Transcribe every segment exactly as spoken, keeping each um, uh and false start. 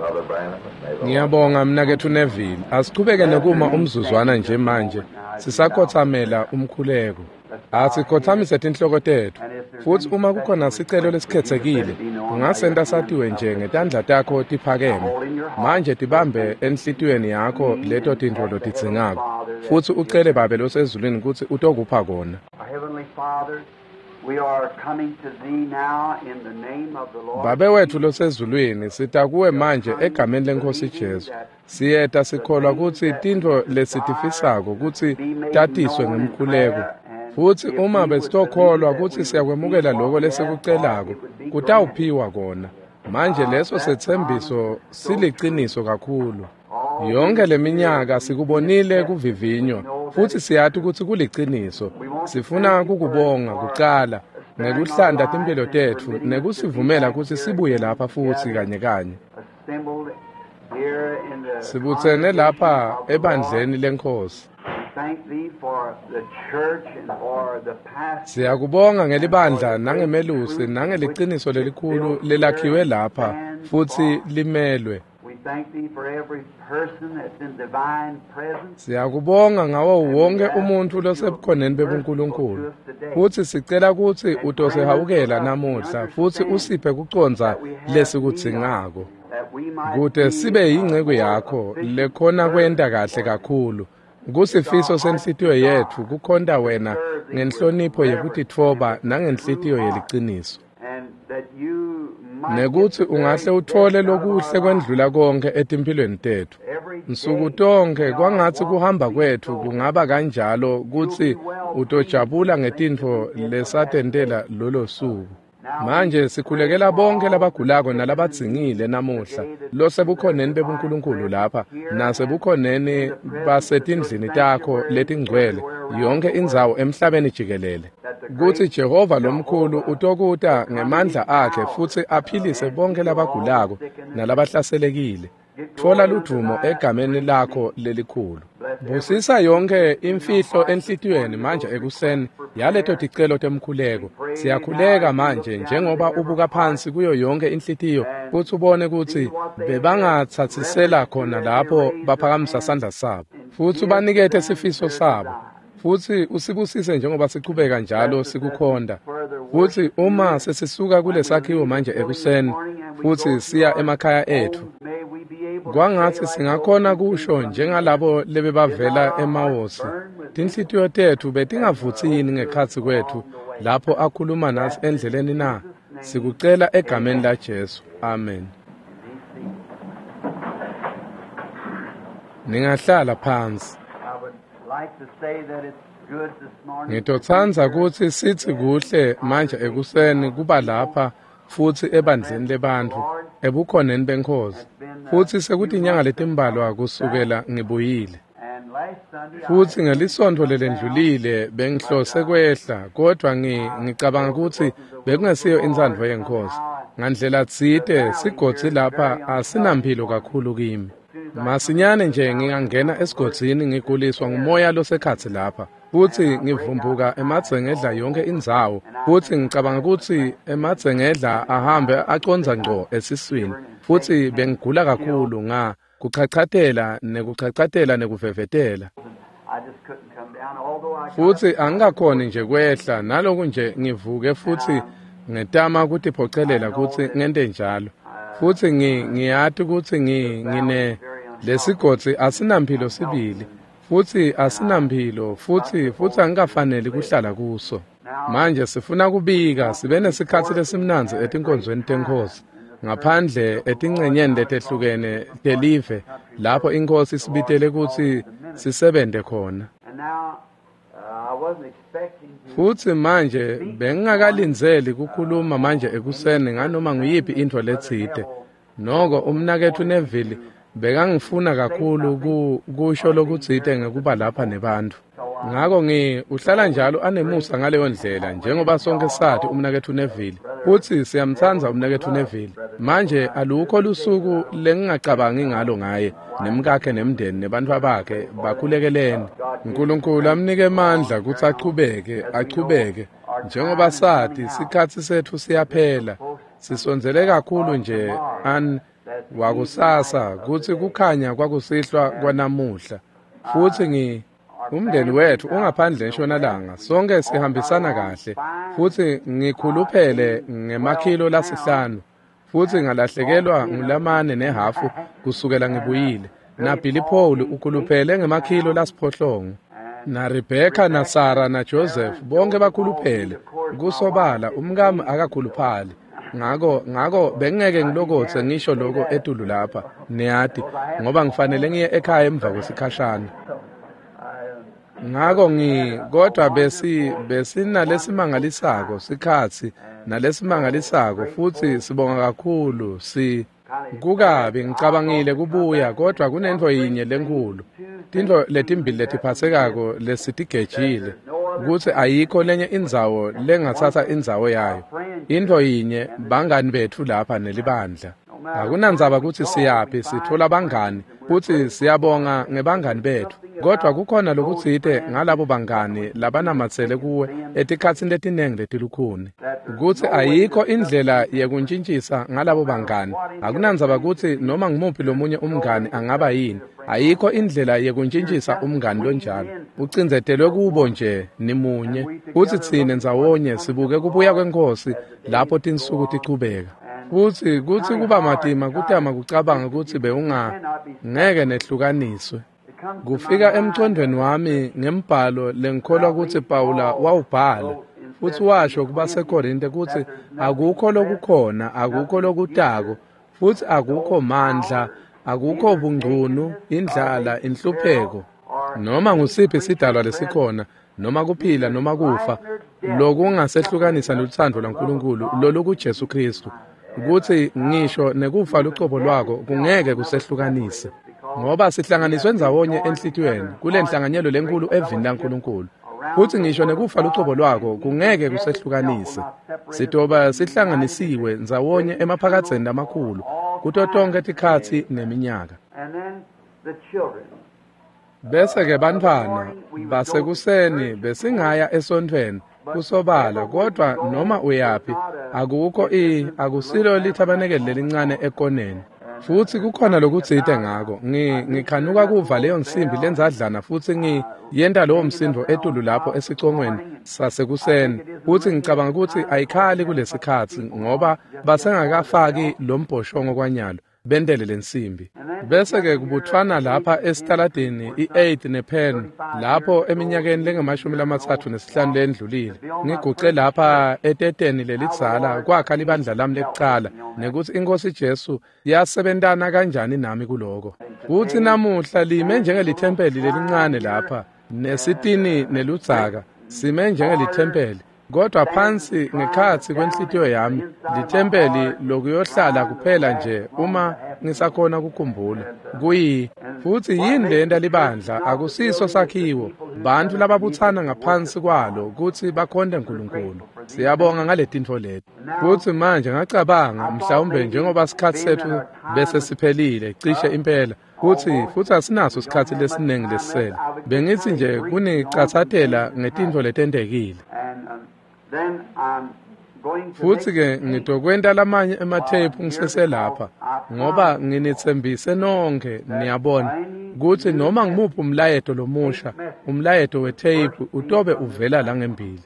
Brother Branham, and may the Lord Ngiyabonga mnaketfu Neville. Asichubeke nekuma umzuzwana nje manje. Sisakhothamela umkhuleko. Asikhothamise tinhloko tetfu. Futsi uma kukhona sicelo lesikhethekile, ungasenta satiwe nje ngetandla takho tiphakeme. Manje tibambe enhlitiyweni yakho leto tintfo lotidzingako. Futsi ucele Babe losezulwini kutsi utokupha kona. Our Heavenly Father, we are coming to Thee now in the name of the Lord. Babe wetfu losezulwini, sita kuwe manje egameni leNkhosi Jesu. Siyeta sikholwa kutsi tintfo lesitifisako kutsi tatiswe ngemkhuleko. Futsi uma besitokholwa kutsi siyakwemukela loko lesikucelako, kutawuphiwa kona. Manje leso setsembiso siliciniso kakhulu. Yonke leminyaka sikubonile kuvivinywa, futsi siyati kutsi kuliciniso. Sifuna kukubonga kucala ngekuhlanta timphilo tetfu nekusivumela kutsi sibuye lapha futsi kanye kanye. Assembled here in the Sibutsene lapha ebandleni leNkhosi. We thank Thee for the church and for the pastor. Siyakubonga ngelibandla nangemelusi nangeliciniso lelikhulu lelakhiwe lapha futsi limelwe. We thank Thee for every person that's in divine presence. Siyakubonga ngawo wonke umuntfu losebukhoneni bebuNkulunkulu. Futsi sicela kutsi utosihawukela namuhla futsi usiphe kucondza lesikudzingako. That we might Kute be sibe yinceku yakho lekhona kwenta kahle kakhulu. Kusifiso senhlitiyo yetfu kukhonta wena ngenhlonipho yekutitfoba nangenhlitiyo yeliciniso. and that you might Nekutsi get the ungahle very utfole best out of lokuhle our kwendlula konke etimphilweni tetfu. every Nsuku day tonkhe we kwangatsi are kuhamba walking kwetfu so kungaba kanjalo kutsi utojabula ngetintfo lesatentela lolo suku. Manje sikhulekela bonke labagulako nalabadzingile namuhla losebukhoneni bebuNkulunkulu lapha nasebukhoneni basetindlini takho letingcwele yonke indzawo emhlabeni jikelele. Kutsi Jehova lomkhulu utokuta ngemandla akhe futsi aphilise bonke labagulako nalabahlaselekile. Tfola ludvumo egameni lakho lelikhulu. Busisa yonke imfihlo enhlitiyweni manje ekuseni yaleto ticelo temkhuleko. Siyakhuleka manje njengoba ubuka phansi kuyo yonke inhlitiyo kutsi ubone kutsi bebangatsatsisela khona lapho baphakamisa sandla sabo. Futsi ubanikete sifiso sabo. Futsi usibusise njengoba sichubeka njalo sikukhonta. Futsi uma sesisuka kulesakhiwo manje ekuseni futsi siya emakhaya etfu, May we be able to kwangatsi say like singakhona those who kusho came from njengalabo lebebavela eMawosi. Tinhlitiyo tetfu betingavutsi yini ngekhatsi kwetfu lapho akhuluma natsi endleleni na? Sikucela egameni la Jesu. Amen. Ningahlala phansi. I would like to say that it's good this morning. Ngitotsandza kutsi sitsi kuhle manje ekuseni kuba lapha futsi ebandleni lebantfu ebukhoneni beNkhosi. Futsi sekutinyanga letimbalwa kusukela ngibuyile. And last Sunday I Futsi ngelisontfo lelendlulile bengihlose kwehla kodvwa ngi ngicabanga kutsi bekungesiyo intsandvo yeNkhosi. Ngandlela tsite sigodzi lapha asinamphilo kakhulu kimi. Masinyane nje ngingangena esigodzini ngiguliswa ngumoya losekhatsi lapha. Futsi ngivumbuka emadzengedla yonke indzawo. Futsi ngicabanga kutsi emadzengedla ahambe acondza ngco esiswini. Futsi bengigula kakhulu nga kuchachatela nekuchachatela nekuvevetela. I just couldn't come down, although I got Futsi angikakhoni nje kwehla naloku nje ngivuke futsi ngetama kutiphocelela kutsi ngente njalo. Futsi ngi ngiyati kutsi ngi ngine lesigodzi asinamphilo sibili. Futsi asinamphilo futsi futsi angikafaneli kuhlala kuso. Manje sifuna kubika sibe nesikhatsi lesimnandzi etinkonzweni teNkhosi. Ngaphandle etincenyeni letehlukene telive lapho iNkhosi isibitele kutsi sisebente khona. And now uh, I wasn't expecting to Futsi manje bengingakalindzeli kukhuluma manje ekuseni nganoma nguyiphi intfo letsite. Noko umnaketfu Neville bekangifuna kakhulu ku kusho lokutsite ngekuba lapha nebantfu. Ngako ngi uhlala njalo anemusa ngaleyo ndlela njengoba sonke sati umnaketfu Neville. Futsi siyamtsandza umnaketfu Neville. Manje alukho lusuku lengingacabangi ngalo ngaye nemkakhe nemndeni nebantfwa bakhe bakhulekeleni. Nkulunkulu amnike emandla kutsi achubeke achubeke njengoba sati sikhatsi setfu siyaphela. Sisondzele kakhulu nje an Wakusasa kutsi kukhanya kwakusihlwa kwanamuhla. Futsi ngi umndeni wetfu ungaphandle entshonalanga, sonke sihambisana kahle. Futsi ngikhuluphele ngemakhilo lasihlanu. Futsi ngalahlekelwa ngulamane nehhafu kusukela ngibuyile. Na Billy Paul ukhuluphele ngemakhilo lasiphohlongo. Na Rebecca na Sarah na Joseph bonke bakhuluphele. Kusobala umkami akakhuluphali. Ngako ngako bengeke ngilokotse ngisho lokho etulu lapha, niyati, ngoba ngifanele ngiye ekhaya emva kwesikhashana. Ngako ngi kodwa besi besinalesimangalisako sikhatsi nalesimangalisako futsi sibonga kakhulu si kukabi ngicabangile kubuya kodwa kunentfo yinye lenkhulu tintfo letimbili letiphatsekako lesitigejile kutsi ayikho lenye indzawo lengatsatsa indzawo yayo. Intfo yinye bangani betfu lapha nelibandla. Akunandzaba kutsi siyaphi sitfola bangani futsi siyabonga ngebangani betfu. Kodwa kukhona lokutsite ngalabo bangani labanamatsele kuwe etikhatsini letinengi letilukhuni. Kutsi ayikho indlela yekuntjintjisa ngalabo bangani. Akunandzaba kutsi noma ngumuphi lomunye umngani angaba yini. Ayikho indlela yekuntjintjisa umngani lonjalo. Ucindzetelwe kubo nje nimunye. Futsi tsine ndzawonye sibuke kubuya kweNkhosi lapho tinsuku tichubeka. Kutsi kutsi kuba matima kutama kucabanga kutsi bewunga ngeke nehlukaniswe. Kufika emcondweni wami ngembhalo lengikholwa kutsi Pawula wawubhala futsi washo kubaseKorinte kutsi akukho lokukhona, akukho lokutako, futsi akukho mandla, akukho bungcunu, indlala, inhlupheko, noma ngusiphi sidalwa lesikhona, noma kuphila noma kufa, lokungasehlukanisa lutsandvo lwaNkulunkulu lolukuJesu Kristu. Kutsi ngisho nekufa lucobo lwako kungeke kusehlukanise. Ngoba sihlanganiswe ndzawonye enhlitiyweni kule nhlanganyelo lenkulu evini laNkulunkulu. Futsi ngisho nekufa lucobo lwako kungeke kusehlukanise. Sitoba sihlanganisiwe ndzawonye emaphakadzeni lamakhulu kuto tonkhe tikhatsi neminyaka. Bese-ke bantfwana basekuseni besingaya esontfweni kusobala, kodwa noma uyaphi akukho i akusilo lithabanekeli lelincane ekoneni. Futsi kukhona lokutsite ngako. Ngi ngikhanuka kuva leyo nsimbi lenzadlana futsi ngiyenta lowo msindvo etulu lapho esicongweni sasekuseni. Futsi ngicabanga kutsi ayikhali kulesikhatsi ngoba basengakafaki lo mbhoshongo kwanyalo bentele lensimbi. Bese-ke kubuthwana lapha esitaladini i-eighth nePenn lapho eminyakeni lengamashumi lamatsatfu nesihlanu lendlulile. Ngiguce lapha eteteni lelidzala kwakha libandla lami lekucala nekutsi iNkhosi Jesu yasebentana kanjani nami kuloko. Futsi namuhla lime njengelithempeli lelincane lapha nesitini neludzaka, sime njengelithempeli. Kodwa phansi ngekhatsi kwenhlitiyo yami lithempeli lokuyohlala kuphela nje uma ngisakhona kukhumbula. Kuyi futsi yini lenta libandla akusiso sakhiwo, bantfu lababutsana ngaphansi kwalo kutsi bakhonte Nkulunkulu. Siyabonga ngaletintfo leti. Futsi manje ngacabanga mhlawumbe njengoba sikhatsi setfu bese siphelile cishe impela kutsi futsi asinaso sikhatsi lesinengi lesisele. Bengitsi nje kunicatsatela ngetintfo letentekile. Futsi-ke ngitokwenta lamanye ematheyiphu ngiseselapha ngoba nginitsembise nonkhe niyabona kutsi noma ngimuphi umlayeto lomusha, umlayeto wetheyiphu utobe uvela la ngembili.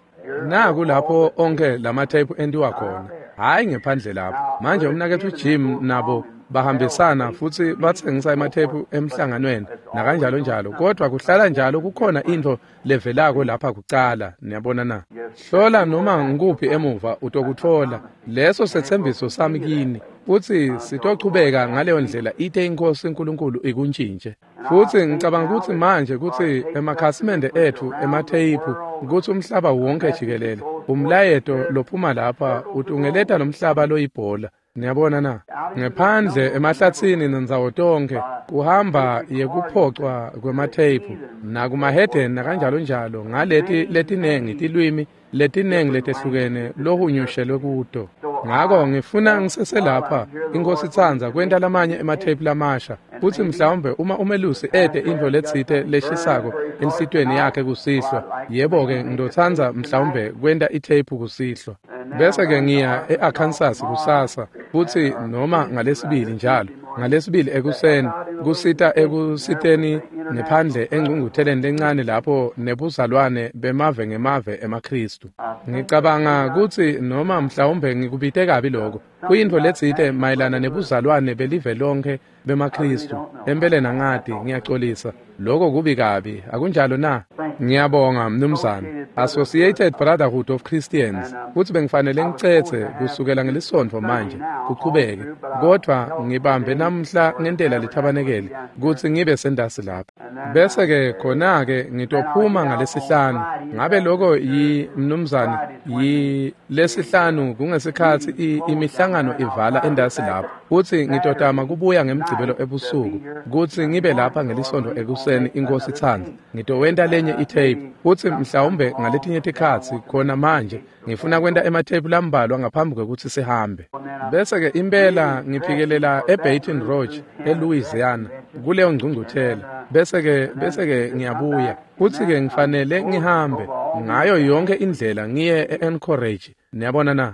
Naku lapho onke lamatheyiphu entiwa khona, hhayi ngephandle lapho. Manje umnaketfu Jim nabo bahambisana futsi batsengisa ematheyiphu emhlanganweni nakanjalo njalo, kodwa kuhlala njalo kukhona intfo levelako lapha kucala, niyabona na. Hlola noma ngikuphi emuva utokutfola. Leso setsembiso sami kini futsi sitochubeka ngaleyo ndlela ite iNkhosi uNkulunkulu ikuntshintshe. Futsi ngicabanga kutsi manje kutsi emakhasimende etfu ematheyiphu kutsi umhlaba wonke jikelele umlayeto lophuma lapha utungeleta lomhlaba loyibhola. Niyabona na, ngephandle emahlatsini nendzawo tonkhe kuhamba yekuphocwa kwematheyiphu nakumahedeni nakanjalo njalo ngaleti letinengi tilwimi letinengi letehlukene lohunyushelwe kuto. Ngako ngifuna ngiseselapha iNkhosi itsandza kwenta lamanye ematheyiphu lamasha Futsi mhlawumbe uma umelusi ete intfo letsite leshisako enhlitiyweni yakhe kusihlwa, yebo-ke ngitotsandza mhlawumbe kwenta itheyiphu kusihlwa. Bese-ke ngiya e-Arkansas kusasa, futsi noma ngalesibili njalo, ngalesibili ekuseni, kusita ekusiteni ngephandle engcungcutheleni lencane lapho nebuzalwane bemave ngemave emaKhristu. Ngicabanga kutsi noma mhlawumbe ngikubite kabi lokho, kuyintfo letsite mayelana nebuzalwane belive lonke bemaKhristu. Empeleni angati, ngiyacolisa. Lokho kubi kabi, akunjalo na? Ngiyabonga mnumzane. Associated Brotherhood of Christians. Futsi bengifanele ngicetse kusukela ngelisontfo manje kuchubeke, kodvwa ngibambe namhla ngentela lithabanekeli kutsi ngibe sendasi lapha. Bese-ke khona-ke ngitophuma ngalesihlanu. Ngabe lokho yi mnumzane yi lesihlanu kungesikhatsi imihlangano ivala endasi lapho. Futsi ngitotama kubuya ngemgcibelo ebusuku kutsi ngibe lapha ngelisontfo ekuseni iNkosi itsandza. Ngitowenta lenye itape futsi mhlawumbe ngaletinye tikhatsi khona manje ngifuna kwenta ematheyiphu lambalwa ngaphambi kwekutsi sihambe. Bese-ke impela ngiphikelela eBaton Rouge eLouisiana kuleyo ngcungcuthela. Bese-ke bese-ke ngiyabuya futsi-ke ngifanele ngihambe ngayo yonke indlela ngiye e-Anchorage. Niyabona na?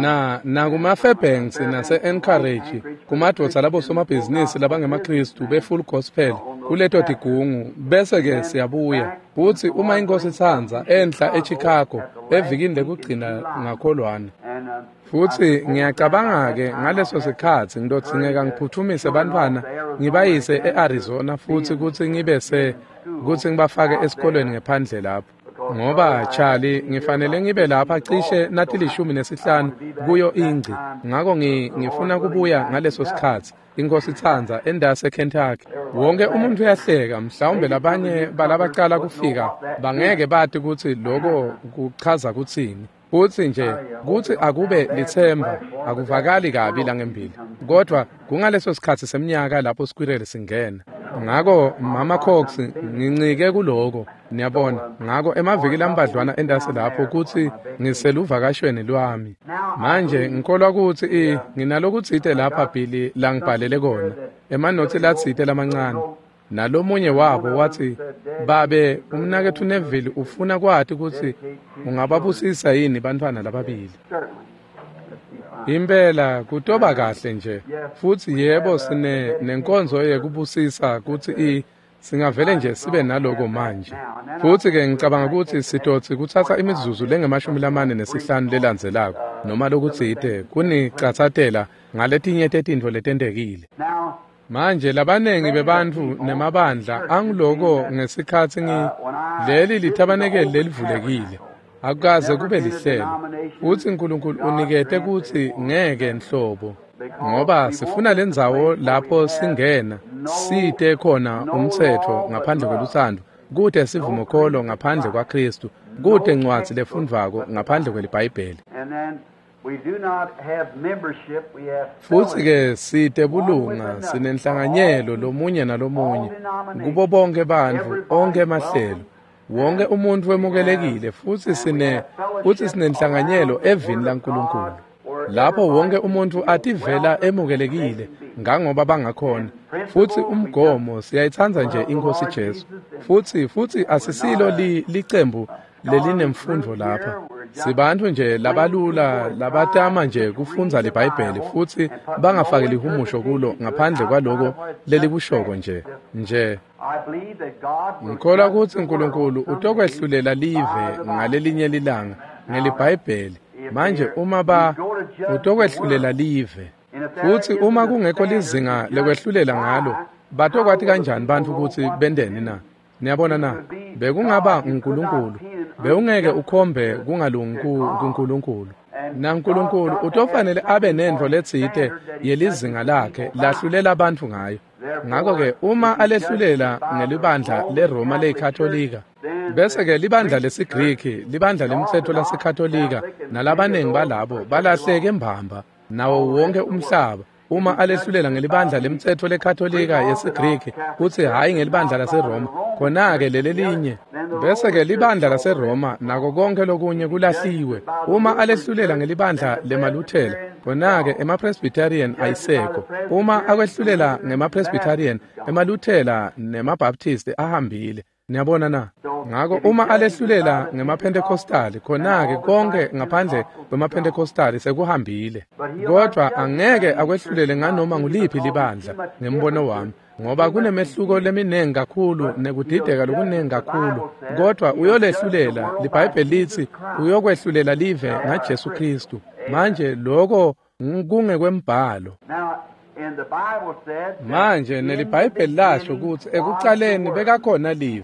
Na nakuma-Fairbanks nase-Anchorage kumadvodza labosomabhizinisi labangemaKhristu be-Full Gospel kuleto tigungu. Bese-ke siyabuya futsi uma iNkosi itsandza enhla eChicago evikini lekugcina ngakholwane. Futsi ngiyacabanga-ke ngaleso sikhatsi ngitodzingeka ngiphuthumise bantfwana ngibayise e-Arizona futsi kutsi ngibe se kutsi ngibafake esikolweni ngephandle lapho. Ngoba Charlie ngifanele ngibe lapha cishe natilishumi nesihlanu kuyo ingci, ngako ngifuna kubuya ngaleso sikhatsi iNkosi itsandza endase Kentucky. Wonke umuntu uyahleka, mhlawumbe labanye balabacala kufika bangeke bati kutsi lokho kuchaza kutsini. Futsi nje kutsi akube litsemba akuvakali kabi langembili, kodvwa kungaleso sikhatsi semnyaka lapho squirrel singena. Ngako Mama Cox ngincike kuloko, niyabona. Ngako emaviki lambadlwana endase lapho kutsi ngiseluvakashweni lwami. Manje ngikholwa kutsi nginalokutsite lapha Billy langibhalele kona, emanotsi latsite lamancane. Nalomunye wabo watsi, "Babe, umnaketfu Neville ufuna kwati kutsi ungababusisa yini bantfwana lababili." Impela kutoba kahle nje. Futsi yebo sine nenkonzo yekubusisa kutsi i singavele nje sibe naloko manje. Futsi ke ngicabanga kutsi sitotsi kutsatsa imizuzu lengemashumi lamane nesihlanu lelandzelako noma lokutsite kunicatsatela ngaletinye tetintfo letentekile. Manje labanengi bebantfu nemabandla angiloko ngesikhatsi ngi leli lithabanekeli lelivulekile. Akukaze kube lihlelo. Futsi uNkulunkulu unikete kutsi ngeke nhlobo, ngoba sifuna lendzawo lapho singena site khona umtsetfo ngaphandle kwelutsandvo, kute sivumokholo ngaphandle kwaKhristu, kute ncwadzi lefundvwako ngaphandle kweliBhayibheli. Futsi-ke site bulunga, sinenhlanganyelo lomunye nalomunye kubo bonke bantfu, onkhe emahlelo. Wonke umuntu wemukelekile futsi sine futsi sinenhlanganyelo evini laNkulunkulu. Lapho wonke umuntu ativela emukelekile ngangoba bangakhona. Futsi umgomo siyayitsandza nje iNkosi Jesu. Futsi futsi asisilo li, licembu lelinemfundo lapha. Sibantfu nje labalula labatama nje kufundza liBhayibheli futsi bangafaki lihumusho kulo ngaphandle kwaloko lelikushoko nje nje. Ngikholwa kutsi uNkulunkulu utokwehlulela live ngalelinye lilanga ngeliBhayibheli. Manje uma ba utokwehlulela live, futsi uma kungekho lizinga lekwehlulela ngalo, batokwati kanjani bantfu kutsi benteni na? Niyabona na? Bekungaba uNkulunkulu. Bewungeke ukhombe kungalungi kuNkulunkulu. NaNkulunkulu utofanele abe nentfo letsite yelizinga lakhe lahlulela bantfu ngayo. Ngako-ke uma alehlulela ngelibandla leRoma leyiKatolika, bese-ke libandla lesiGriki, libandla lemtsetfo laseKatolika nalabanengi balabo balahleke mbamba nawo wonke umhlaba. Uma alehlulela ngelibandla lemtsetfo leKatolika yesiGriki kutsi hhayi ngelibandla laseRoma, khona-ke lelelinye. Bese-ke libandla laseRoma nako konkhe lokunye kulahliwe. Uma alehlulela ngelibandla lemaLuthela, khona-ke emaPresbyterian ayisekho. Uma akwehlulela ngemaPresbyterian, emaLuthela nemaBaptist ahambile. Niyabona na? Ngako uma alehlulela ngemaPentecostali, khona-ke konke ngaphandle kwemaPentecostali sekuhambile. Kodwa angeke akwehlulele nganoma nguliphi libandla ngembono wami, ngoba kunemehluko leminingi kakhulu nekudideka lokuningi kakhulu. Kodwa uyolehlulela, liBhayibheli litsi uyokwehlulela live ngaJesu Kristu. Manje lokho kungekwembhalo. Manje neliBhayibheli lasho kutsi ekucaleni bekakhona Livi,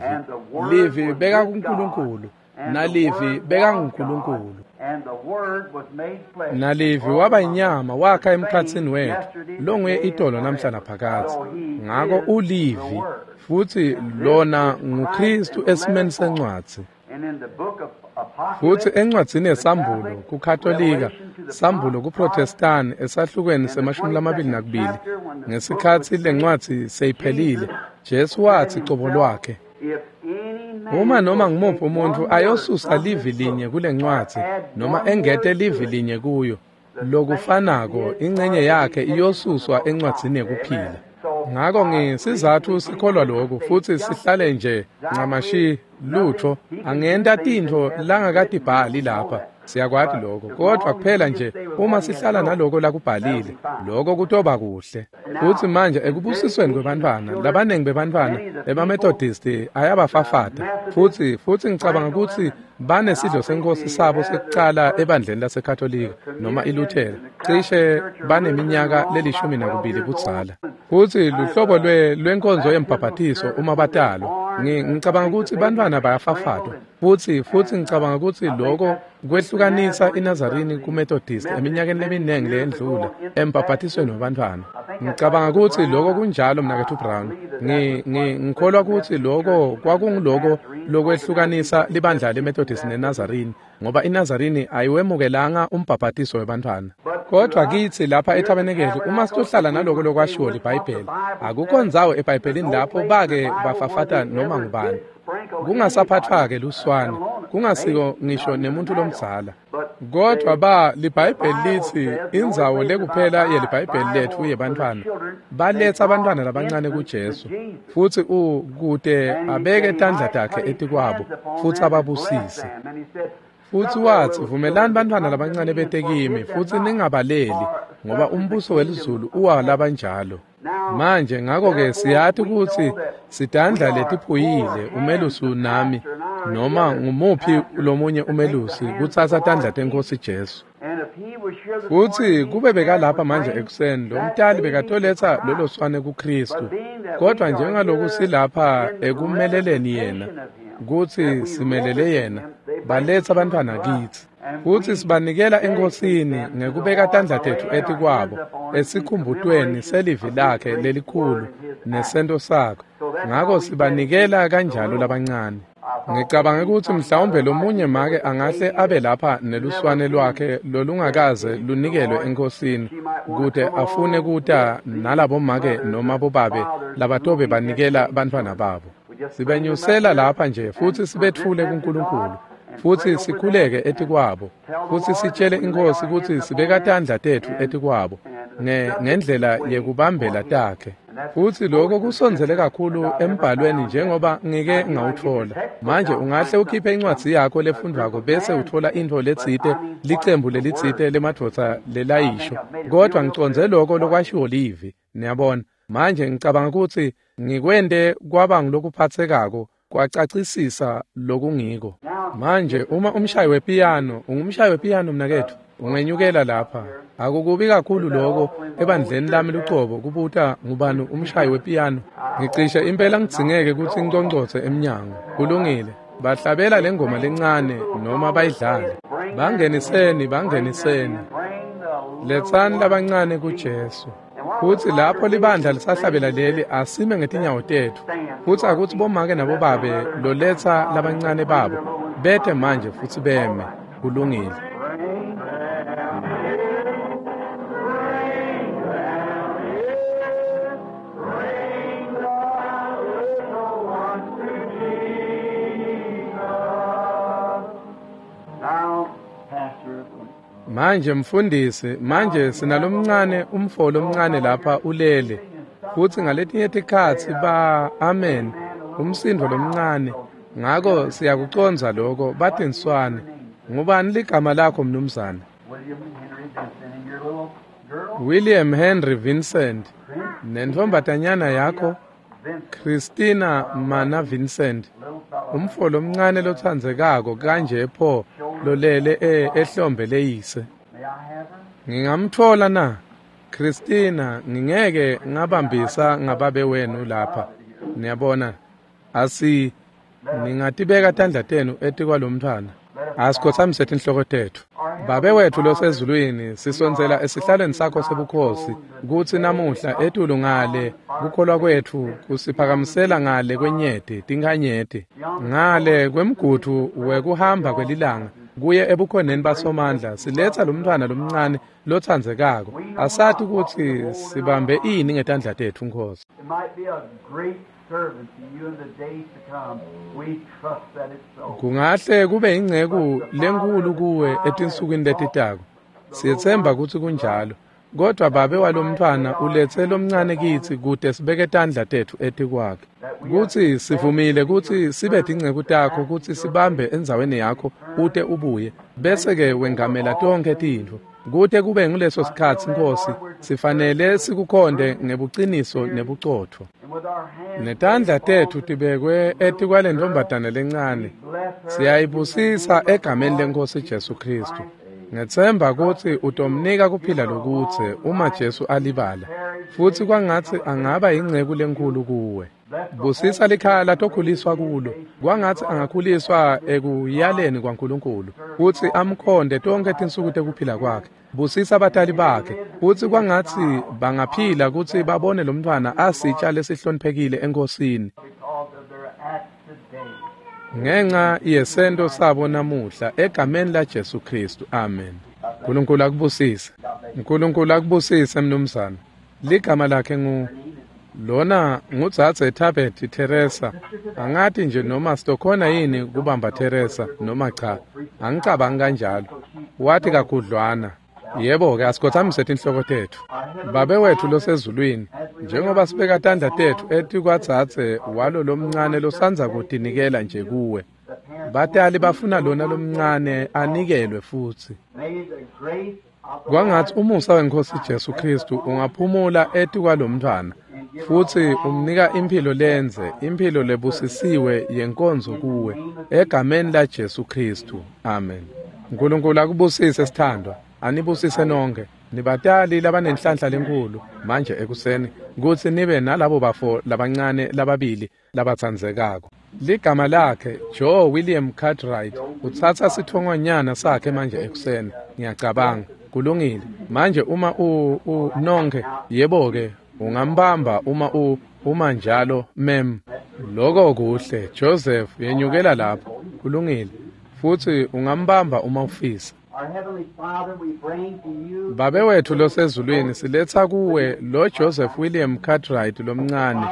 Livi bekakuNkulunkulu, naLivi bekanguNkulunkulu. NaLivi waba inyama wakha emkhatsini wetfu, longuye itolo namhla naphakadze. Ngako uLivi, futsi lona nguKristu esimeni sencwadzi. Futsi encwadzini yeSambulo kuKatolika, Sambulo kuProtestani esahlukweni semashumi lamabili nakubili, ngesikhatsi lencwadzi seyiphelile, Jesu watsi cobo lwakhe, uma noma ngumuphi umuntfu ayosusa livi linye kulencwadzi noma engete livi linye kuyo, lokufanako incenye yakhe iyosuswa encwadzini yekuphila. Ngako ngesizatfu sikholwa lokhu futsi sihlale nje ncamashi lutho angenta tintfo langakatibhali lapha. Siyakwati lokho, kodwa kuphela nje uma sihlala naloko lakubhalile, lokho kutoba kuhle. Futsi manje ekubusisweni kwebantfwana, labanengi bebantfwana emaMethodist ayabafafata, futsi futsi ngicabanga kutsi banesidlo senkosi sabo sekucala ebandleni laseKatolika noma iLuthela, cishe baneminyaka lelishumi nakubili budzala. Futsi luhlobo lwe lwenkonzo yembhabhatiso uma batalwa, ngicabanga kutsi bantfwana bayafafatwa, futsi futsi ngicabanga kutsi lokho kwehlukanisa iNazarini kuMethodist eminyakeni leminingi leyendlula embhabhatisweni wabantfwana. Ngicabanga kutsi lokho kunjalo mnaketfu Brown. Ngikholwa kutsi lokho kwakunguloko lokwehlukanisa libandla leMethodist neNazarini, ngoba iNazarini ayiwemukelanga umbhabhatiso webantfwana. Kodwa kitsi lapha eTabenekeli uma sitohlala naloko lokwashiwo liBhayibheli, akukho ndzawo eBhayibhelini lapho bake bafafata noma ngubani. Kungasaphathwa-ke luswane, kungasiko ngisho nemuntu lomdzala. Kodwa ba liBhayibheli litsi indzawo lekuphela yeliBhayibheli letfu yebantfwana, baletsa abantwana labancane kuJesu, futsi u kute abeke tandla takhe etikwabo futsi ababusise. Futsi watsi, vumelani bantfwana labancane bete kimi, futsi ningabaleli, ngoba umbuso welizulu uwalabanjalo. Manje ngako-ke siyati kutsi sitandla letiphuyile umelusi nami, noma ngumuphi lomunye umelusi, kutsatsa tandla tenkosi Jesu. Futsi kube bekalapha manje ekuseni, lo mtali bekatoletsa lolo swane kuKristu. Kodwa njengaloku silapha ekumeleleni yena, kutsi simelele yena, baletsa abantwana kitsi. Futsi sibanikela enkosini ngekubeka tandla tetfu etikwabo esikhumbutweni selivi lakhe lelikhulu nesento sakhe. Ngako sibanikela kanjalo labancane. Ngicabanga kutsi mhlawumbe lomunye make angahle abe lapha neluswane lwakhe lolungakaze lunikelwe enkosini, kute afune kuta nalabo make noma bobabe labatobe banikela bantfwana babo. Sibenyusela lapha nje futsi sibetfule kuNkulunkulu, futsi sikhuleke etikwabo, futsi sitshele inkosi kutsi sibeka tandla tetfu etikwabo ngendlela yekubambela takhe. Futsi lokho kusondzele kakhulu embhalweni njengoba ngike ngawutfola. Manje ungahle ukhiphe incwadzi yakho lefundvwako bese utfola intfo letsite, licembu lelitsite lemadvodza lelayisho, kodwa ngicondze lokho lokwashiwo livi. Niyabona? Manje ngicabanga kutsi ngikwente kwaba ngulokuphatsekako kwacacisisa lokungiko. Manje uma umshayi wepiyano, ungumshayi wepiyano mnaketfu, ungenyukela lapha. Akukubi kakhulu lokho ebandleni lami lucobo kubuta ngubani umshayi wepiyano. Ngicishe impela ngidzingeke kutsi ngiconcotse emnyango. Kulungile. Bahlabela lengoma lencane noma bayidlale. Bangeniseni, bangeniseni. Letsani labancane kuJesu. Futsi lapho libandla lisahlabela leli, asime ngetinyawo tetfu. Futsi akutsi bomake nabobabe loletsa labancane babo bete manje futsi beme. Kulungile. Manje mfundisi, manje sinalomncane umfo lomncane lapha ulele. Futsi ngaletinye tikhatsi ba amen umsindo lomncane. Ngako siyakucondza lokho batinswane. Ngubani ligama lakho mnumzane? William Henry Vincent and your little girl, William Henry Vincent. Nentfombatanyana yakho Vincent, Christina Mana Vincent. little fellow. Umfo lomncane lotsandzekako kanje pho lolele e- ehlombe leyise. May I have her? Ngingamthola na? Christina, ngingeke ngabambisa ngababe wenu lapha. Niyabona? Asi ningatibeka tandla tenu etikwalomntfwana. Asikhothamise tinhloko tetfu. Babe wethu losezulwini, sisondzela esihlalweni sakho sebukhosi kutsi namuhla etulu ngale kukholwa kwetfu kusiphakamisela ngale kwenyeti tinkhanyeti ngale kwemgudvu wekuhamba kwelilanga kuye ebukhoneni basomandla siletsa lomntfwana lomncane lotsandzekako. Asati kutsi sibambe ini ngetandla tetfu Nkhosi. It might be a great servant to you in the days to come. We trust that it's so. Kungahle kube inceku lenkulu kuwe etinsukwini letitako. Siyetsemba kutsi kunjalo. Kodwa babe walomntfwana uletse lomncane kitsi kute sibeke tandla tetfu etikwakhe. Kutsi sivumile kutsi sibe tinceku takho kutsi sibambe endzaweni yakho ute ubuye bese ke wengamela tonkhe tintfo. Kute kube nguleso sikhatsi Nkhosi sifanele sikukhonde ngebuciniso nebucotfo. And with our hands Netandla tetfu tibekwe etikwalentfombatane lencane. bless her. Siyayibusisa egameni leNkhosi Jesu Kristu. Ngethemba kutsi utomnika kuphila lokudze uma Jesu alibala. Futsi kwangatsi angaba inceku lenkhulu kuwe. Busisa likhaya latokhuliswa kulo. Kwangatsi angakhuliswa ekuyaleni kwaNkulunkulu. Futsi amkhonde tonkhe tinsuku tekuphila kwakhe. Busisa batali bakhe. Futsi kwangatsi bangaphila kutsi babone lomntfwana asitsha lesihloniphekile eNkhosini. Because of their act today. Ngenxa yesento sabo namuhla egameni la Jesu Kristu. Amen. uNkulunkulu akubusise. uNkulunkulu akubusise mnumzane. Ligama lakhe ngu lona ngudzadze Tabet Teresa. Angati nje noma sitokhona yini kubamba Teresa noma cha. Angicabangi kanjalo. Wathi kakhudlwana. Yebo ke asikhothamise tinhloko tetfu. Babe wethu losezulwini, njengoba sibeka tandla tetfu etikwadzadze walo lomncane losandza kutinikela nje kuwe. Batali bafuna lona lomncane anikelwe futsi. May the grace of the Kwangatsi umusa weNkhosi Jesu Kristu ungaphumula etikwalomntfwana futsi umnika imphilo lendze, imphilo lebusisiwe yenkonzo kuwe egameni la Jesu Kristu. Amen. uNkulunkulu akubusise sithandwa, anibusise nonke. Nibatali labanenhlanhla lenkulu manje ekuseni kutsi nibe nalabo bafo labancane lababili labatsandzekako. Ligama lakhe Joe William Cartwright utsatsa sitfongonyana sakhe manje ekuseni. Ngiyacabanga kulungile. Manje uma u, u nonke yebo ke ungambamba uma u uma njalo mem. Lokho kuhle Joseph yenyukela lapho kulungile. Futsi ungambamba uma ufisa. Our Heavenly Father, we bring to you Babe wethu losezulwini siletsa kuwe lo Joseph William Cartwright lomncane.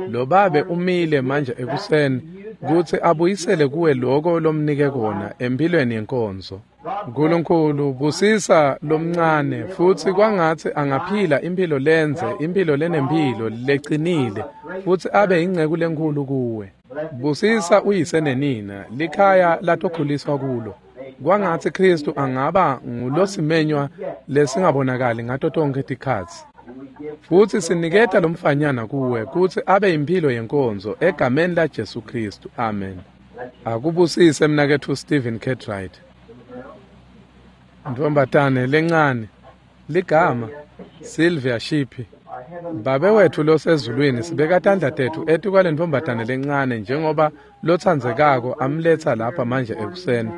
Lo babe umile manje ekuseni kutsi abuyisele kuwe lokho lomnike kona empilweni yenkonzo. uNkulunkulu busisa lomncane futsi kwangatsi angaphila impilo lendze, impilo lenempilo lecinile futsi abe inceku lenkhulu kuwe. Busisa uyise nenina likhaya latokhuliswa kulo. Kwangatsi Kristu angaba ngulosimenywa lesingabonakali ngato tonkhe tikhatsi. and we give Futsi siniketa lomfanyana kuwe kutsi abe imphilo yenkonzo egameni la Jesu Kristu. Amen. Akubusise mnaketfu Stephen Cartwright. Ntombatane lencane ligama Sylvia Shipi. our Heavenly Babe wethu losezulwini sibeka tandla tetfu etikwalentfombatane lencane njengoba lotsandzekako amletsa lapha manje ekuseni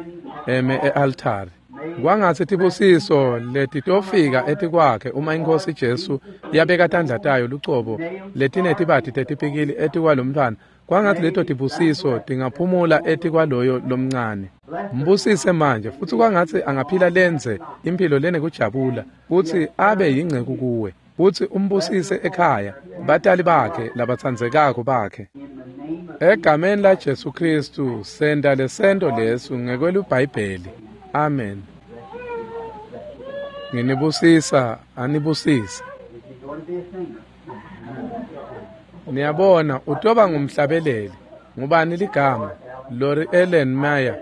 eme e-altari. Kwangatsi tibusiso letitofika etikwakhe uma iNkhosi Jesu yabeka tandla tayo lucobo letinetibati tetipikili etikwalomntfwana. Kwangatsi leto tibusiso tingaphumula etikwaloyo lomncane. Mbusise manje futsi kwangatsi angaphila lendze imphilo lenekujabula futsi abe yinceku kuwe. Futsi umbusise ekhaya batali bakhe labatsandzekako bakhe. in the name of Egameni la Jesu Kristu senta lesento lesu ngekwelubhayibheli. Amen. Nginibusisa, anibusise. Niyabona, utoba ngumhlabeleli. Ngubani ligama? Lori Ellen Meyer.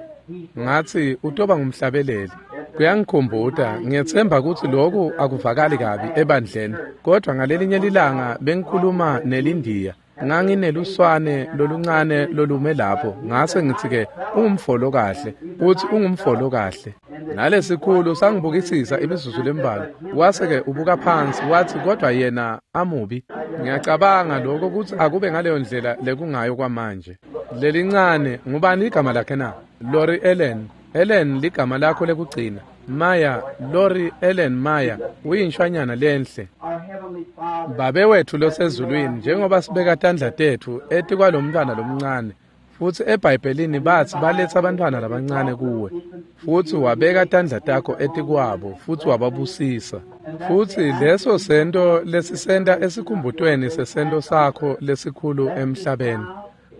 Ngathi utoba ngumhlabeleli. Kuyangikhumbuta, ngiyethemba ukuthi lokhu akuvakali kabi ebandleni, kodwa ngalelinye lilanga bengikhuluma nelindiya. Ngangineluswane loluncane lolume lapho, ngase ngithi ke ungumfolo kahle, uthi ungumfolo kahle. Nalesikhulu sangibukisisa imizuzu lembalwa, wase ke ubuka phansi wathi kodwa yena amubi. Ngiyacabanga lokho ukuthi akube ngaleyo ndlela lekungayo kwamanje. Lelincane, ngubani igama lakhe na? Lori Ellen. Ellen ligama lakho lekugcina. Maya, Lori Ellen Maya, uyinshwanyana lenhle. Babe wethu losezulwini, njengoba sibeka tandla tethu etikwalomntwana lomncane, futsi eBhayibhelini bathi baletha abantwana labancane kuwe, futsi wabeka tandla takho etikwabo futsi wababusisa. Futsi leso sento lesisenta esikhumbutweni sesento sakho lesikhulu emhlabeni.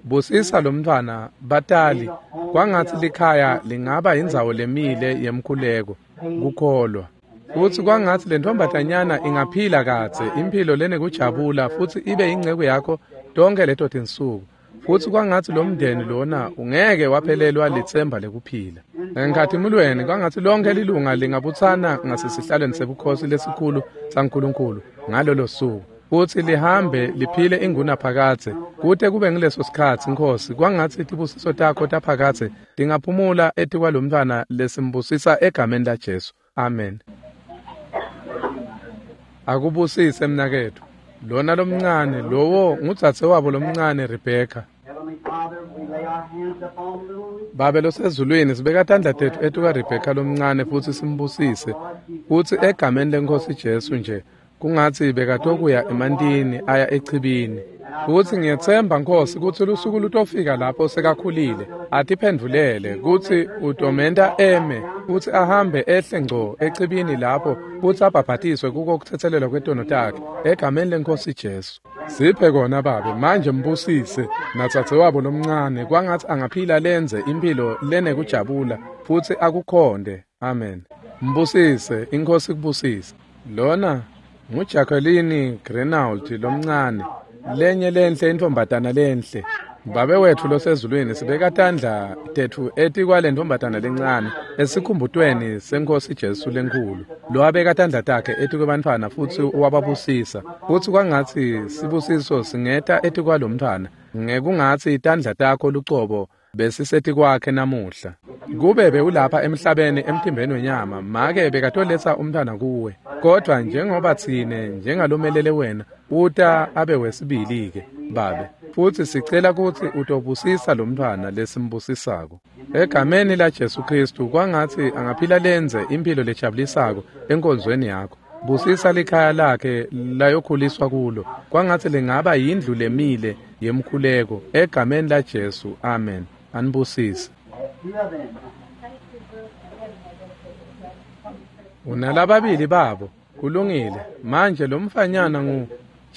Busisa lomntwana, batali, kwangatsi likhaya lingaba indzawo lemile yemkhuleko, kukholwa. Futsi kwangatsi lentombatanyana ingaphila kadze imphilo lenekujabula futsi ibe inceku yakho tonke leto tinsuku. Futsi kwangatsi lomndeni lona ungeke waphelelwa litsemba lekuphila. Enkhatimulweni kwangatsi lonke lilunga lingabutsana ngasesihlalweni sebukhosi lesikhulu saNkulunkulu ngalolo suku. Futsi lihambe liphile ingunaphakadze kute kube ngileso sikhatsi, Nkosi, kwangatsi tibusiso takho taphakadze tingaphumula etikwalomntwana lesimbusisa egameni laJesu. Amen. Akubusise mnaketfu. Lona lomncane, lowo ngudzadze wabo lomncane Rebecca. Babe losezulwini, sibeka tandla tetfu etuka Rebecca lomncane futsi simbusise. Futsi egameni leNkosi Jesu nje, kungatsi bekatokuya emantini aya echibini. Futsi ngiyetsemba, Nkosi, kutsi lusuku lutofika lapho sekakhulile atiphendvulele kutsi utomenta eme futsi ahambe ehle ngco echibini lapho futsi abhabhatiswe kuko kutsetselelwa kwetono takhe egameni leNkosi Jesu. Siphe kona Babe, manje mbusise natsatse wabo lomncane, kwangatsi angaphila lenze imphilo lenekujabula futsi akukhonde. Amen. Mbusise, iNkosi kubusise. Lona nguJacqueline Grenauld lomncane, lenye lenhle intombatana lenhle. Babe wethu losezulwini, sibeka tandla tetfu etikwale ntombatana lencane esikhumbutweni seNkosi Jesu lenkhulu, lowabeka tandla takhe etikwebantfwana futsi wababusisa. Futsi kwangatsi sibusiso singeta etikwalomntfwana ngekungatsi tandla takho lucobo besisetikwakhe namuhla. Kube bewulapha emhlabeni emtimbeni wenyama, make bekatoletsa umntwana kuwe, kodwa njengoba tsine njengalomelele wena uta abe wesibili-ke Babe, futsi sicela kutsi utobusisa lomntwana lesimbusisako egameni laJesu Kristu. Kwangatsi angaphila lenze imphilo lejabulisako enkonzweni yakho. Busisa likhaya lakhe layokhuliswa kulo, kwangatsi lingaba yindlu lemile yemkhuleko egameni laJesu. Amen. Anibusise. Unalababili babo, kulungile. Manje lomfanyana ngu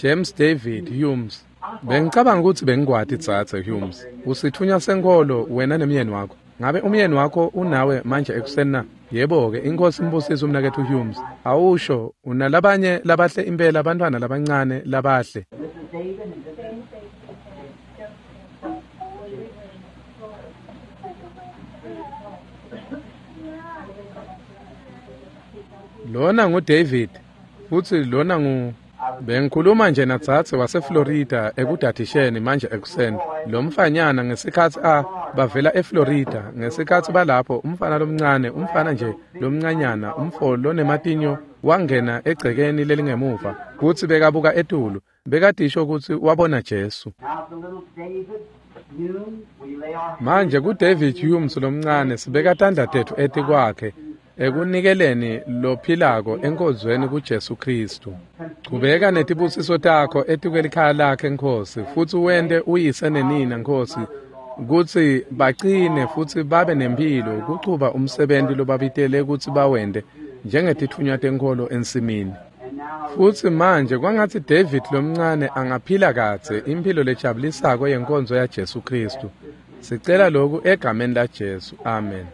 James David Humes. Bengicabanga ukuthi bengikwati dzadze Humes. Usithunya senkholo wena nemyeni wakho. Ngabe umyeni wakho unawe manje ekuseni na? Yebo-ke, iNkosi imbusise umnaketfu Humes. Awusho, unalabanye labahle impela, abantwana labancane labahle. Lona nguDavid futsi lona ngu bengikhuluma nje nadzadze waseFlorida ekudadisheni manje ekuseni. Lomfanyana ngesikhatsi a bavela eFlorida, ngesikhatsi balapho umfana lomncane, umfana nje lomncanyana, umfo lonematinyo wangena egcekeni lelingemuva kutsi bekabuka etulu, bekadisho kutsi wabona Jesu. Manje kuDavid Humes lomncane sibeka tandla tetfu etikwakhe ekunikeleni lophilako enkonzweni kuJesu Kristu. Chubeka netibusiso takho etikwelikhaya lakhe, Nkosi, futsi wente uyise nenina, Nkosi, kutsi bacine futsi babe nemphilo kuchuba umsebenti lobabitele kutsi bawente njengetitfunywa tenkholo ensimini. Futsi manje kwangatsi David lomncane angaphila kadze imphilo lejabulisako yenkonzo yaJesu Kristu. Sicela lokhu egameni laJesu. Amen.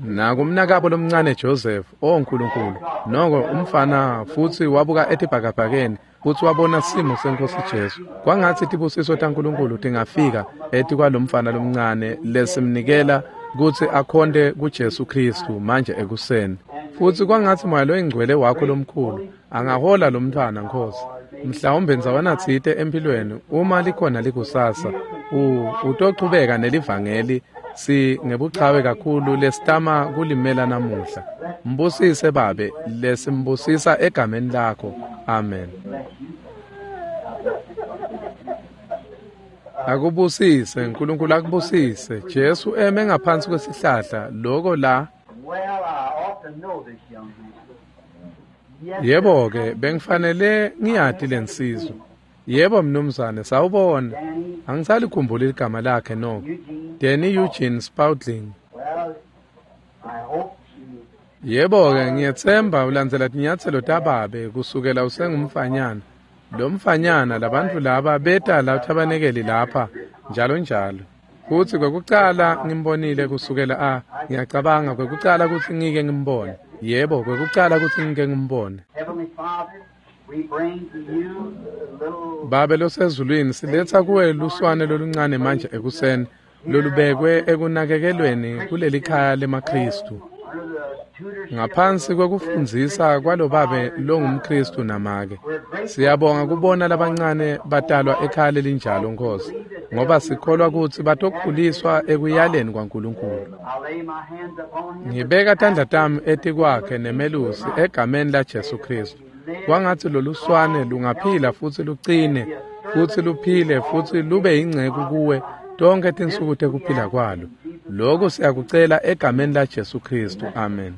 Nakumnakabo lomncane Joseph, o Nkulunkulu, noko umfana futsi wabuka etibhakabhakeni futsi wabona simo senkosi Jesu. Kwangatsi tibusiso taNkulunkulu tingafika etikwalomfana lomncane lesimnikela kutsi akhonte kuJesu Kristu manje ekuseni. Futsi kwangatsi Moya loyiNgcwele wakho lomkhulu angahola lomntfwana Nkosi. Mhlawumbe ndzawana tsite empilweni uma likhona likusasa utochubeka nelivangeli si ngebuchawe kakhulu lesitama kulimela namuhla. Mbusise Babe, lesimbusisa egameni lakho. Amen. Akubusise Nkulunkulu, akubusise. Jesu eme ngaphansi kwesihlahla loko la. Yebo ke, bengifanele ngiyati lensizwa. Yebo mnumzane, sawubona. Angisalikhumbuli igama lakhe noko. Danny Eugene Spaulding. Yebo ke, ngiyethemba ulandzela tinyatselo tababe kusukela usengumfanyana. Lo mfanyana labantu laba beta la thabanekeli lapha njalo njalo. Futsi kwekucala ngimbonile kusukela a ngiyacabanga kwekucala kutsi ngike ngimbone. Yebo, kwekucala kutsi ngike ngimbone. Babe losezulwini, siletsa kuwe luswane loluncane manje ekuseni lolubekwe ekunakekelweni kuleli khaya lemaKristu. Ngaphansi kwekufundzisa kwalobabe longumKristu namake. Siyabonga kubona labancane batalwa ekhaya lelinjalo Nkosi, ngoba sikholwa kutsi batokhuliswa ekuyaleni kwaNkulunkulu. Ngibeka tandla tami etikwakhe nemelusi egameni laJesu Kristu. Kwangatsi loluswane lungaphila futsi lucine futsi luphile futsi lube yinceku kuwe tonkhe tinsuku tekuphila kwalo. Lokhu siyakucela egameni laJesu Kristu. Amen.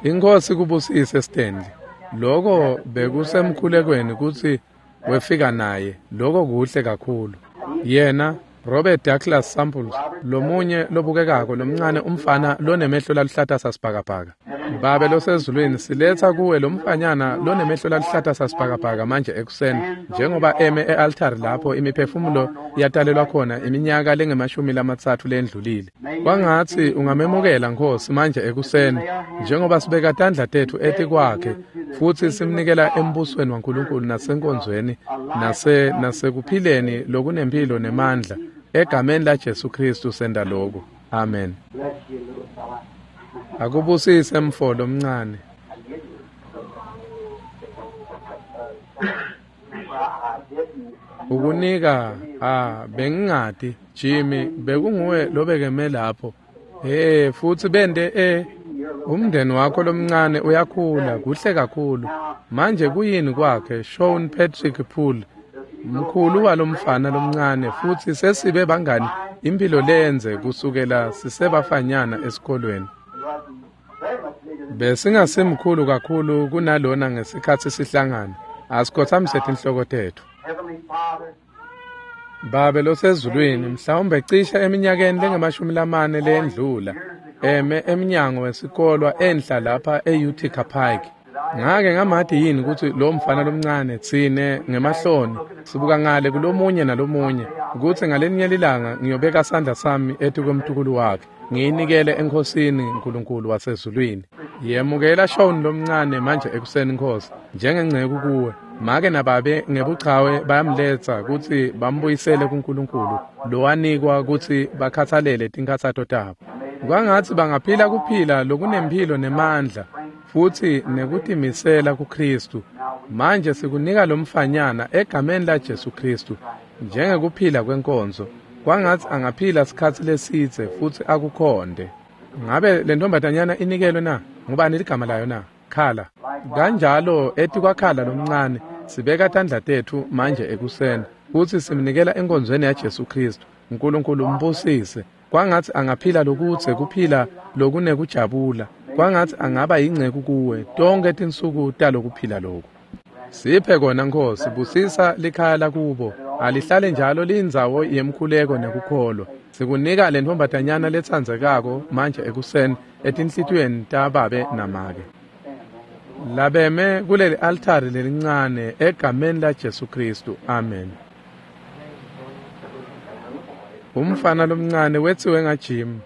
Inkosi kubusise Stanley. Lokho bekusemkhulekweni kutsi wefika naye. Lokho kuhle kakhulu. Yena Robert Douglas Samples, lomunye lobukekako lomncane umfana lonemehlo laluhlata sasibhakabhaka. Babe losezulwini, siletsa kuwe lomfanyana lonemehlo laluhlata sasibhakabhaka manje ekuseni, njengoba eme e-altari lapho imiphefumulo yatalelwa khona iminyaka lengemashumi lamatsatfu lendlulile. Kwangatsi ungamemukela Nkosi manje ekuseni, njengoba sibeka tandla tetfu etikwakhe futsi simnikela embusweni waNkulunkulu nasenkonzweni nase nasekuphileni lokunemphilo nemandla. Egameni laJesu Kristu senda lokhu. Amen. Akubusise mfo lomncane. Ukunika ah bengingati Jimmy, bekunguwe lobekeme lapho. Eh futsi bende eh umndeni wakho lomncane uyakhula kuhle kakhulu. Manje kuyini kwakhe Sean Patrick Poole, mkhulu walomfana lomncane, futsi sesibe bangani impilo lenze kusukela sisebafanyana esikolweni. Besingasimkhulu kakhulu kunalona ngesikhatsi sihlangana. Asikhothamise tinhloko tetfu. Babe losezulwini, mhlawumbe cishe eminyakeni lengemashumi lamane lendlula, eme emnyango wesikolwa enhla lapha e-Utica Pike. Ngake ngamati yini kutsi lo mfana lomncane tsine ngemahloni sibuka ngale kulomunye nalomunye kutsi ngalenye lilanga ngiyobeka sandla sami etikwemtukulu wakhe ngiyinikele eNkhosini Nkulunkulu wasezulwini. Yemukela Sean lomncane manje ekuseni Nkosi njengenceku kuwe. Make nababe ngebuchawe bayamletsa kutsi bambuyisele kuNkulunkulu lowanikwa kutsi bakhathalele tinkhatsato tabo. Kwangatsi bangaphila kuphila lokunemphilo nemandla futsi nekutimisela kuKristu. Manje sikunika lomfanyana egameni laJesu Kristu njengekuphila kwenkonzo. Kwangatsi angaphila sikhatsi lesidze futsi akukhonde. Ngabe le ntombazanyana inikelwe na? Ngubani ligama layo na? Khala. Kanjalo etikwakhala lomncane sibeka tandla tetfu manje ekuseni futsi simnikela enkonzweni yaJesu Kristu. Nkulunkulu umbusise. Kwangatsi angaphila lokudze kuphila lokunekujabula. Kwangatsi angaba yinceku kuwe tonkhe tinsuku talokuphila lokhu. Siphe kona Nkosi, busisa likhaya lakubo. Alihlale njalo liyindzawo yemkhuleko nekukholwa. Sikunika le ntombazanyana letsandzekako manje ekuseni etinhlitiyweni tababe namake. Labeme kuleli altari lelincane egameni laJesu Kristu. Amen. Umfana lomncane wetsiwe ngaJim.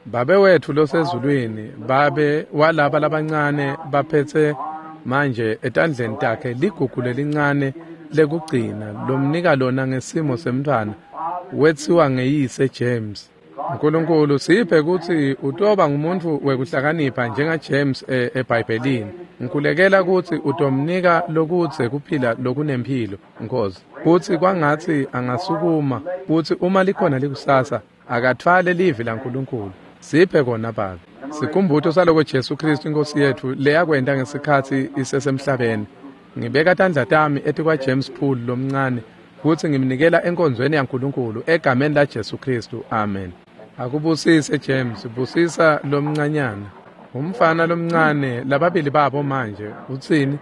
Babe wethu losezulwini, babe walaba labancane baphetse manje etandleni takhe ligugu lelincane lekugcina lomnika lona ngesimo semntfwana wetsiwa ngeyise James. Nkulunkulu siphe kutsi utoba ngumuntu wekuhlakanipha njenga James eBhayibhelini. Ngikhulekela kutsi utomnika lokudze kuphila lokunemphilo, Nkosi. Kutsi kwangatsi angasukuma kutsi uma likhona likusasa akathwale livi laNkulunkulu. Siphe kona Babe. Sikhumbuto saloko Jesu Kristu inkosi yethu leyakwenta ngesikhatsi isesemhlabeni. Ngibeka tandla tami etikwa James Poole lomncane kutsi ngimnikela enkonzweni yaNkulunkulu egameni la Jesu Kristu. Amen. Akubusise James, busisa lomncanyana. Umfana lomncane lababili babo manje utsini?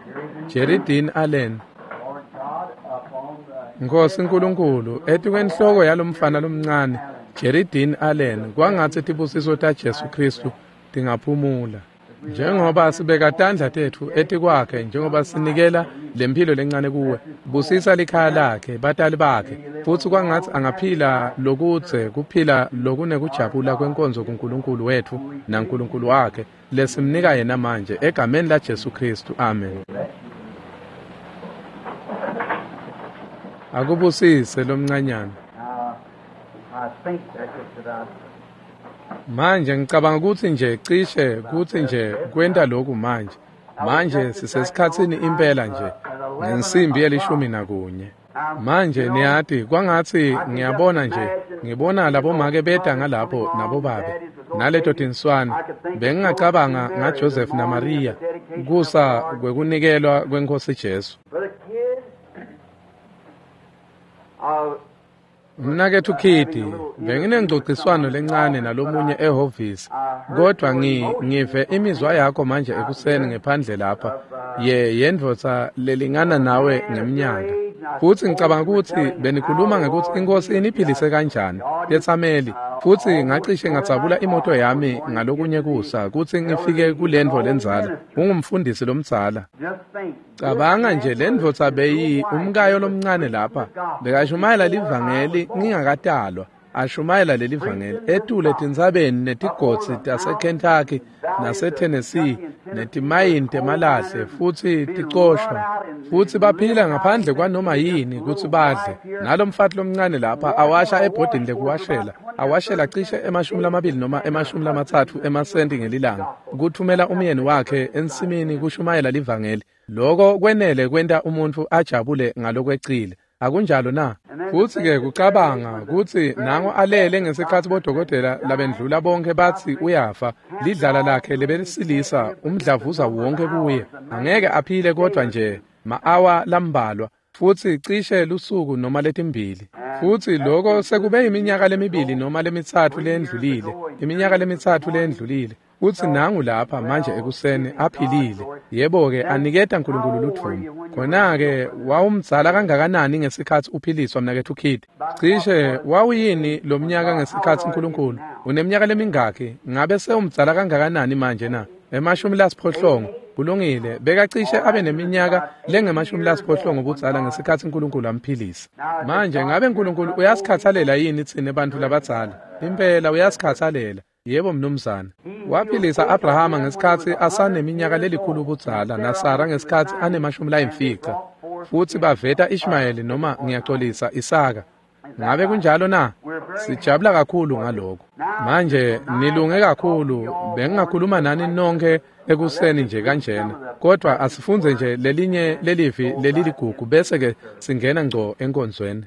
Jerry Dean Allen. Nkosi Nkulunkulu, etikwenhloko yalomfana lomncane Jerry Dean Allen, kwangatsi tibusiso ta Jesu Kristu tingaphumula. Njengoba sibeka tandla tetfu etikwakhe, njengoba sinikela lemphilo lencane kuwe, busisa likhaya lakhe, batali bakhe, futsi kwangatsi angaphila lokudze kuphila lokunekujabula kwenkonzo kuNkulunkulu wetfu naNkulunkulu wakhe lesimnika yena manje egameni la Jesu Kristu. Amen. Akubusise lomncanyana. Manje ngicabanga ukuthi nje cishe kuthi nje kwenta lokhu manje. Manje sisesikhatsini impela nje ngensimbi yelishumi nakunye. Manje niyati kwangatsi ngiyabona nje ngibona labomake beta ngalapho nabobabe naleto tinswane. Bengingacabanga ngaJoseph naMaria kusa kwekunikelwa kwenkosi Jesu. Mnaketfu Kitty, benginengcociswano lencane nalomunye ehhovisi, kodwa ngi ngive imizwa yakho manje ekuseni ngephandle lapha ye yendvodza lelingana nawe ngeminyaka. Futsi ngicabanga kutsi benikhuluma ngekutsi inkosi iniphilise kanjani tetsameli, futsi ngacishe ngadzabula imoto yami ngalokunye kusa kutsi ngifike kulendvo lendzala. Ungumfundisi lomdzala. Cabanga nje lendvodza beyi umkayo lomncane lapha bekashumayela livangeli ngingakatalwa, ashumayela lelivangeli etule tintsabeni netigodzi taseKentucky naseTennessee netimayini temalahle futsi ticoshwa, futsi baphila ngaphandle kwanoma yini kutsi badle. Nalomfati lomncane lapha awasha ebhodini lekuwashela, awashela cishe emashumi lamabili noma emashumi lamatsatfu emasenti ngelilanga kuthumela umyeni wakhe ensimini kushumayela livangeli. Loko kwenele kwenta umuntfu ajabule ngalokwecile. Akunjalo na? Futsi ke kucabanga kutsi nango alele ngesikhatsi bodokotela labendlula bonke batsi uyafa, lidlala lakhe lebelisilisa umdlavuza wonke kuye, angeke aphile kodwa nje ma-awa lambalwa, futsi cishe lusuku noma letimbili. Futsi loko sekube iminyaka lemibili noma lemitsatfu leyendlulile, iminyaka lemitsatfu leyendlulile. Futsi nangu lapha manje ekuseni aphilile. Yebo-ke aniketa Nkulunkulu ludvumo. Khona-ke wawumdzala kangakanani ngesikhatsi uphiliswa mnaketfu Kidd? Cishe wawuyini lo mnyaka ngesikhatsi Nkulunkulu? Uneminyaka lemingakhi? Ngabe sewumdzala kangakanani manje na? Emashumi lasiphohlongo. Kulungile, bekacishe abe neminyaka lengemashumi lasiphohlongo budzala ngesikhatsi Nkulunkulu amphilisa. Manje ngabe Nkulunkulu uyasikhathalela yini tsine bantfu labadzala? Impela uyasikhathalela. Yebo mnumzane. Waphilisa Abrahama ngesikhatsi asaneminyaka lelikhulu budzala naSara ngesikhatsi anemashumi layimfica. Futsi baveta Ishmayeli noma ngiyaxolisa Isaka. Ngabe kunjalo na? Sijabula kakhulu ngaloko. Manje nilunge kakhulu, bengingakhuluma nani nonke ekuseni nje kanjena. Kodwa asifunze nje lelinye lelivi leliligugu bese ke singena ngco enkonzweni.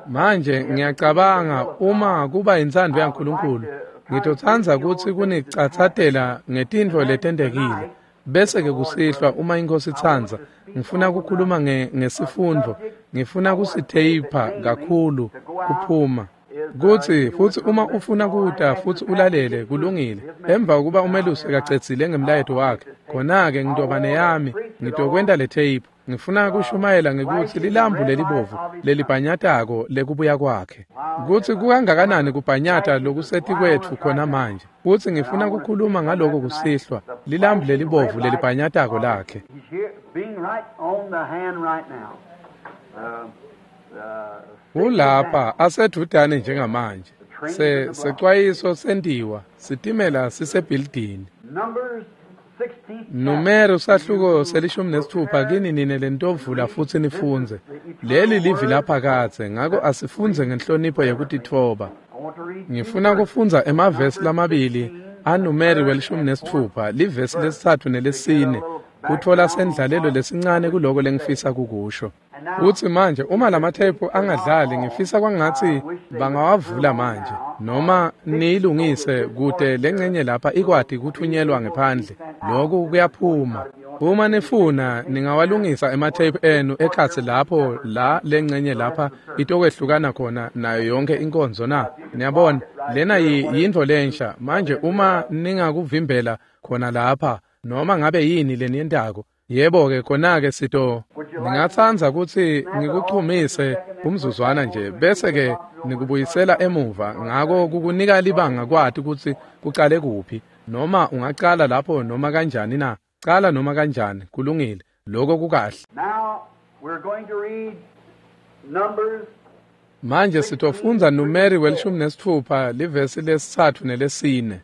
Manje ngiyacabanga uma kuba intsandvo yaNkulunkulu, ngitotsandza kutsi kunicatsatela ngetintfo letentekile. Bese ke kusihlwa uma inkosi itsandza, ngifuna kukhuluma nge ngesifundvo, ngifuna kusitheyipha kakhulu kuphuma. Kutsi futsi uma ufuna kuta futsi ulalele kulungile. Emva kokuba umelusi ekacedzile ngemlayeto wakhe, khona-ke ngitoba neyami, ngitokwenta le tape. Ngifuna kushumayela ngekutsi lilambu lelibovu lelibhanyatako lekubuya kwakhe. Kutsi kukangakanani kubhanyata lokusetikwetfu khona manje. Futsi ngifuna kukhuluma ngaloko kusihlwa, lilambu lelibovu lelibhanyatako lakhe. Ulapha asedudane njengamanje. Se secwayiso sentiwa, sitimela sisebhilidini. Numero sahluko selishumi nesithupha kini nine lentovula futsi nifundze. Leli livi laphakadze, ngako asifundze ngenhlonipho yekutitfoba. Ngifuna kufundza emavesi lamabili aNumeri welishumi nesithupha, livesi lesitsatfu nelesine, kutfola sendlalelo lesincane kuloko lengifisa kukusho. Utsi manje uma lamathephu angadlali ngifisa kwangatsi bangawavula manje noma niyilungise kute lencenye lapha ikwati kuthunyelwa ngephandle. Lokhu kuyaphuma. Uma nifuna ningawalungisa emathephu enu ekhatsi lapho la lencenye lapha itokwehlukana khona nayo yonke inkonzo na. Niyabona lena yintfo lensha manje uma ningakuvimbela khona lapha noma ngabe yini leniyentako. Yebo-ke khona-ke sito ningatsandza kutsi ngikuchumise umzuzwana nje bese-ke nikubuyisela emuva ngako kukunika libanga kwati kutsi kucale kuphi noma ungacala lapho noma kanjani na cala noma kanjani kulungile lokho kukahle. Manje sitofundza Numeri welishumi nesitfupha livesi lesitsatfu nelesine.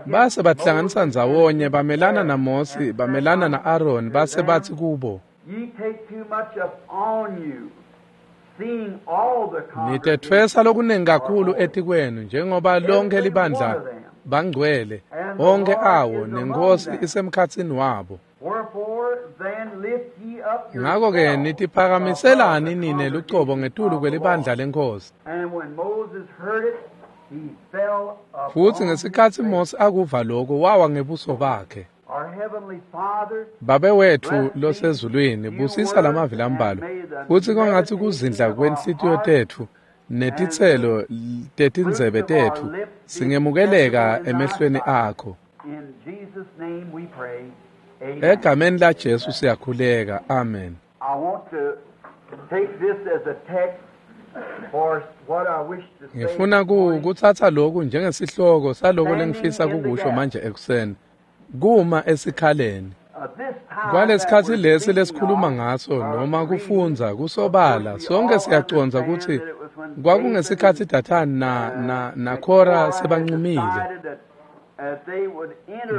Base bahlanganisa ndzawonye bamelana naMosi bamelana na-Aroni base batsi kubo, nitetfwesa lokunengi kakhulu etikwenu njengoba lonke libandla bangcwele onke awo nenkosi isemkhatsini wabo. Ngako-ke nitiphakamiselani nine lucobo ngetulu kwelibandla lenkosi. Futsi ngesikhatsi Mosi akuva lokho wawa ngebuso bakhe. Babe wetfu losezulwini busisa lamavi lambalwa futsi kwangatsi kuzindla kwenhlitiyo tetfu netitselo tetindzebe tetfu singemukeleka emehlweni akho. Egameni la Jesu siyakhuleka. Amen. Ngifuna kutsatsa lokhu njengesihloko saloko lengifisa kukusho manje ekuseni. Kuma esikhaleni. Kwalesikhatsi lesi lesikhuluma ngaso noma kufundza kusobala sonke siyacondza kutsi kwakungesikhatsi Dathani na na naKhora sebancumile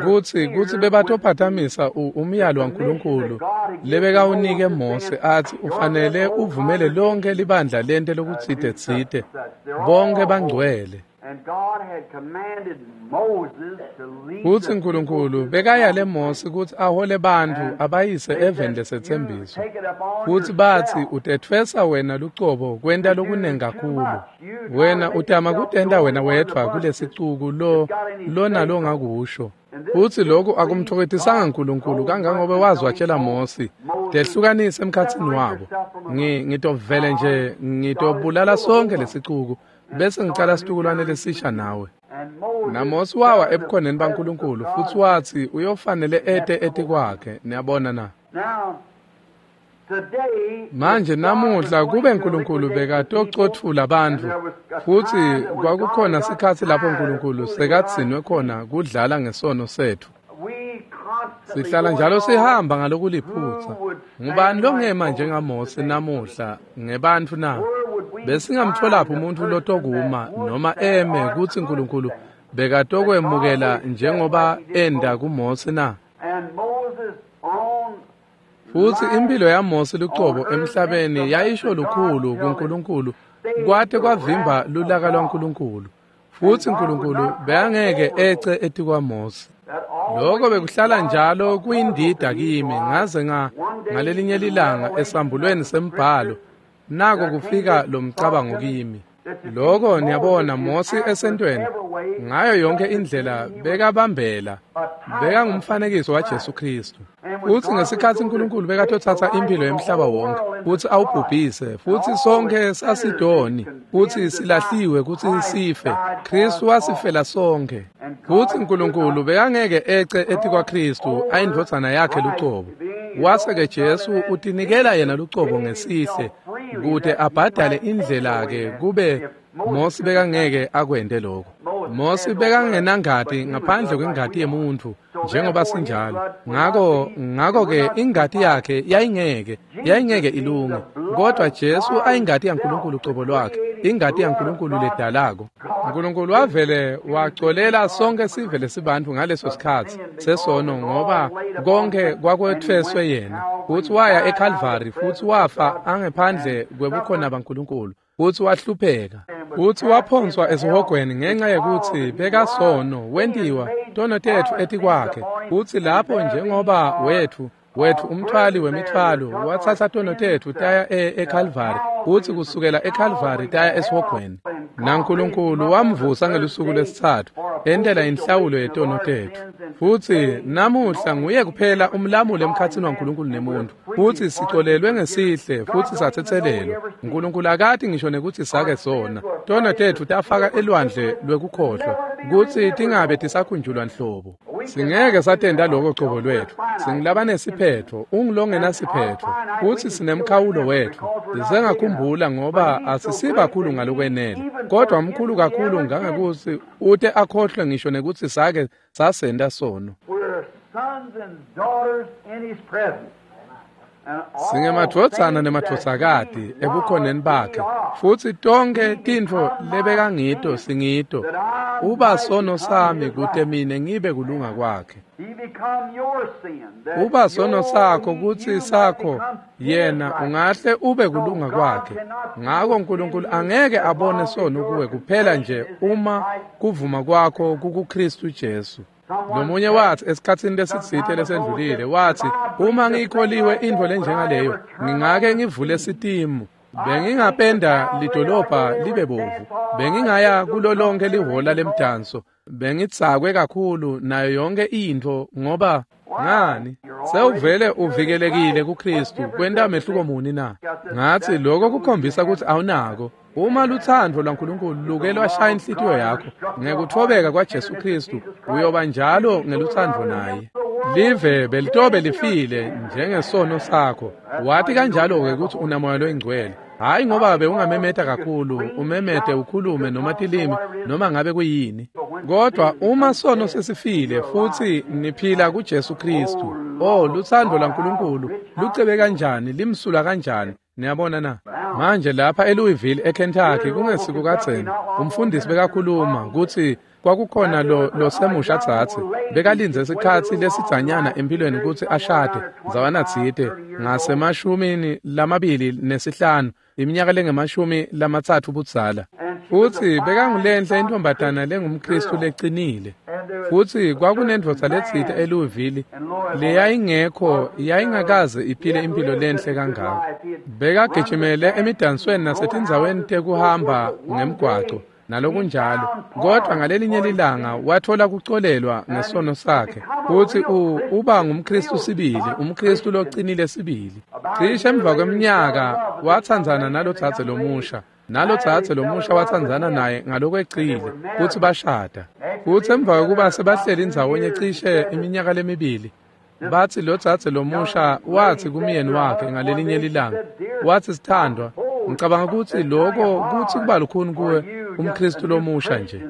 kutsi kutsi bebatophathamisa umyalo waNkulunkulu lebekawunike Mose atsi ufanele uvumele lonke libandla lente lokutsite tsite bonke bangcwele. Futsi Nkulunkulu bekayale Mose kutsi ahole bantfu abayise eveni lesetsembiso. Futsi batsi utetfwesa wena lucobo kwenta lokunengi kakhulu. Wena utama kutenta wena wedvwa kulesicuku lo lona longakusho. Futsi lokhu akumthokotisanga Nkulunkulu kangangobe wazi watshela Mosi tehlukanise emkhatsini wabo. Ngitovele nje ngitobulala sonke lesicuku bese ngicala situkulwane lesisha nawe. NaMosi wawa ebukhoneni baNkulunkulu futsi watsi uyofanele ete etikwakhe. Niyabona na? Manje namuhla kube Nkulunkulu bekatocotfula bantfu futsi kwakukhona sikhatsi lapho Nkulunkulu sekadzinwe khona kudlala ngesono setfu. Sihlala njalo sihamba ngalokuliphutsa. Ngubani longema njengaMose namuhla ngebantfu na? Besingamtfolaphi umuntfu lotokuma noma eme kutsi Nkulunkulu bekatokwemukela njengoba enda kuMose na? Futsi impilo yaMose lucobo emhlabeni yayisho lukhulu kuNkulunkulu kwate kwavimba lulaka lwaNkulunkulu. Futsi Nkulunkulu bekangeke ece etikwaMose. Lokho bekuhlala njalo kuyindida kimi ngaze nga ngalelinye lilanga esambulweni sembhalo nako kufika lo mcabango kimi. Lokho niyabona Mose esentweni ngayo yonke indlela bekabambela bekangumfanekiso waJesu Kristu. Futsi ngesikhatsi Nkulunkulu bekatothatha impilo yemhlaba wonke futsi awubhubhise futsi sonke sasidoni futsi silahliwe kutsi sife, Kristu wasifela sonke. Futsi Nkulunkulu bekangeke ece etikwaKristu ayindvodzana yakhe lucobo. Wase-ke Jesu utinikela yena lucobo ngesihle kute abhadale indlela-ke kube Mose bekangeke akwente lokho. Mosi bekangenangati ngaphandle kwengati yemuntfu njengoba sinjalo. Ngako ngako-ke ingati yakhe yayingeke yayingeke ilunge, kodwa Jesu ayingati yaNkulunkulu cobo lwakhe, ingati yaNkulunkulu ledalako. Nkulunkulu wavele wacolela sonke sive lesibantfu ngaleso sikhatsi sesono, ngoba konke kwakwetfweswe yena. Futsi waya eKalvari futsi wafa angephandle kwebukhona baNkulunkulu, futsi wahlupheka futsi waphonswa esihogweni ngenxa yekutsi bekasono, wentiwa tono tetfu etikwakhe. Futsi lapho njengoba wetfu wetfu umthwali wemithwalo watsatsa tono tetfu taya eKalvari, futsi kusukela eKalvari taya esihogweni. NaNkulunkulu wamvusa ngelusuku lwesitsatfu entela inhlawulo yetono tetfu. Futsi namuhla nguye kuphela umlamuli emkhatsini waNkulunkulu nemuntfu, futsi sicolelwe ngesihle futsi satsetselelwa. Nkulunkulu akati ngisho nekutsi sake sona. Tono tetfu tafaka elwandle lwekukhohlwa kutsi tingabe tisakhunjulwa nhlobo. Singeke satenda lokho cobo lwetfu. Singulabanesiphetfo, ungulongenasiphetfo, futsi sinemkhawulo wetfu. Sisengakhumbula ngoba asisibakhulu ngalokwenele, kodwa mkhulu kakhulu ngangekutsi ute akhohlwe ngisho nekutsi sake sasenta sono. Singemadvodzana nemadvodzakati ebukhoneni bakhe, futsi tonkhe tintfo lebekangito singito. Uba sono sami kute mine ngibe kulunga kwakhe. Uba sono sakho kutsi sakho yena ungahle ube kulunga kwakhe. Ngako Nkulunkulu angeke abone sono kuwe kuphela nje uma kuvuma kwakho kukuKristu Jesu. Lomunye wathi esikhatsini lesitsite lesendlulile, wathi uma ngiyikholiwe intfo lenjengaleyo ngingake ngivule sitimu, bengingapenda lidolobha libe bovu, bengingaya kulo lonke lihola lemdanso, bengitsakwe kakhulu nayo yonke intfo, ngoba ngani sewuvele uvikelekile kuKristu. Kwenta mehluko muni na? Ngathi lokho kukhombisa ukuthi awunako. Uma lutsandvo lwaNkulunkulu luke lwashaya inhlitiyo yakho ngekuthobeka kwaJesu Kristu, uyoba njalo ngelutsandvo naye. Live belitobe lifile njengesono sakho. Wathi kanjalo-ke ukuthi unamoya loyingcwele, hhayi ngoba bewungamemeta kakhulu, umemete ukhulume noma tilimi noma ngabe kuyini, kodwa uma sono sesifile futsi niphila kuJesu Kristu, oh lutsandvo lwaNkulunkulu lucebe kanjani, limsula kanjani. Niyabona na? Manje lapha eLouisville eKentucky kungesiko kadzeni, umfundisi bekakhuluma kutsi kwakukhona lo losemusha tsatsi bekalindze isikhatsi lesidzanyana empilweni kutsi ashade ndzawana tsite ngasemashumini lamabili nesihlanu, iminyaka lengemashumi lamatsatfu budzala. Futsi bekangulenhle intombatana lengumKristu lecinile. Futsi kwakunendvodza letsite eLouisville leyayingekho, yayingakaze iphile impilo lenhle kangako. Bekagijimele emidansweni nasetindzaweni tekuhamba ngemgwaco nalokunjalo, kodwa ngalelinye lilanga wathola kucolelwa ngesono sakhe, futsi uba ngumKristu sibili, umKristu locinile sibili. Cishe emva kweminyaka watsandzana nalodzadze lomusha, nalodzadze lomusha watsandzana naye ngalokwecile, futsi bashada. Futsi emva kwekuba sebahleli ndzawonye cishe iminyaka lemibili, bathi lodzadze lomusha wathi kumyeni wakhe ngalelinye lilanga, wathi sithandwa, ngicabanga ukuthi lokho kuthi kuba lukhuni kuwe umKristu lomusha nje.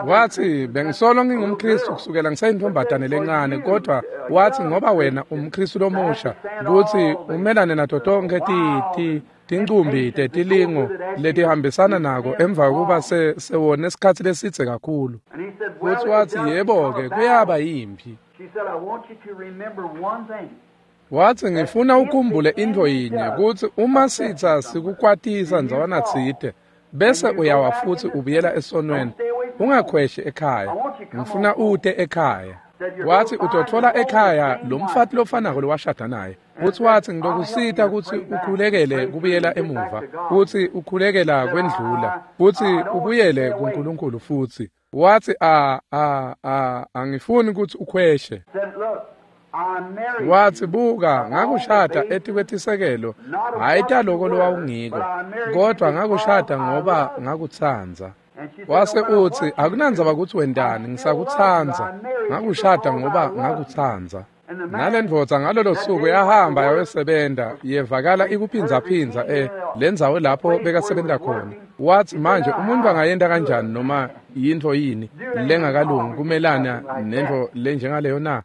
Wathi bengisolo ngingumKristu kusukela ngiseyintombatane lencane, kodwa wathi ngoba wena umKristu lomusha kuthi umelane nato tonke ti tincumbi tetilingo letihambisana nako emva kokuba sewone isikhatsi lesidze kakhulu. Futhi wathi yebo-ke kuyaba yimpi. Wathi ngifuna ukhumbule intfo yinye, kutsi uma sitsa sikukwatisa ndzawana tsite bese uyawa futsi ubuyela esonweni, ungakhweshi ekhaya, ngifuna ute ekhaya. Wathi utotfola ekhaya lo mfati lofanako lowashada naye. Futsi wathi ngilokusita kutsi ukhulekele kubuyela emuva, futsi ukhulekela kwendlula, futsi ubuyele kuNkulunkulu futsi. Wathi a a a angifuni kutsi ukhweshe. Wathi buka ngakushada etikwetisekelo, hhayi taloko lowawungiko, kodwa ngakushada ngoba ngakutsandza. Wase utsi akunandzaba kutsi wentani, ngisakutsandza, ngakushada ngoba ngakutsandza. Nalendvodza ngalolo suku yahamba yayosebenta, yevakala ikuphindzaphindza e lendzawo lapho bekasebenta khona. Wathi manje umuntu angayenta kanjani noma yintfo yini lengakalungi kumelana nentfo lenjengaleyo na?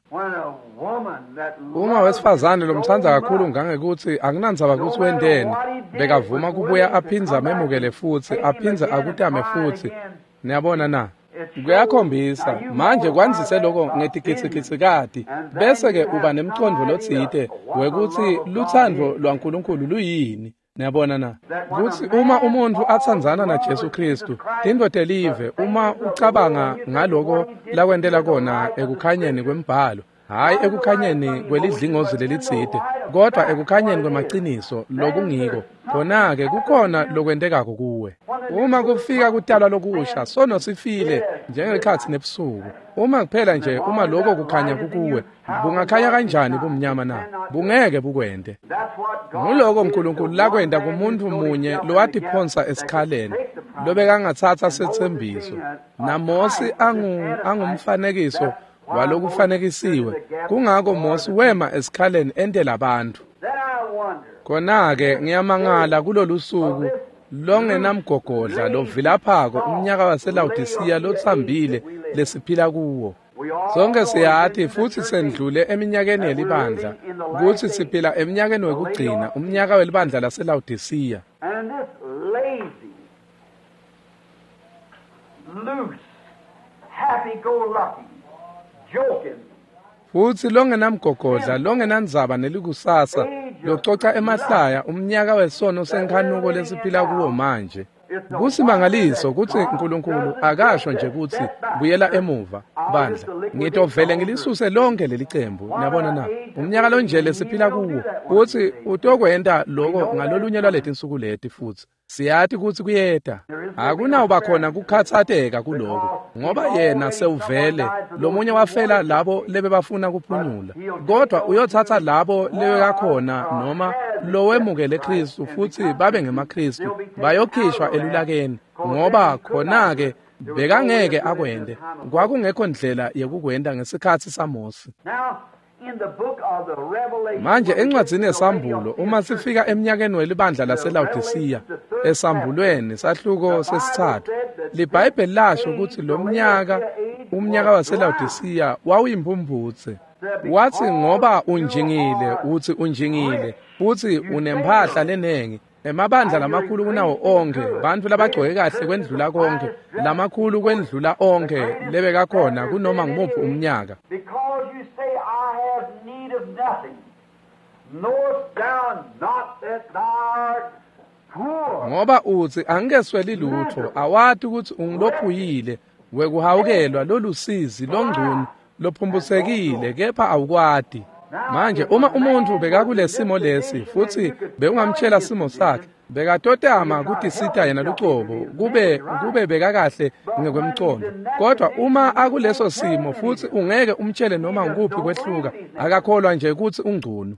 Uma wesifazane lomtsandza kakhulu ngangekutsi akunandzaba kutsi wenteni, bekavuma kubuya aphindze amemukele futsi aphindze akutame futsi. Niyabona na? Kuyakhombisa manje kwandzise lokho ngetigidzigitsikati bese-ke uba nemcondvo lotsite wekutsi lutsandvo lwaNkulunkulu luyini. Niyabona na? Kutsi uma umuntfu atsandzana naJesu Khristu, tintfo telive, uma ucabanga ngaloko lakwentela kona ekukhanyeni kwembhalo, hhayi ekukhanyeni kwelidlingozi lelitsite, kodvwa ekukhanyeni kwemaciniso lokungiko, khona-ke kukhona lokwentekako kuwe. Uma kufika kutalwa lokusha, sono sifile njengekhatsi nebusuku. Uma kuphela nje uma lokho kukhanya kukuwe, bungakhanya kanjani bumnyama na? Bungeke bukwente. Nguloko uNkulunkulu lakwenta kumuntu munye lowatiphonsa esikhaleni, lobekangatsatsa setsembiso. NaMosi angu angumfanekiso walokufanekisiwe. Kungako Mosi wema esikhaleni entela bantfu. Khona-ke ngiyamangala kulolu suku longenamgogodla lovilaphako umnyaka waseLawodisiya lotsambile lesiphila kuwo. Sonke siyati futsi sendlule eminyakeni yelibandla kutsi siphila eminyakeni wekugcina, umnyaka welibandla laseLawodisiya. Futsi longenamgogodla, longenandzaba nelikusasa, lococa emahlaya, umnyaka wesono senkhanuko lesiphila kuwo manje. Kusimangaliso kutsi uNkulunkulu akasho nje kutsi buyela emuva bandla, ngitovele ngilisuse lonke leli cembu. Niyabona na? Umnyaka lonje lesiphila kuwo, kutsi utokwenta loko ngalolunye lwaletinsuku leti futsi. Siyati kutsi kuyeta. Akunawuba khona kukhatsateka kuloko, ngoba yena sewuvele lomunye wafela labo lebebafuna kuphunyula, kodwa uyotsatsa labo lebekakhona noma lowemukele Khristu futsi babe ngemaKhristu, bayokhishwa elulakeni, ngoba khona-ke bekangeke akwente. Kwakungekho ndlela yekukwenta ngesikhatsi saMosi. Manje encwadzini yeSambulo, uma sifika eminyakeni welibandla laseLawodisiya, esambulweni sahluko sesitsatfu, liBhayibheli lasho kutsi lo mnyaka, umnyaka waseLawodisiya, wawuyimphumphutse. Watsi ngoba unjingile, utsi unjingile, futsi unemphahla lenengi, emabandla lamakhulu kunawo onkhe, bantfu labagcoke kahle kwendlula konke, lamakhulu kwendlula onkhe lebekakhona kunoma ngumuphi umnyaka. Ngoba utsi angikesweli lutfo, awati kutsi ungulophuyile wekuhawukelwa, lolusizi, longcunu, lophumbusekile, kepha awukwati. Manje uma umuntfu bekakulesimo lesi futsi bewungamtshela simo sakhe, bekatotama kutisita yena lucobo kube kube bekakahle ngekwemcondo. Kodwa uma akuleso simo futsi ungeke umtshele noma ngukuphi kwehluka, akakholwa nje kutsi ungcunu.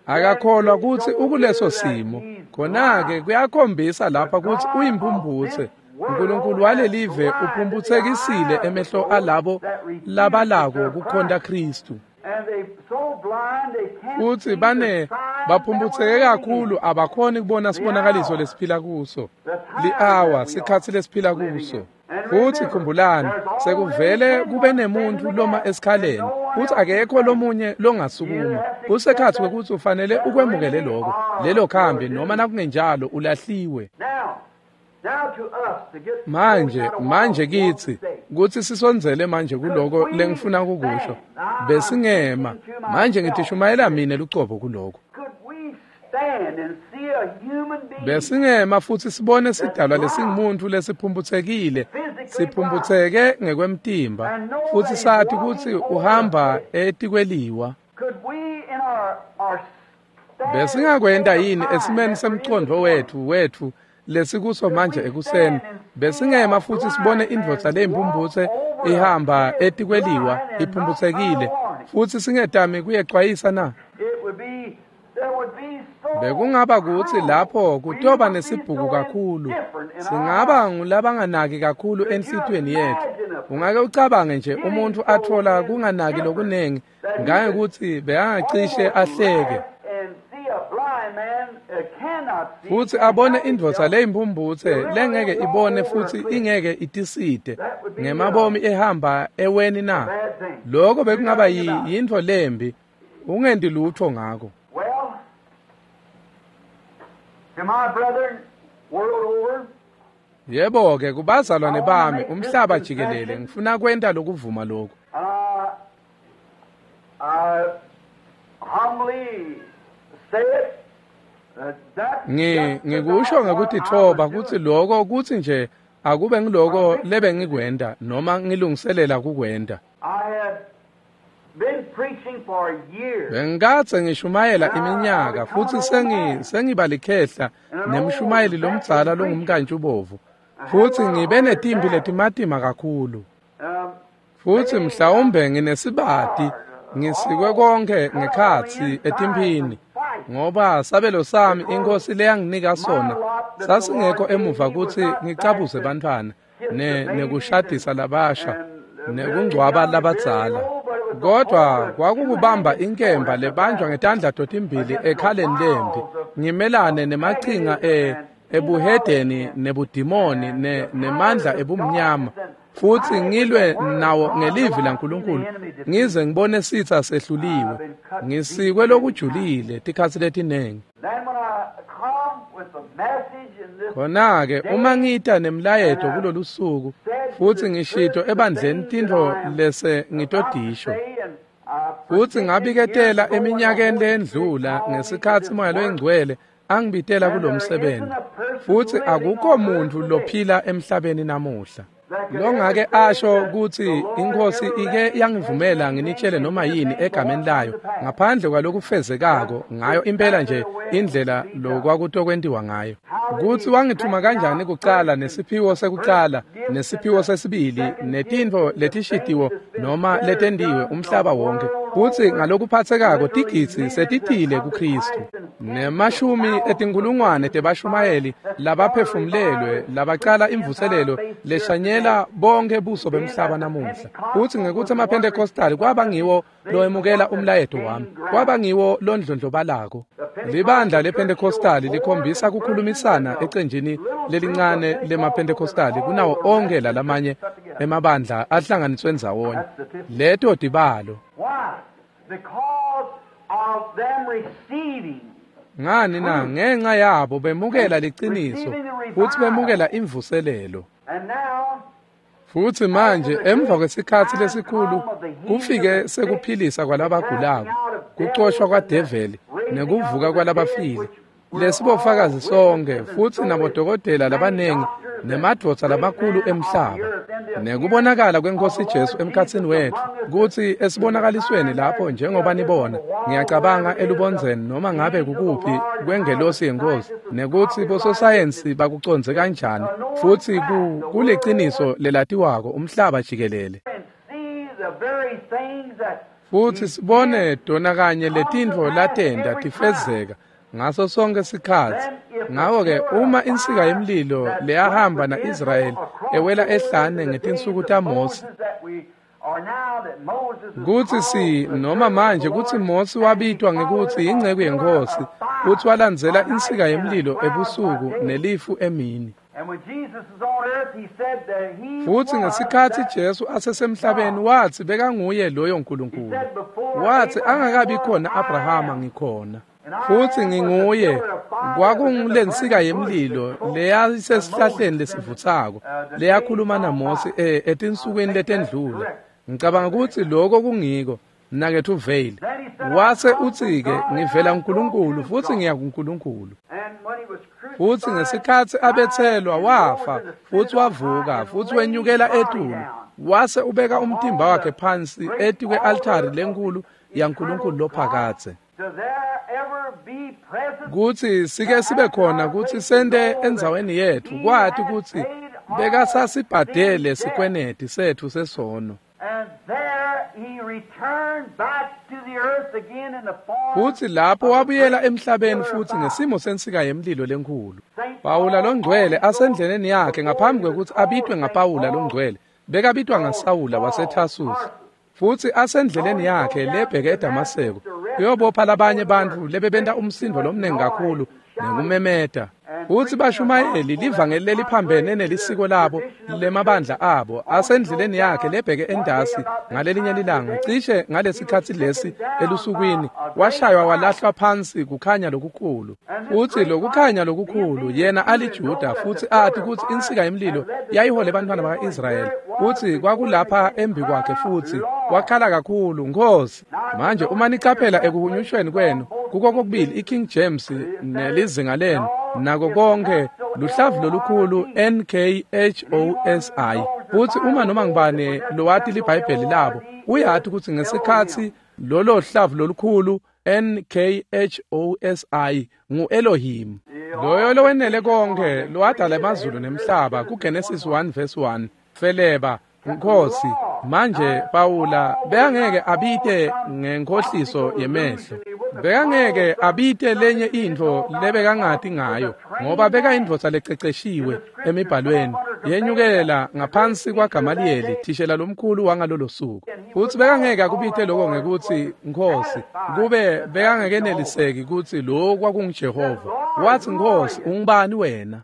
Akakholwa kutsi ukuleso simo. Khona-ke kuyakhombisa lapha kutsi uyimphumphutse. uNkulunkulu walelive uphumputsekisile emehlo alabo labalako kukhonta Khristu. Futsi bane baphumputseke kakhulu abakhoni kubona sibonakaliso lesiphila kuso, li-awa, sikhatsi lesiphila kuso. Futsi khumbulani, sekuvele kube nemuntfu loma esikhaleni, futsi akekho lomunye longasukuma. Kusekhatsi kwekutsi ufanele ukwemukele loko, lelo khambi, noma nakungenjalo ulahliwe. Manje, manje kitsi kutsi sisondzele manje kuloko lengifuna kukusho. Besingema manje ngitishumayela mine lucobo kuloko. Besingema futsi sibone sidalwa lesingumuntu lesiphumphutsekile, siphumputseke ngekwemtimba, futsi sati kutsi uhamba etikweliwa. Besingakwenta yini esimeni semcondvo wetfu wetfu lesikuso manje ekuseni? Besingema futsi sibone indvodza leyimphumphutse ihamba etikweliwa iphumphutsekile, futsi singetami kuyecwayisa na? Bekungaba kutsi lapho kutoba nesibhuku kakhulu, singaba ngulabanganaki kakhulu enhlitiyweni yetfu. Ungake ucabange nje umuntfu atfola kunganaki lokunengi ngangekutsi bekangacishe ahleke futsi abone indvodza leyimphumphutse lengeke ibone futsi ingeke itisite ngemabomi ehamba eweni na? Loko bekungaba yintfo lembi. Ungendi lutfo ngako. Yebo-ke, kubazalwane bami umhlaba jikelele ngifuna kwenta lokuvuma lokhu. Ngi ngikusho ngekutitfoba kutsi loko kutsi nje akube ngiloko lebengikwenta noma ngilungiselela kukwenta. Bengikadze ngishumayela iminyaka futsi sengi sengiba likhehla nemshumayeli lomdzala longumkantshubomvu futsi ngibe netimpi letimatima kakhulu. Futsi mhlawumbe nginesibati ngisikwe konke ngekhatsi etimphini ngoba sabelo sami inkosi leyanginika sona sasingekho emuva kutsi ngicabuze bantfwana ne nekushadisa labasha nekungcwaba labadzala. Kodwa kwakukubamba inkemba lebanjwa ngetandla totimbili ekhaleni lempi ngimelane nemachinga e ebuhedeni nebudimoni ne nemandla ebumnyama futsi ngilwe nawo ngelivi laNkulunkulu ngize ngibone sitsa sehluliwe. Ngisikwe lokujulile tikhatsi letinengi. Khona-ke uma ngita nemlayeto kulolu suku futsi ngishito ebandleni tintfo lese ngitodisho futsi ngabiketela eminyakeni lendlula ngesikhatsi Moya loyiNgcwele angibitela kulomsebenzi futsi akukho muntfu lophila emhlabeni namuhla longake asho kutsi inkosi ike yangivumela nginitshele noma yini egameni layo ngaphandle kwalokufezekako ngayo impela nje indlela lokwakutokwentiwa ngayo. Kutsi wangithuma kanjani kucala nesiphiwo sekucala nesiphiwo sesibili netintfo letishitiwo noma letendiwe umhlaba wonke futsi ngalokuphatsekako tigidzi setitile kuKristu nemashumi etinkulungwane tebashumayeli labaphefumulelwe labacala imvuselelo leshanyela bonke buso bemhlaba namuhla. Futsi ngekutsi emaPentecostal kwaba ngiwo loemukela umlayeto wami, kwaba ngiwo londlondlobalako. Libandla lePentecostal likhombisa kukhulumisana ecenjini lelincane lemaPentecostal kunawo onke lalamanye emabandla ahlanganiswe ndzawonye. Leto tibalo. Ngani na? Ngenxa yabo bemukela liciniso futsi bemukela imvuselelo. Futsi manje emva kwesikhatsi lesikhulu kufike sekuphilisa kwalabagulako, kucoshwa kwadeveli nekuvuka kwalabafile. Lesibofakazi sonke futsi nabodokotela labanengi nemadvodza lamakhulu emhlaba nekubonakala kwenkosi Jesu emkhatsini wetfu kutsi esibonakalisweni lapho njengoba nibona ngiyacabanga elubondzeni noma ngabe kukuphi kwengelosi yenkosi nekutsi bososayensi bakucondze kanjani futsi kuliciniso lelatiwako umhlaba jikelele. Futsi sibone tona kanye letintfo latenta tifezeka ngaso sonke sikhatsi. Ngako-ke uma insika yemlilo leyahamba na-Israyeli ewela ehlane ngetinsuku taMose kutsi si noma manje kutsi Mose wabitwa ngekutsi yinceku yenkosi kutsi walandzela insika yemlilo ebusuku nelifu emini. Futsi ngesikhatsi Jesu asesemhlabeni watsi bekanguye loyo Nkulunkulu. Watsi angakabi khona Abrahama ngikhona. Futsi nginguye. Kwakungulensika yemlilo leyayisesihlahleni lesivutsako leyakhuluma naMose etinsukwini letendlula. Ngicabanga kutsi lokho kungiko mnaketfu Vale. Wase utsi-ke ngivela kuNkulunkulu futsi ngiya kuNkulunkulu. Futsi ngesikhatsi abetselwa wafa futsi wavuka futsi wenyukela etulu wase ubeka umtimba wakhe phansi etikwe-altari lenkulu yaNkulunkulu lophakadze. Kutsi sike sibe khona kutsi sente endzaweni yetfu kwati kutsi bekasasibhadele sikweneti setfu sesono. Futsi lapho wabuyela emhlabeni futsi ngesimo sensika yemlilo lenkhulu. Pawula longcwele asendleleni yakhe ngaphambi kwekutsi abitwe ngaPawula longcwele Bekabitwa ngaSawula waseTarsusi. Futsi asendleleni yakhe lebheke eDamaseko kuyobopha labanye bantfu lebebenta umsindo lomnengi kakhulu nekumemeta. Futsi bashumayeli livangeli leliphambene nelisiko labo lemabandla abo asendleleni yakhe lebheke endasi ngalelinye lilanga cishe ngalesikhatsi lesi elusukwini washaywa walahlwa phansi kukhanya lokukhulu. Futsi lokukhanya lokukhulu yena aliJuda futsi ati kutsi insika yemlilo yayihole bantfwana baka-Israyeli futsi kwakulapha embi kwakhe futsi wakhala kakhulu Nkosi. Manje uma nicaphela ekuhunyushweni kwenu kuko kokubili iKing James nelizinga lenu nako konke luhlavu lolukhulu N K H O S I. Futsi uma noma ngibani lowati liBhayibheli labo uyati kutsi ngesikhatsi lolo hlavu lolukhulu N K H O S I ngu Elohim loyo lowenele konke lowadala emazulu nemhlaba kuGenesis one verse one feleba Nkosi. Manje Pawula bekangeke abite ngenkhohliso yemehlo, bekangeke abite lenye intfo lebekangati ngayo ngoba bekayindvodza lececeshiwe emibhalweni yenyukela ngaphansi kwaGamaliyeli thishela lomkhulu wangalolo suku. Futsi bekangeke akubite lokho ngekutsi Nkosi kube bekangekeneliseki kutsi lokhu kwakunguJehova. Wathi Nkosi ungubani wena?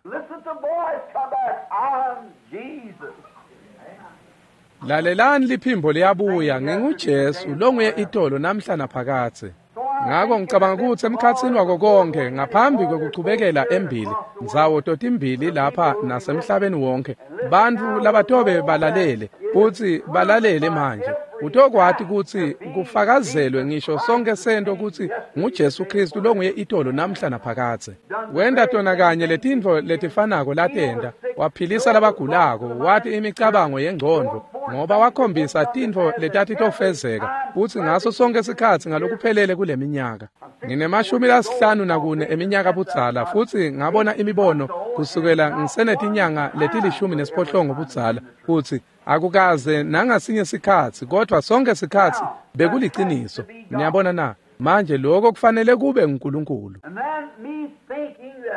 Lalelani liphimbo liyabuya nginguJesu longuye itolo namhla naphakadze. Ngako ngicabanga kutsi emkhatsini wako konke ngaphambi kwekuchubekela embili ndzawo totimbili lapha nasemhlabeni wonke bantfu labatobe balalele futsi balalele manje utokwati kutsi kufakazelwe ngisho sonke sento kutsi nguJesu Kristu longuye itolo namhla naphakadze. Wenta tona kanye letintfo letifanako latenta, waphilisa labagulako, wati imicabango yengcondvo ngoba wakhombisa tintfo letatitofezeka futsi ngaso sonke sikhatsi ngalokuphelele kule minyaka. Nginemashumi lasihlanu nakune eminyaka budzala futsi ngabona imibono kusukela ngisenetinyanga letilishumi nesiphohlongo budzala futsi akukaze nangasinye sikhatsi kodwa sonke sikhatsi bekuliciniso. Niyabona na? Manje lokho kufanele kube nguNkulunkulu.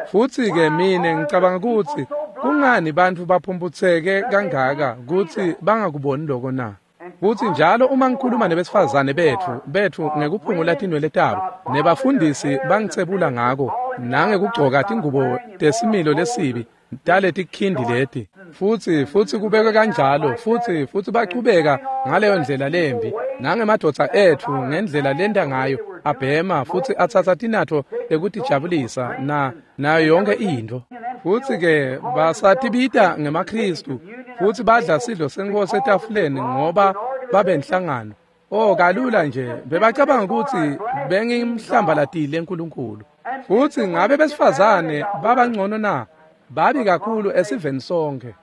Futsi ke mine ngicabanga kutsi kungani bantfu baphumputseke kangaka kutsi bangakuboni lokho na? Futsi njalo uma ngikhuluma nebesifazane betfu betfu ngekuphungula tinwele tabo nebafundisi bangitsebula ngako nangekugcoka tingubo tesimilo lesibi taletikhindi leti futsi futsi kubekwe kanjalo futsi futsi bachubeka ngaleyo ndlela lembi nangemadvodza etfu ngendlela lenta ngayo abhema futsi atsatsa tinatfo tekutijabulisa na nayo yonke intfo. Futsi ke basatibita ngemaKristu futsi badla sidlo senkosi etafuleni ngoba babenhlangano. Oh kalula nje bebacabanga kutsi bengimhlambalatile eNkulunkulu. Futsi ngabe besifazane babangcono na? Babi kakhulu esiveni sonke.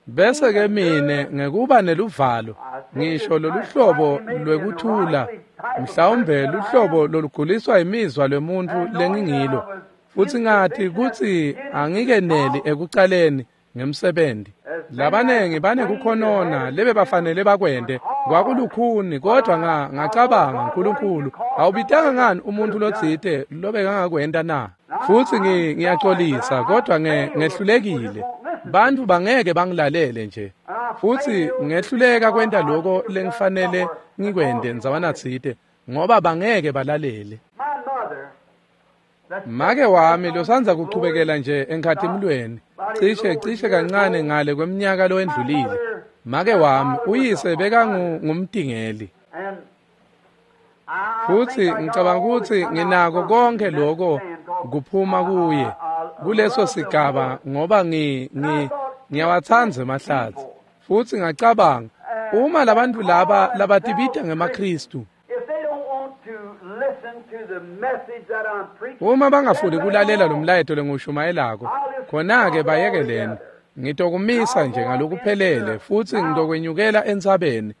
Bese ke mine ngekuba neluvalo ngisho loluhlobo lwekuthula mhlawumbe luhlobo loluguliswa imizwa lwemuntu lengingilo futsi ngathi kutsi angikeneli ekucaleni ngemsebenzi. Labanengi banekukhonona lebe bafanele bakwente kwakulukhuni kodwa nga ngacabanga uNkulunkulu awubitanga ngani umuntu lotsite lobekangakwenta na? Futsi ngiyaxolisa kodwa ngehlulekile. Bantfu bangeke bangilalele nje. Futsi ngehluleka kwenta lokho lengifanele ngikwente ndzawanatsite ngoba bangeke balalele. Make wami losandza kuchubekela nje enkhatimulweni cishe cishe kancane ngale kweminyaka lowendlulile. Make wami uyise bekangumtingeli. Futsi ngicabanga kutsi nginako konke lokho kuphuma kuye kuleso sigaba ngoba ngi ngi ngiyawatsandza emahlatsi. Futsi ngacabanga uma labantu laba labatibita ngemaKristu uma bangafuni kulalela lo mlayeto lengiwushumayelako khona-ke bayekeleni. Ngitokumisa nje ngalokuphelele futsi ngitokwenyukela entsabeni.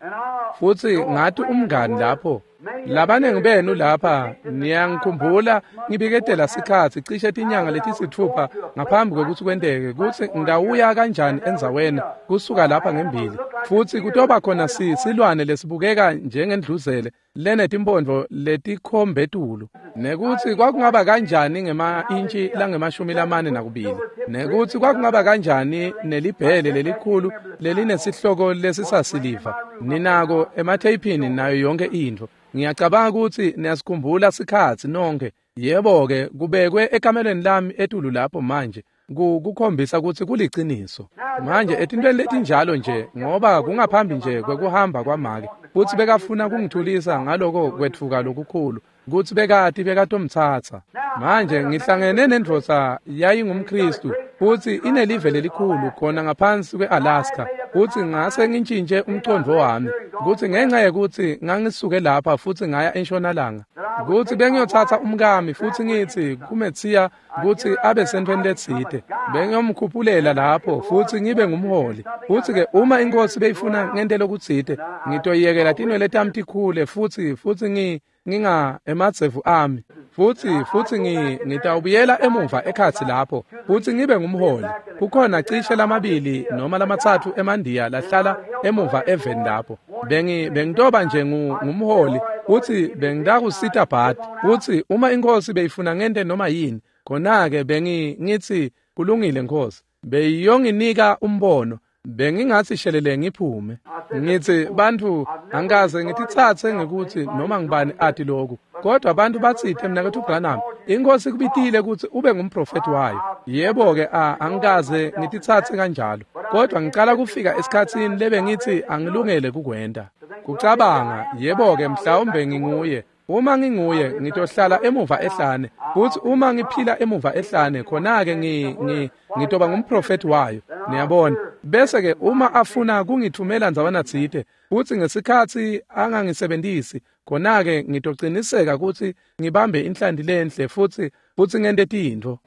Futsi ngathi umngani lapho Labanengi benu lapha niyangikhumbula ngibiketela sikhatsi cishe tinyanga letisitfupha ngaphambi kwekutsi kwenteke kutsi ngitawuya kanjani endzaweni kusuka lapha ngembili futsi kutoba khona silwane lesibukeka njengendluzele lenetimphondvo letikhombetulu nekutsi kwakungaba kanjani ngema-intshi langemashumi lamane nakubili nekutsi kwakungaba kanjani nelibhele lelikhulu lelinesihloko lesisasiliva ninako ematheyiphini nayo yonke intfo. Ngiyacabanga kutsi niyasikhumbula sikhatsi nonke. Yebo-ke kubekwe ekamelweni lami etulu lapho manje kukhombisa kutsi kuliciniso. Manje etintweni letinjalo nje ngoba kungaphambi nje kwekuhamba kwamake futsi bekafuna kungithulisa ngaloko kwetfuka lokukhulu kutsi bekati bekatomtsatsa. Manje ngihlangene nendvodza yayingumKhristu futsi inelive lelikhulu khona ngaphansi kwe-Alaska futsi ngase ngintjintje umcondvo wami kutsi ngenxa yekutsi ngangisuke lapha futsi ngaya entshonalanga kutsi bengiyotsatsa umkami futsi ngitsi kuMethiya kutsi abe sentfweni letsite bengiyomkhuphulela lapho futsi ngibe ngumholi futsi-ke uma inkosi beyifuna ngente lokutsite ngitoyekela tinwele tami tikhule futsi futsi ngi nginga emadzevu ami futsi futsi ngi ngitawubuyela emuva ekhatsi lapho futsi ngibe ngumholi. Kukhona cishe lamabili noma lamatsatfu emandiya lahlala emuva eveni lapho bengi bengitoba nje ngumholi futsi bengitakusita bhadi futsi uma inkosi beyifuna ngente noma yini khona-ke bengi ngitsi kulungile nkosi beyiyonginika umbono bengingatsi shelele ngiphume. Ngitsi bantfu angikaze ngititsatse ngekuthi noma ngibani ati lokhu kodwa abantu batsite mnaketfu Branham inkosi kubitile kutsi ube ngumprofeti wayo. Yebo-ke angikaze ngititsatse kanjalo kodwa ngicala kufika esikhatsini lebe ngitsi angilungele kukwenta. Kucabanga yebo-ke mhlawumbe nginguye. Uma nginguye ngitohlala emuva ehlane futsi uma ngiphila emuva ehlane khona-ke ngi ngi ngitoba ngumprofeti wayo niyabona. Bese-ke uma afuna kungithumela ndzawana tsite futsi ngesikhatsi angangisebentisi khona-ke ngitociniseka kutsi ngibambe inhlanti lenhle futsi futsi ngente tintfo.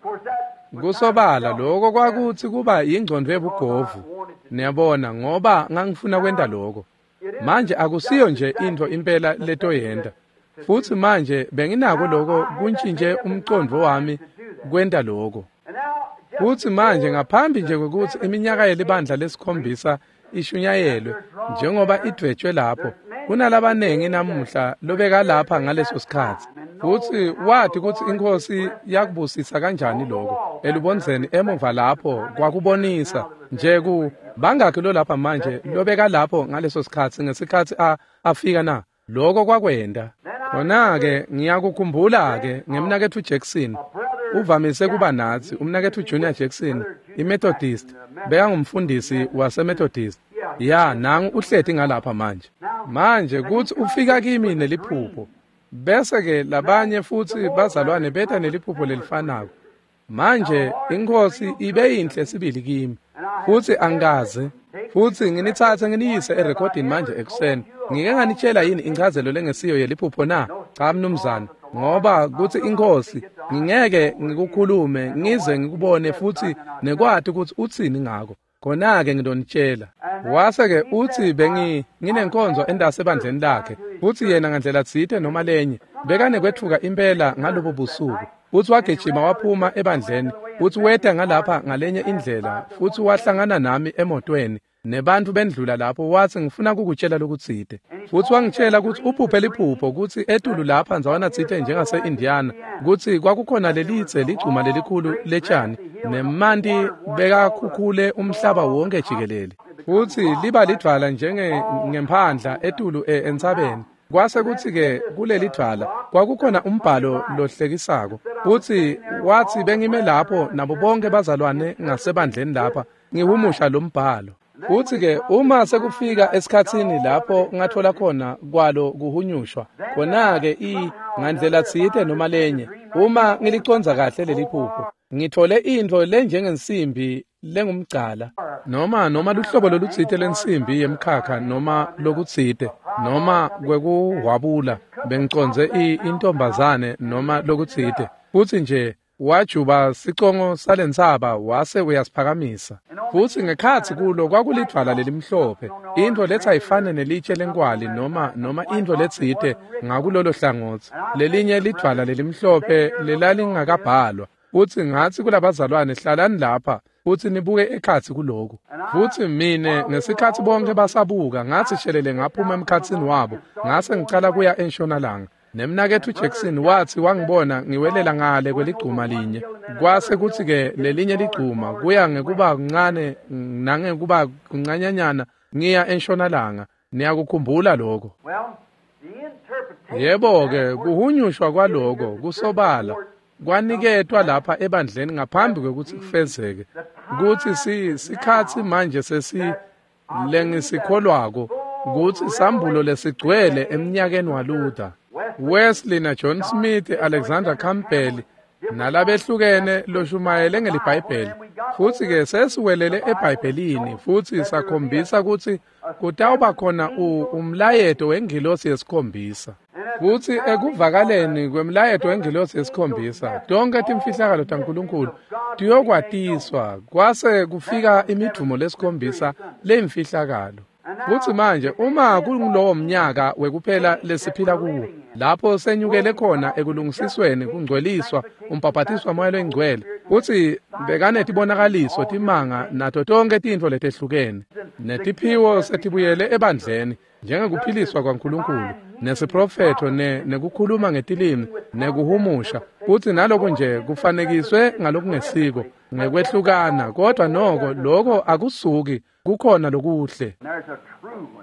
Kusobala lokho kwakutsi kuba yingcondvo yebugovu niyabona ngoba ngangifuna kwenta lokho. Manje akusiyo nje intfo impela letoyenta futsi manje benginako lokho kuntjintje umcondvo wami kwenta lokho. Futsi manje ngaphambi nje kwekutsi iminyaka yelibandla lesikhombisa ishunyayelwe njengoba idvwetshwe lapho kunalabanengi namuhla lobeka lapha ngaleso sikhatsi futsi wathi kutsi inkosi yakubusisa kanjani lokho elubondzeni emuva lapho kwakubonisa nje ku bangakhi lo lapha manje lobeka lapho ngaleso sikhatsi ngesikhatsi afika na lokho kwakwenda. Khona-ke ngiyakukhumbula-ke ngemnaketfu Jackson uvamise kuba natsi umnaketfu Junior Jackson iMethodist bekangumfundisi waseMethodist ya nangu uhleti ngalapha manje. Manje kutsi ufika kimi neliphupho bese-ke labanye futsi bazalwane beta neliphupho lelifanako. Manje inkosi ibe yinhle sibili kimi futsi angikaze futsi nginitsatse nginiyise erekhodini manje ekuseni. Ngike nganitshela yini inchazelo lengesiyo yeliphupho na? Cha mnumzane, ngoba kutsi inkosi ngingeke ngikukhulume ngize ngikubone futsi nekwati kutsi utsini ngako khona-ke ngidonitshela. Wase-ke utsi bengi nginenkonzo endase ebandleni lakhe futsi yena ngandlela tsite noma lenye bekanekwetfuka impela ngalobo busuku futsi wagijima waphuma ebandleni futsi weta ngalapha ngalenye indlela futsi wahlangana nami emotweni nebantfu bendlula lapho watsi ngifuna kukutshela lokutsite futsi wangitshela kutsi uphuphe liphupho kutsi etulu lapha ndzawana tsite njengase-Indiana kutsi kwakukhona lelitse ligcuma lelikhulu letshani nemanti bekakhukhule umhlaba wonke jikelele futsi liba lidvwala njenge ngemphandla etulu entsabeni. Kwase kutsi-ke kuleli dvwala kwakukhona umbhalo lohlekisako futsi watsi bengime lapho nabo bonke bazalwane ngasebandleni lapha ngihumusha lo mbhalo. Futsi-ke uma sekufika esikhatsini lapho ngathola khona kwalo kuhunyushwa khona-ke i ngandlela tsite noma lenye uma ngilicondza kahle leli phupho ngithole intfo lenjengensimbi lengumgcala noma noma luhlobo lolutsite lensimbi yemkhakha noma lokutsite noma kwekuhwabula bengicondze intombazane noma lokutsite futsi nje Wajuba sicongo salentsaba wase uyasiphakamisa. Futsi ngekhatsi kulo kwakulidvwala lelimhlophe, intfo letsi ayifane nelitshe lenkwali noma noma intfo letsite ngakulolo hlangotsi. Lelinye lidvwala lelimhlophe lelalingakabhalwa. Futsi ngatsi kulabazalwane, hlalani lapha futsi nibuke ekhatsi kuloku. Futsi mine ngesikhatsi bonke basabuka, ngatsi shelele ngaphuma emkhatsini wabo, ngase ngicala kuya entshonalanga. Nemnaketfu Jackson watsi wangibona ngiwelela ngale kweligcuma linye. Kwase kutsi-ke lelinye ligcuma kuya ngekuba kuncane nangekuba kuncanyanyana ngiya entshonalanga. Niyakukhumbula lokho? Yebo-ke, kuhunyushwa kwaloko kusobala kwaniketwa lapha ebandleni ngaphambi kwekutsi kufezeke, kutsi si sikhatsi manje sesi lengisikholwako kutsi sambulo lesigcwele emnyakeni waLuther, Wesley na John Smith, Alexander Campbell nalabehlukene loshumayele ngeliBhayibheli. Futsi-ke sesiwelele eBhayibhelini futsi sakhombisa kutsi kutawuba khona umlayeto wengilosi yesikhombisa. Futsi ekuvakaleni kwemlayeto wengilosi yesikhombisa, tonke timfihlakalo taNkulunkulu tiyokwatiswa, kwase kufika imidumo lesikhombisa leyimfihlakalo. Futsi manje uma kungulowo mnyaka wekuphela lesiphila kuwo, lapho senyukele khona ekulungisisweni, kungcweliswa, umbhabhatiswa Moya loyiNgcwele, futsi bekanetibonakaliso, timanga nato tonke tintfo letehlukene, netiphiwo setibuyele ebandleni, njengekuphiliswa kwaNkulunkulu, nesiprofetho, ne nekukhuluma ngetilimi, nekuhumusha, futsi naloku nje kufanekiswe ngalokungesiko ngekwehlukana, kodwa noko loko akusuki, kukhona lokuhle.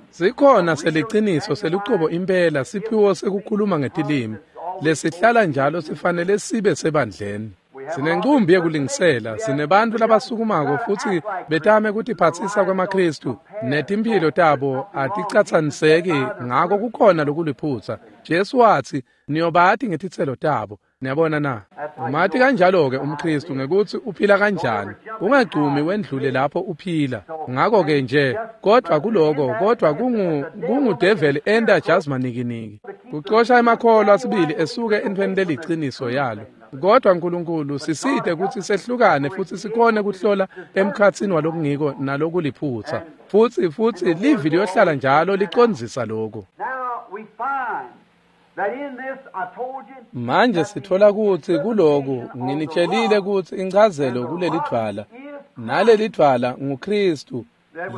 Sikhona seliciniso selucobo impela siphiwo sekukhuluma ngetilimi lesihlala njalo sifanele sibe sebandleni. Sinencumbi yekulingisela, sinebantfu labasukumako futsi betame kutiphatsisa kwemaKhristu, netimphilo tabo aticatsaniseki, ngako kukhona lokuliphutsa. Jesu watsi, niyobati ngetitselo tabo. Niyabona na? Umati kanjalo-ke umKhristu ngekutsi uphila kanjani. Ungagcumi wendlule lapho uphila. Ngako-ke nje, kodvwa kuloko, kodvwa kungu kungudeveli enta jasmanikiniki. Kucosha emakholwa sibili esuke entfweni leliciniso yalo. Kodwa Nkulunkulu sisite kutsi sehlukane futsi sikhone kuhlola emkhatsini walokungiko nalokuliphutsa. Futsi futsi livi liyohlala njalo licondzisa lokho. Manje sitfola kutsi kuloku nginitshelile kutsi inchazelo kulelidvwala, nalelidvwala nguKhristu,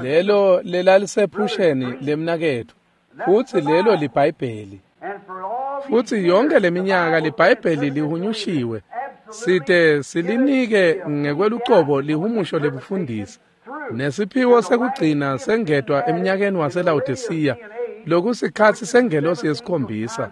lelo lelalisephusheni lemnaketfu, futsi lelo liBhayibheli. Futsi yonke leminyaka liBhayibheli lihunyushiwe, site silinike ngekwelucobo lihumusho lebufundisi. Nesiphiwo sekugcina sengetwa eminyakeni waseLawodisiya, lokusikhatsi sengelosi yesikhombisa,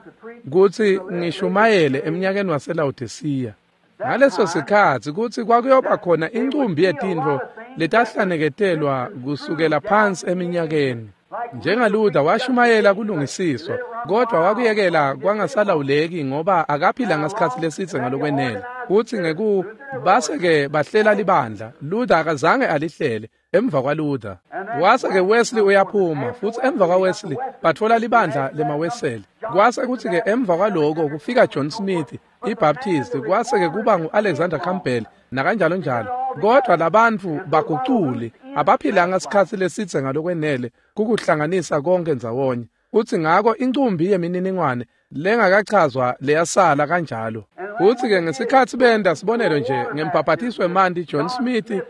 kutsi ngishumayele eminyakeni waseLawodisiya. Ngaleso sikhatsi kutsi kwakuyoba khona incumbi yetintfo letahlaneketelwa kusukela phansi eminyakeni. NjengaLuther washumayela kulungisiswa, kodvwa wakuyekela kwangasalawuleki ngoba akaphila ngasikhatsi lesidze ngalokwenele. Futsi ngeku base-ke bahlela libandla, Luther akazange alihlele emva kwaLuther. Wase-ke Wesley uyaphuma, futsi emva kwaWesley batfola libandla lemaWeseli. Kwase kutsi-ke emva kwaloko kufika John Smith, iBaptist, kwase-ke kuba ngu-Alexander Campbell nakanjalo njalo. Kodvwa labantfu baguculi abaphilanga sikhatsi lesidze ngalokwenele kukuhlanganisa konke ndzawonye. Futsi ngako incumbi yemininingwane lengakachazwa leyasala kanjalo. Futsi-ke ngesikhatsi benta sibonelo nje ngembhabhatiswe emanti John Smith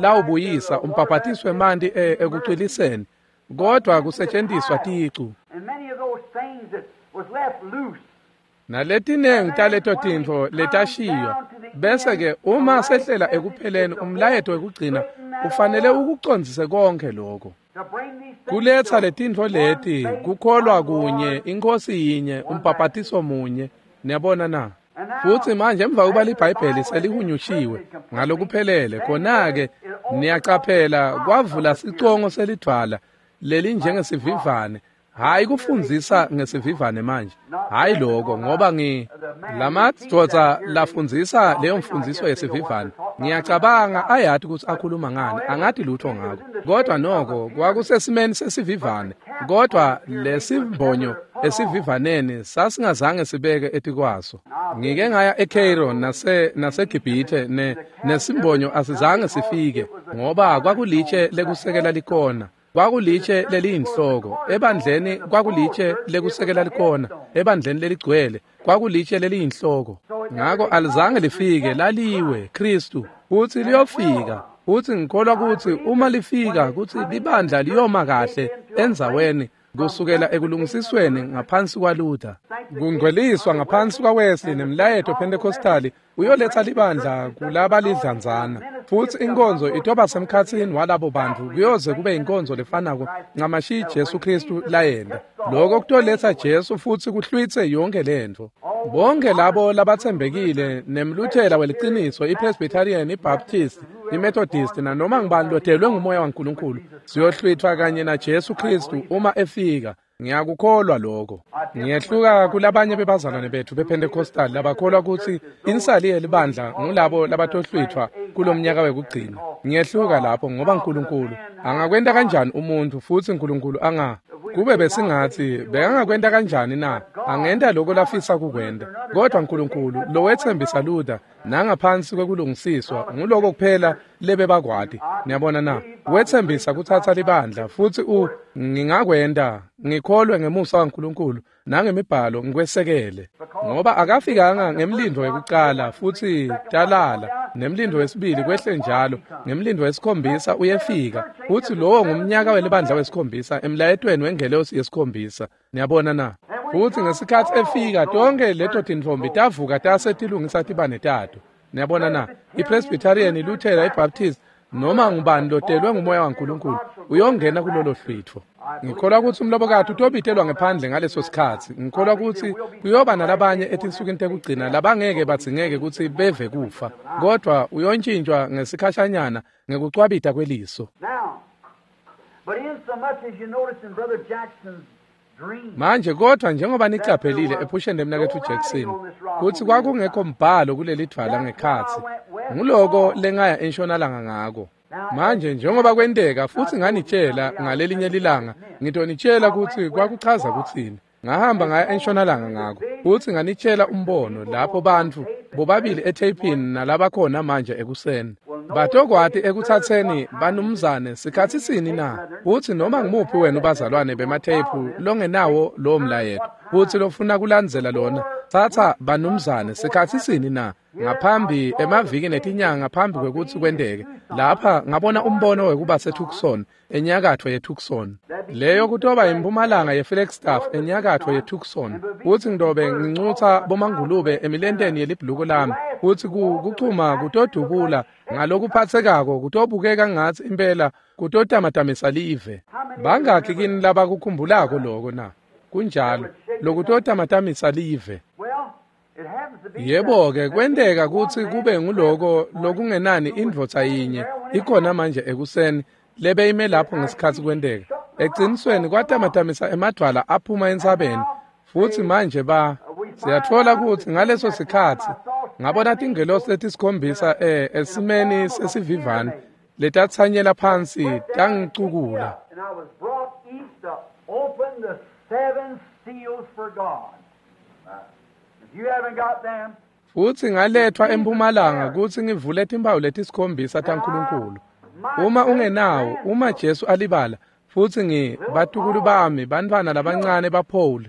lawubuyisa umbhabhatiswe emanti ekucwiliseni, kodvwa kusetjentiswa ticu. Naletinengi taleto tintfo letashiywa, bese-ke uma sehlela ekupheleni umlayeto wekugcina ufanele ukucondzise konke lokho. Kuletsa letintfo leti, kukholwa kunye, iNkhosi yinye, umbhabhatiso munye. Niyabona na? Futsi manje emva kuba liBhayibheli selihunyushiwe ngalokuphelele, khona-ke niyacaphela kwavula sicongo selidvwala lelinjengesivivane. Hayi kufundzisa ngesivivane manje, hayi lokho, ngoba ngi lamadvodza lafundzisa leyo mfundziso yesivivane, ngiyacabanga ayati kutsi akhuluma ngani, angati lutho ngako. Kodwa noko kwakusesimeni sesivivane, kodwa lesimbonyo Esivivaneni sasingazange sibeke etikwaso. Ngike ngaya eCairo nase naseGibhithe ne nesimbonyo asizange sifike ngoba kwakulitshe lekusekela likona. Kwakulitshe leliyinhloko ebandleni, kwakulitshe lekusekela likona ebandleni leligcwele, kwakulitshe leliyinhloko. Ngako alizange lifike, laliwe Kristu futsi liyofika. Futsi ngikholwa kutsi uma lifika kutsi libandla liyoma kahle endzaweni kusukela ekulungisisweni ngaphansi kwaLuther, kungcweliswa ngaphansi kwaWesley nemlayeto Pentecostali uyoletsa libandla kulabalidlanzana. Futsi inkonzo itoba semkhatsini walabo bantu kuyoze kube inkonzo lefanako ncamashi Jesu Kristu layenta. Lokho kutoletsa Jesu futsi kuhlwitse yonke lentfo. Bonke labo labatsembekile nemluthela weliciniso, iPresbyterian, iBaptist, iMethodist nanoma ngubani lotelwe ngumoya waNkulunkulu, siyohlwithwa kanye na Jesu Kristu uma efika. Ngiyakukholwa lokho. Ngiyehluka kulabanye bebazalwane bethu bePentecostal labakholwa kutsi insali yelibandla ngulabo labatohlwithwa kulomnyaka wekugcina. Ngiyehluka lapho ngoba uNkulunkulu angakwenta kanjani umuntu futsi uNkulunkulu anga kube besingathi bekangakwenta kanjani na? Angenta lokho lafisa kukwenta. Kodwa uNkulunkulu lowetsembisa Luther nangaphansi kwekulungisiswa nguloko kuphela lebebakwati. Niyabona na? Wetsembisa kutsatsa libandla futsi u ngingakwenta ngikholwe ngemusa waNkulunkulu nangemibhalo ngikwesekele. Ngoba akafikanga ngemlindo wekucala futsi talala, nemlindo wesibili kwehle njalo, ngemlindo wesikhombisa uyefika futsi lowo ngumnyaka welibandla wesikhombisa emlayetweni wengelosi yesikhombisa. Niyabona na? Futsi ngesikhatsi efika tonke leto tintfombi tavuka tase tilungisa tibane tato. Niyabona na? IPresbyterian, iLuthera, iBaptist noma ngubani lotelwe ngumoya waNkulunkulu uyongena kulolo hlwitfo. Ngikholwa kutsi umlobokati utobitelwa ngephandle ngaleso sikhatsi. Ngikholwa kutsi kuyoba nalabanye etinsukwini tekugcina labangeke badzingeke kutsi beve kufa, kodwa uyontshintshwa ngesikhashanyana ngekucwabita kweliso. Manje kodwa njengoba nicaphelile ephusheni lemnaketfu Jackson kutsi kwakungekho mbhalo kuleli dvwala ngekhatsi, nguloko lengaya entshonalanga ngako. Manje njengoba kwenteka futsi nganitshela ngalelinye lilanga, ngitonitshela kutsi kwakuchaza kutsini. Ngahamba ngaya entshonalanga ngako futsi nganitshela umbono lapho bantfu bobabili etheyphini nalabakhona manje ekuseni batokwati ekutsatseni banumzane sikhatsi sini na, kutsi noma ngimuphi wenu bazalwane bematheyiphu longenawo lowo mlayeto futsi lofuna kulandzela lona, tsatsa banumzane sikhatsi sini na ngaphambi emaviki netinyanga ngaphambi kwekutsi kwenteke. Lapha ngabona umbono wekuba seTucson enyakatfo yeTucson, leyo kutoba impumalanga yeFlagstaff enyakatfo yeTucson, kutsi ngidobe ngincutsa bomangulube emilenteni yelibhuluko lami, kutsi kuchuma kutodubula ngalokuphatsekako kutobukeka ngatsi impela kutotamatamisa live. Bangakhi kini labakukhumbulako loko na? Kunjalo, lokutotamatamisa live. Yebo-ke kwenteka kutsi kube nguloko lokungenani indvodza yinye ikhona manje ekuseni lebeyime lapho ngesikhatsi kwenteka. Ecinisweni kwatamatamisa emadvwala aphuma entsabeni futsi manje ba siyatfola kutsi ngaleso sikhatsi ngabona tingelosi letisikhombisa eh esimeni sesivivane letatsanyela phansi tangicukula. Futsi ngaletfwa empumalanga kutsi ngivule timphawu letisikhombisa taNkulunkulu. Uma ungenawo, uma Jesu alibala, futsi ngi batukulu bami, bantfwana labancane baPaul.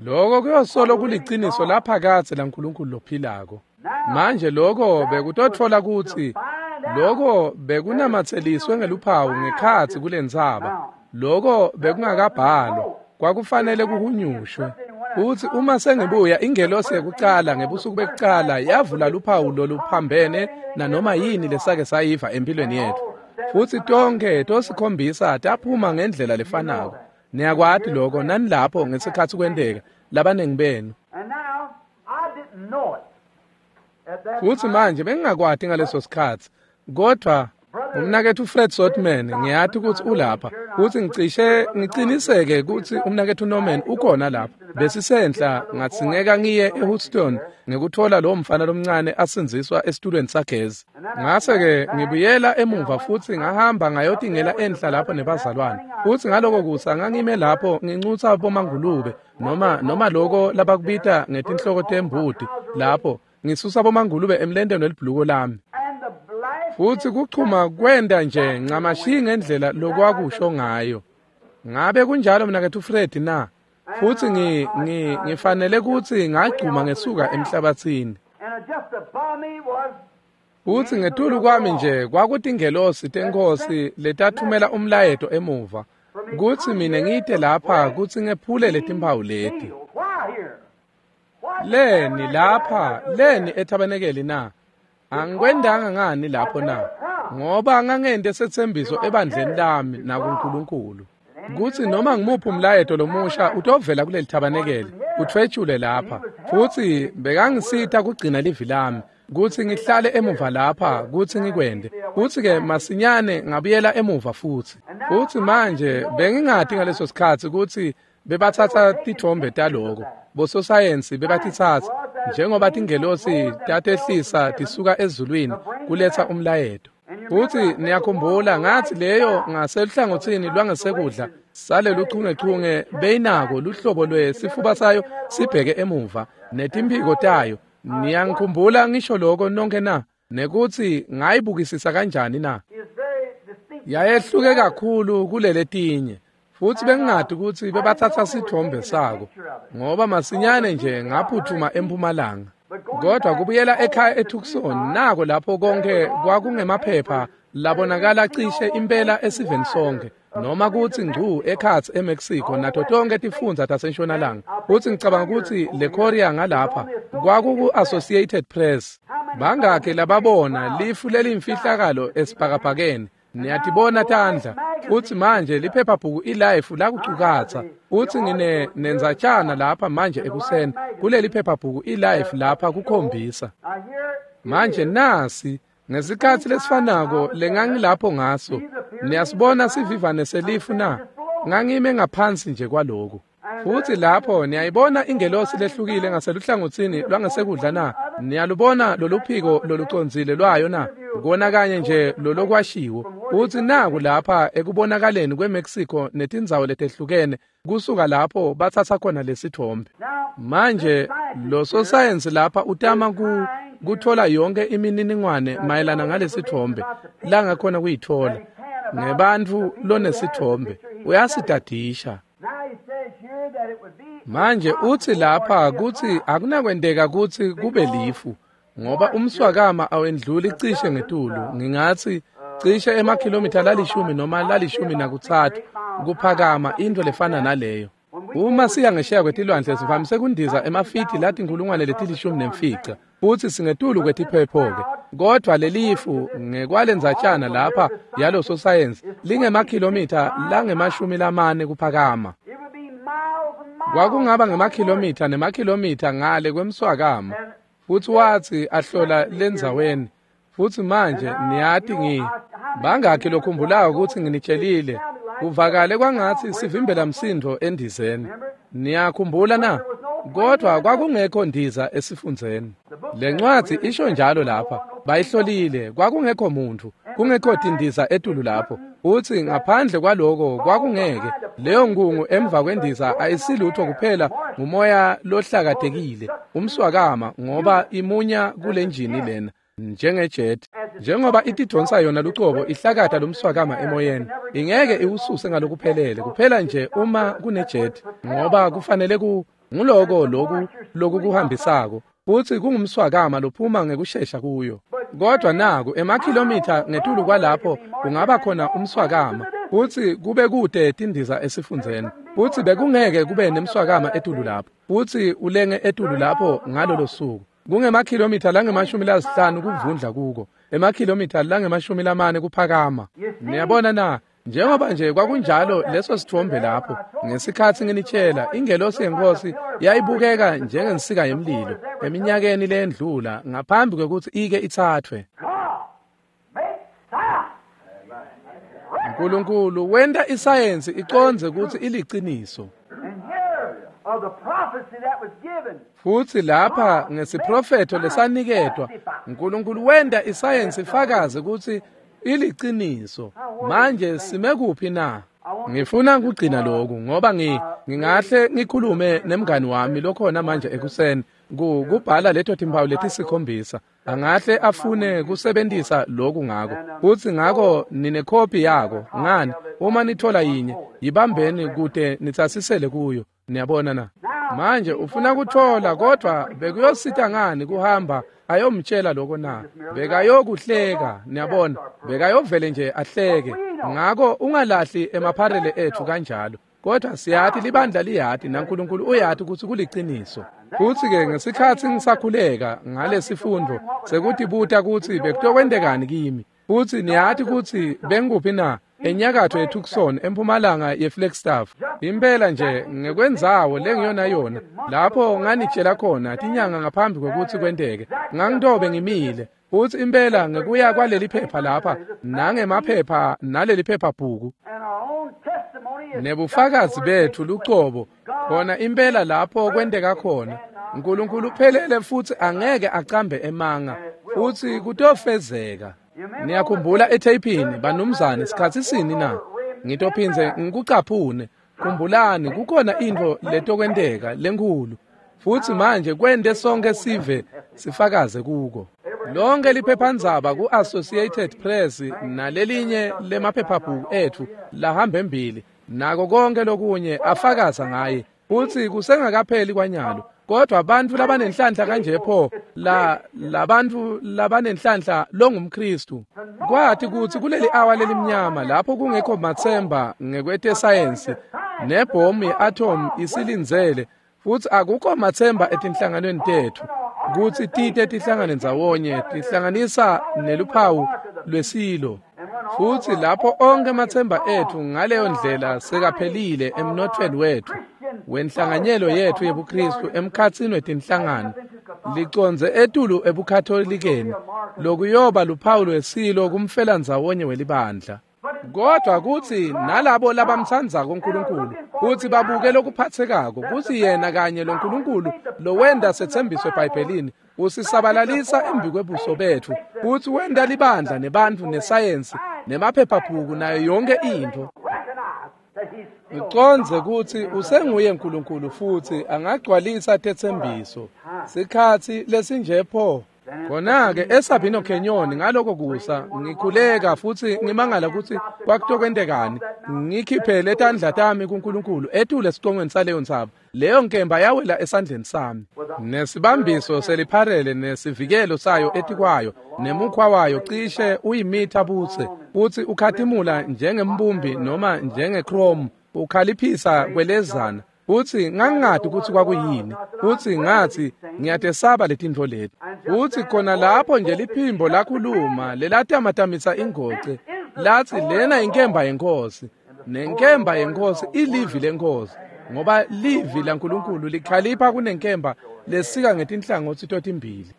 Loko kuyosolo kuliciniso laphakadze laNkulunkulu lophilako. Manje loko bekutotfola kutsi loko bekunamatseliswe ngeluphawu ngekhatsi kulentsaba. Loko bekungakabhalwa, kwakufanele kuhunyushwe. Futsi uma sengibuya ingelosi yekucala ngebusuku bekucala yavula luphawu loluphambene nanoma yini lesake sayiva empilweni yetfu. Futsi tonke tosikhombisa taphuma ngendlela lefanako. Niyakwati loko nanilapho ngesikhatsi kwenteka labanengi benu. Futsi manje bengingakwati ngaleso sikhatsi, kodwa Umnaketfu Fred Sotman, ngiyati kutsi ulapha, kutsi ngicishe ngiciniseke kutsi umnaketfu Norman ukhona lapha. Besisenhla ngadzingeka ngiye eHouston ngekuthola lowo mfana lomncane asindziswa esitulweni sagezi. Ngase-ke ngibuyela emuva futsi ngahamba ngayotingela enhla lapho nebazalwane. Futsi ngaloko kusa ngangime lapho ngincutsa bomangulube noma noma loko labakubita ngetinhloko tembuti lapho ngisusa bomangulube emlenteni welibhuluko lami. Futsi kuchuma kwenda nje ncamashi ngendlela lokwakusho ngayo. Ngabe kunjalo mnaketfu Fred na? Futsi ngi ngi ngifanele kutsi ngagcuma ngesuka emhlabatsini. Futsi ngetulu kwami nje kwakutingelosi tenkosi letathumela umlayeto emuva kutsi mina ngite lapha kutsi ngephule letimphawu leti. Leni lapha, leni ethabenekeli na? Angikwendanga ngani lapho na? Ngoba ngangente setsembiso ebandleni lami nakuNkulunkulu kutsi noma ngimuphi umlayeto lomusha utovela kuleli thabanekeli utfwetshule lapha. Futsi bekangisita kugcina livi lami kutsi ngihlale emuva lapha kutsi ngikwende. Futsi-ke masinyane ngabuyela emuva futsi. Futsi manje bengingati ngaleso sikhatsi kutsi bebatsatsa titfombe taloko. Bososayensi bebatitsatsa njengoba tingelosi tatehlisa tisuka ezulwini kuletsa umlayeto. Futsi niyakhumbula ngathi leyo ngaseluhlangotsini lwangesekudla saleluchungechunge beyinako luhlobo lwesifuba sayo sibheke emuva netimphiko tayo. Niyangikhumbula ngisho lokho nonke na? Nekutsi ngayibukisisa kanjani na? Yayehluke kakhulu kuleletinye. Futsi bengingati kutsi bebatsatsa sitfombe sako ngoba masinyane nje ngaphuthuma empumalanga. Kodwa kubuyela ekhaya eTucson nako lapho konke kwakungemaphepha labonakala cishe impela esiveni sonke noma kutsi ngcu ekhatsi eMexico nato tonke tifundza tasentshonalanga. Futsi ngicabanga kutsi le Korea ngalapha kwakuku-Associated Press. Bangakhi lababona lifu leliyimfihlakalo esibhakabhakeni? Niyatibona tandla. Futsi manje liphephabhuku iLife lakucukatsa. Futsi ngine nendzatshana lapha manje ekuseni kuleli phephabhuku iLife lapha kukhombisa. Manje nasi ngesikhatsi lesifanako lengangilapho ngaso. Niyasibona sivivane selifu na? Ngangime ngaphansi nje kwaloku. Futsi lapho niyayibona ingelosi lehlukile ngaseluhlangotsini lwangesekudla na? Niyalubona loluphiko lolucondzile lwayo na? Kona kanye nje lolokwashiwo. Futsi naku lapha ekubonakaleni kweMexico netindzawo letehlukene kusuka lapho batsatsa khona lesithombe. Manje lo sosayensi lapha utama ku kuthola yonke imininingwane mayelana ngalesithombe langakhona kuyithola ngebantfu lonesithombe uyasidadisha. Manje utsi lapha kutsi akunakwenteka kutsi kube lifu ngoba umswakama awendluli cishe ngetulu ngingatsi cishe emakhilomitha lalishumi noma lalishumi nakutsatfu kuphakama into lefana naleyo. Uma siya ngesheya kwetilwandle sivamise kundiza emafiti latinkhulungwane letilishumi nemfica futsi singetulu kwetiphepho-ke. Kodvwa lelifu ngekwalendzatshana lapha yalo sosayensi lingemakhilomitha langemashumi lamane kuphakama. Kwakungaba ngemakhilomitha nemakhilomitha ngale kwemswakama. Futsi watsi ahlola lendzaweni. Futsi manje niyati ngi bangakhi lokhumbulako kutsi nginitshelile kuvakale kwangatsi sivimbela msindo endizeni. Niyakhumbula na? Kodwa kwakungekho ndiza esifundzeni. Lencwadzi isho njalo lapha. Bayihlolile kwakungekho muntu, kungekho tindiza etulu lapho. Utsi ngaphandle kwaloko kwakungeke. Leyo nkungu emva kwendiza ayisilutho kuphela ngumoya lohlakatekile, umswakama ngoba imunya kulenjini lena njengejet. Njengoba itidonsa yona lucobo ihlakata lomswakama emoyeni, ingeke iwususe ngalokuphelele kuphela nje uma kunejet ngoba kufanele ku nguloko loku lokukuhambisako. Futsi kungumswakama lophuma ngekushesha kuyo. Kodwa naku emakhilomitha ngetulu kwalapho kungaba khona umswakama futsi kube kude tindiza esifundzeni. Futsi bekungeke kube nemswakama etulu lapho futsi ulenge etulu lapho ngalolo suku. Kungemakhilomitha langemashumi lasihlanu kuvundla kuko, emakhilomitha langemashumi lamane kuphakama. Niyabona na? Njengoba nje kwakunjalo leso sithombe lapho ngesikhatsi nginitshela ingelosi yenkosi yayibukeka njengensika yemlilo eminyakeni leyendlula ngaphambi kwekutsi ike ithathwe. God make silence. Nkulunkulu wenta isayensi icondze kutsi iliciniso. Futsi lapha ngesiprofetho lesaniketwa, Nkulunkulu wenta isayensi ifakaze kutsi iliciniso. Manje sime kuphi na? Ngifuna kugcina lokhu ngoba ngi ngingahle ngikhulume nemngani wami lokhona manje ekuseni kubhala leto timpawu letisikhombisa. Angahle afune kusebentisa lokhu ngako. Futsi ngako ninekhophi yako. Ngani? Uma nithola yinye, yibambeni kute nitsasisele kuyo. Niyabona na? Manje ufuna kuthola, kodwa bekuyosita ngani kuhamba ayomtshela lokho na? Bekayokuhleka, niyabona. Bekayovele nje ahleke. Ngako ungalahli emapharele ethu kanjalo. Kodwa siyati libandla liyati naNkulunkulu uyati kutsi kuliciniso. Futsi-ke ngesikhatsi ngisakhuleka ngalesifundvo sekutibuta kutsi bekutokwentekani kimi. Futsi niyati kutsi bengikuphi na? Enyakatfo yeTucson, empumalanga yeFlagstaff. Impela nje ngekwendzawo lengiyona yona lapho nganitshela khona tinyanga ngaphambi kwekutsi kwenteke. Ngangitobe ngimile. Futsi impela ngekuya kwaleli phepha lapha nangemaphepha naleli phephabhuku nebufakazi bethu lucobo khona impela lapho kwenteka khona. Nkulunkulu uphelele futsi angeke acambe emanga, futsi kutofezeka. Niyakhumbula etheyphini banumzane sikhatsi sini na? Ngitophindze ngikucaphune. Khumbulani kukhona intfo letokwenteka lenkhulu, futsi manje kwente sonke sive sifakaze kuko. Lonke liphephandzaba ku-Associated Press nalelinye lemaphephabhuku etfu lahamba embili nako konke lokunye afakaza ngaye. Futsi kusengakapheli kwanyalo, kodwa bantfu labanenhlanhla kanje pho la labantfu labanenhlanhla longumKristu kwathi kutsi kuleli awa lelimnyama lapho kungekho matsemba ngekwetesayensi nebhomu ye-atom isilindzele, futsi akukho matsemba etinhlanganweni tetfu kutsi tite tihlangane ndzawonye tihlanganisa neluphawu lwesilo. Futsi lapho onke amatsemba etfu ngaleyo ndlela sekaphelile emnothweni wetfu wenhlanganyelo yetfu yebuKristu emkhatsini wetinhlangano licondze etulu ebukatholikeni lokuyoba luphawu lwesilo kumfelandzawonye welibandla. Kodwa kutsi nalabo labamtsandzako uNkulunkulu kutsi babuke lokuphatsekako kutsi yena kanye loNkulunkulu lowenta setsembiso eBhayibhelini usisabalalisa embikwebuso betfu, kutsi wenta libandla nebantfu nesayensi nemaphephabhuku nayo yonke intfo. Ucondze kutsi usenguye uNkulunkulu futsi angagcwalisa tetsembiso. Sikhatsi lesinje pho. Khona-ke eSabino Canyon ngaloko kusa ngikhuleka futsi ngimangala kutsi kwakutokwentekani. Ngikhiphele tandla tami kuNkulunkulu etule esicongweni saleyo ntsaba. Leyo nkemba yawela esandleni sami. Nesibambiso selipharele nesivikelo sayo etikwayo nemukhwa wayo cishe uyimitha butse, futsi ukhatimula njengembumbi noma njengechrome, ukhaliphisa kwelezana. Futsi ngangingati kutsi kwakuyini, futsi ngathi ngiyatesaba letintfo leti. Futsi khona lapho nje liphimbo lakhuluma lelatamatamisa ingoce lathi lena inkemba yenkosi, nenkemba yenkosi ilivi lenkosi, ngoba livi laNkulunkulu likhalipha kunenkemba lesika ngetinhlangotsi totimbili.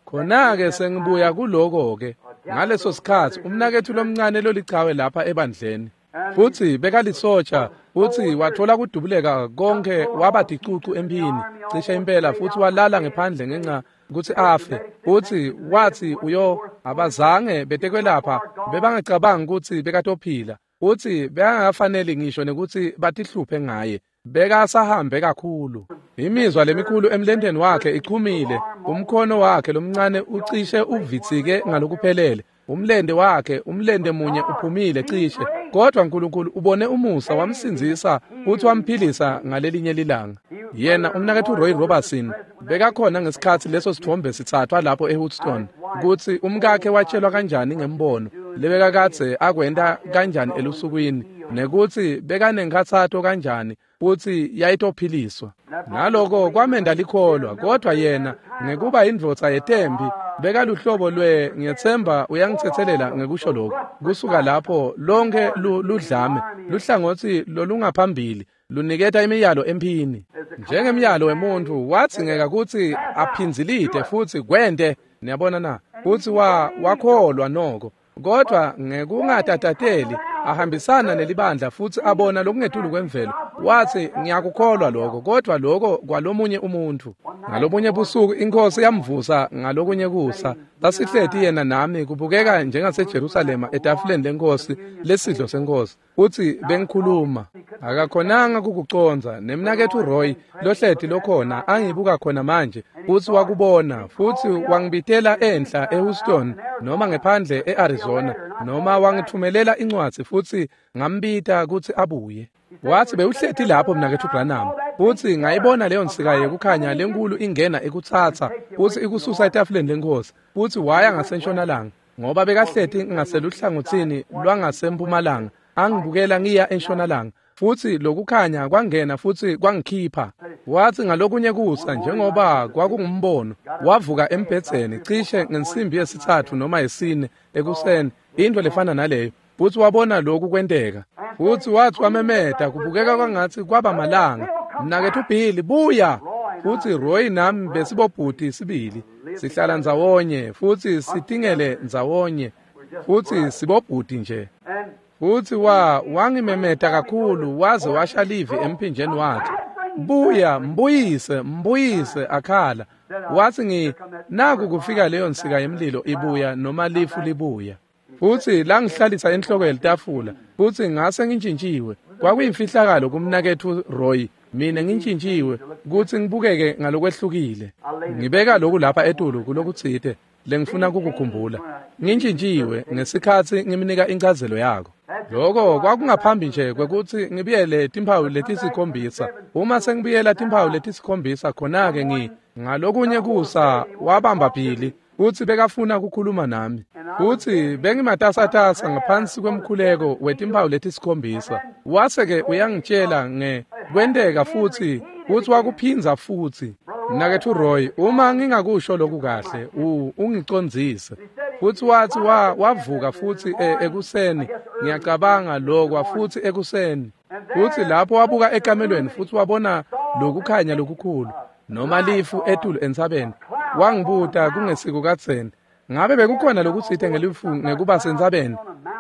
Khona-ke sengibuya kuloko-ke ngaleso sikhatsi umnaketfu lomncane lolichawe lapha ebandleni, futsi bekalisotsha, futsi wathola kudubuleka konke waba ticucu emphini cishe impela, futsi walala ngephandle ngenxa kutsi afe. Futsi wathi uyo abazange betekwelapha bebangacabangi kutsi bekatophila, futsi bekangafaneli ngisho nekutsi batihluphe ngaye, bekasahambe kakhulu. Imizwa lemikhulu emlenteni wakhe ichumile, umkhono wakhe lomncane ucishe uvitsike ngalokuphelele, umlente wakhe umlente munye uphumile cishe, kodwa uNkulunkulu ubone umusa wamsindzisa futhi wamphilisa ngalelinye lilanga. Yena umnaketfu Roy Robertson bekakhona ngesikhatsi leso sithombe sitsathwa lapho eHouston, kutsi umkakhe watshelwa kanjani ngembono lebekakadze akwenta kanjani elusukwini, nekutsi bekanenkhatsato kanjani futsi yayitophiliswa. Naloko kwamenda likholwa, kodwa yena ngekuba indvodza yetembi bekaluhlobo lwe ngiyetsemba uyangitsetselela ngekusho lokhu. Kusuka lapho lonke ludlame luhlangotsi lolungaphambili luniketa imiyalo emphini njengemyalo wemuntfu wadzingeka kutsi aphindzilite futsi kwente Niyabona na? Futsi wa wakholwa noko, kodvwa ngekungatatateli ahambisana nelibandla futsi abona lokungetulu kwemvelo. Watsi, ngiyakukholwa lokho, kodvwa lokho kwalomunye umuntfu. Ngalobunye busuku iNkhosi yamvusa ngalokunye kusa. Sasihleti yena nami kubukeka njengaseJerusalema etafuleni leNkhosi lesidlo seNkhosi. Futsi bengikhuluma. Akakhonanga kukucondza. Nemnaketfu Roy lohleti lokhona angibuka khona manje futsi wakubona futsi wangibitela enhla eHouston noma ngephandle eArizona noma wangithumelela incwadzi futsi ngambita kutsi abuye. Watsi bewuhleti lapho mnaketfu Branham futsi ngayibona leyo nsika yekukhanya lenkulu ingena ikutsatsa futsi ikususa etafuleni leNkhosi futsi waya ngasentshonalanga ngoba bekahleti ngaseluhlangotsini lwangasempumalanga angibukela ngiya entshonalanga futsi lokukhanya kwangena futsi kwangikhipha. Watsi ngalokunye kusa njengoba kwakungumbono wavuka embhedzeni cishe ngensimbi yesitsatfu noma yesine ekuseni into lefana naleyo futsi wabona lokhu kwenteka futsi wathi wamemeta kubukeka kwangatsi kwaba malanga, mnaketfu Billy buya. Futsi Roy nami besibobhuti sibili sihlala ndzawonye futsi sitingele ndzawonye futsi sibobhuti nje. Futsi wa wangimemeta kakhulu waze washa livi emphinjeni wakhe, buya mbuyise mbuyise akhala. Watsi ngi naku kufika leyo nsika yemlilo ibuya noma lifu libuya. Futsi langihlalisa enhloko yelitafula futsi ngase ngintjintjiwe. Kwakuyimfihlakalo kumnaketfu Roy, mina ngintjintjiwe kutsi ngibukeke ngalokwehlukile. Ngibeka lokhu lapha etulu kulokutsite lengifuna kukukhumbula. Ngintjintjiwe ngesikhatsi ngimnika inchazelo yako. Lokho kwakungaphambi nje kwekutsi ngibuyele timphawu letisikhombisa. Uma sengibuyela timphawu letisikhombisa khona-ke ngi ngalokunye kusa wabamba Billy futsi bekafuna kukhuluma nami. Futsi bengimatasatasa ngaphansi kwemkhuleko wetimphawu letisikhombisa. Wase-ke uyangitshela nge kwenteka futsi futsi wakuphindza futsi. Mnaketfu Roy, uma ngingakusho lokhu kahle, ungicondzise. Futsi watsi wa wavuka futsi ekuseni, ngiyacabanga lokwa futsi ekuseni. Futsi lapho wabuka ekamelweni futsi wabona lokukhanya lokukhulu noma lifu etulu entsabeni. Wangibuta kungesiko kadzeni, ngabe bekukhona lokutsite ngelifu ngekuba sentsabeni?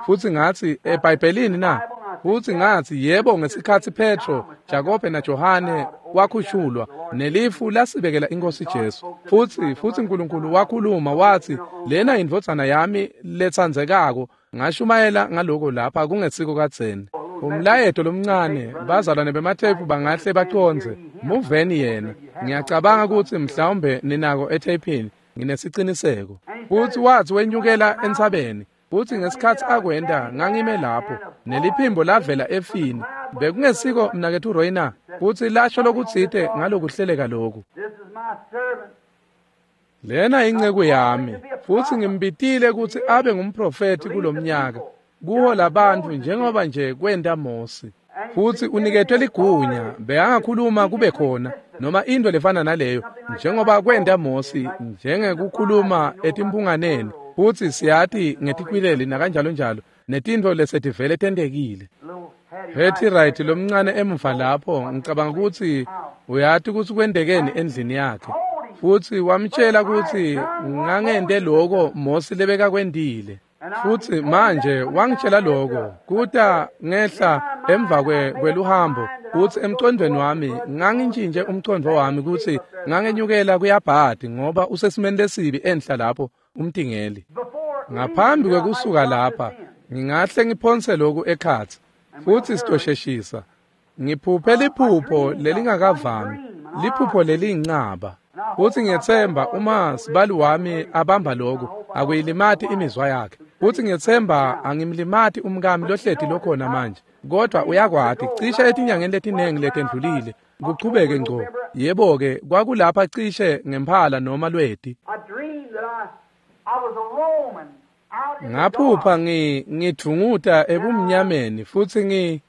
Futsi ngatsi eBhayibhelini na? Futsi ngatsi yebo, ngesikhatsi Petro, Jakobe naJohane wakhushulwa nelifu lasibekela iNkhosi Jesu. Futsi futsi uNkulunkulu wakhuluma watsi lena indvodzana yami letsandzekako. Ngashumayela ngaloko lapha kungesiko kadzeni. Umlayeto lomncane bazalwane bemathephu bangahle bacondze muveni yena. Ngiyacabanga kutsi mhlawumbe ninako ethepini, nginesiciniseko. Futsi watsi wenyukela entsabeni. Futsi ngesikhatsi akwenta ngangime lapho neliphimbo lavela efini. Bekungesiko mnaketfu Roy na? Futsi lasho lokutsite ngalokuhleleka lokhu. Lena inceku yami futsi ngimbitile kutsi abe ngumprofethi kulomnyaka kuhola bantfu njengoba nje kwenta Mosi. Futsi uniketwe ligunya bekangakhuluma kube khona noma into lefana naleyo njengoba kwenta Mosi njengekukhuluma etimphunganeni. Futsi siyati ngetikwileli nakanjalo njalo netintfo lesetivele tentekile. Hattie Wright lomncane emuva lapho ngicabanga kutsi uyati kutsi kwentekeni endlini yakhe. Futsi wamtshela kutsi ngangente lokho Mosi lebekakwentile. Futsi manje wangitshela lokho kuta ngehla emva kweluhambo kutsi emcondvweni wami ngangintjintje umcondvo wami kutsi ngangenyukela kuyabhadi ngoba usesimeni lesibi enhla lapho umtingeli. Ngaphambi kwekusuka lapha ngingahle ngiphonse lokhu ekhatsi futsi sitosheshisa. Ngiphuphe liphupho lelingakavami, liphupho leliyincaba. Futsi ngiyetsemba uma sibali wami abamba lokhu akuyilimati imizwa yakhe. Futsi ngiyetsemba angimlimati umkami lohleti lokhona manje, kodwa uyakwati cishe etinyangeni letinengi letendlulile kuchubeke ngco. Yebo-ke kwakulapha cishe ngemphala noma Lweti. Ngaphupha ngi ngidvunguta ebumnyameni futsi ngi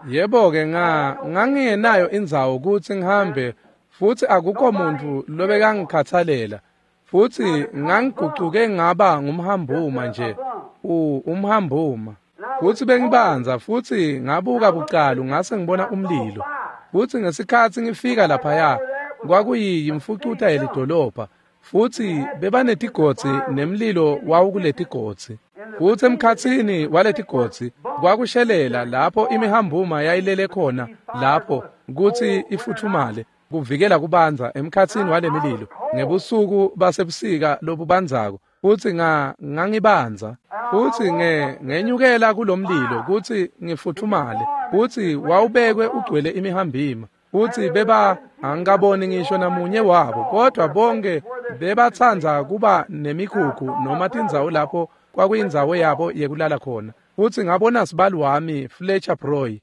yebo-ke nga ngangingenayo indzawo kutsi ngihambe futsi akukho muntfu lobekangikhathalela. Futsi ngangigucuke ngaba ngumhambuma nje, u umhambuma. Futsi bengibanza futsi ngabuka bucalu ngase ngibona umlilo. Futsi ngesikhatsi ngifika laphaya kwakuyimfucuta yelidolobha. Futsi bebanetigodzi nemlilo wawukuletigodzi. Futsi emkhatsini waletigodzi kwakushelela lapho imihambuma yayilele khona lapho kutsi ifutfumale kuvikela kubanza emkhatsini walemililo ngebusuku basebusika lobubanzako. Futsi nga ngangibanza futsi nge ngenyukela kulomlilo kutsi ngifutfumale futsi wawubekwe ugcwele imihambima. Futsi beba angikaboni ngisho namunye wabo, kodwa bonke bebatsandza kuba nemikhukhu noma tindzawo lapho kwakuyindzawo yabo yekulala khona. Futsi ngabona sibali wami Fletcher Broy.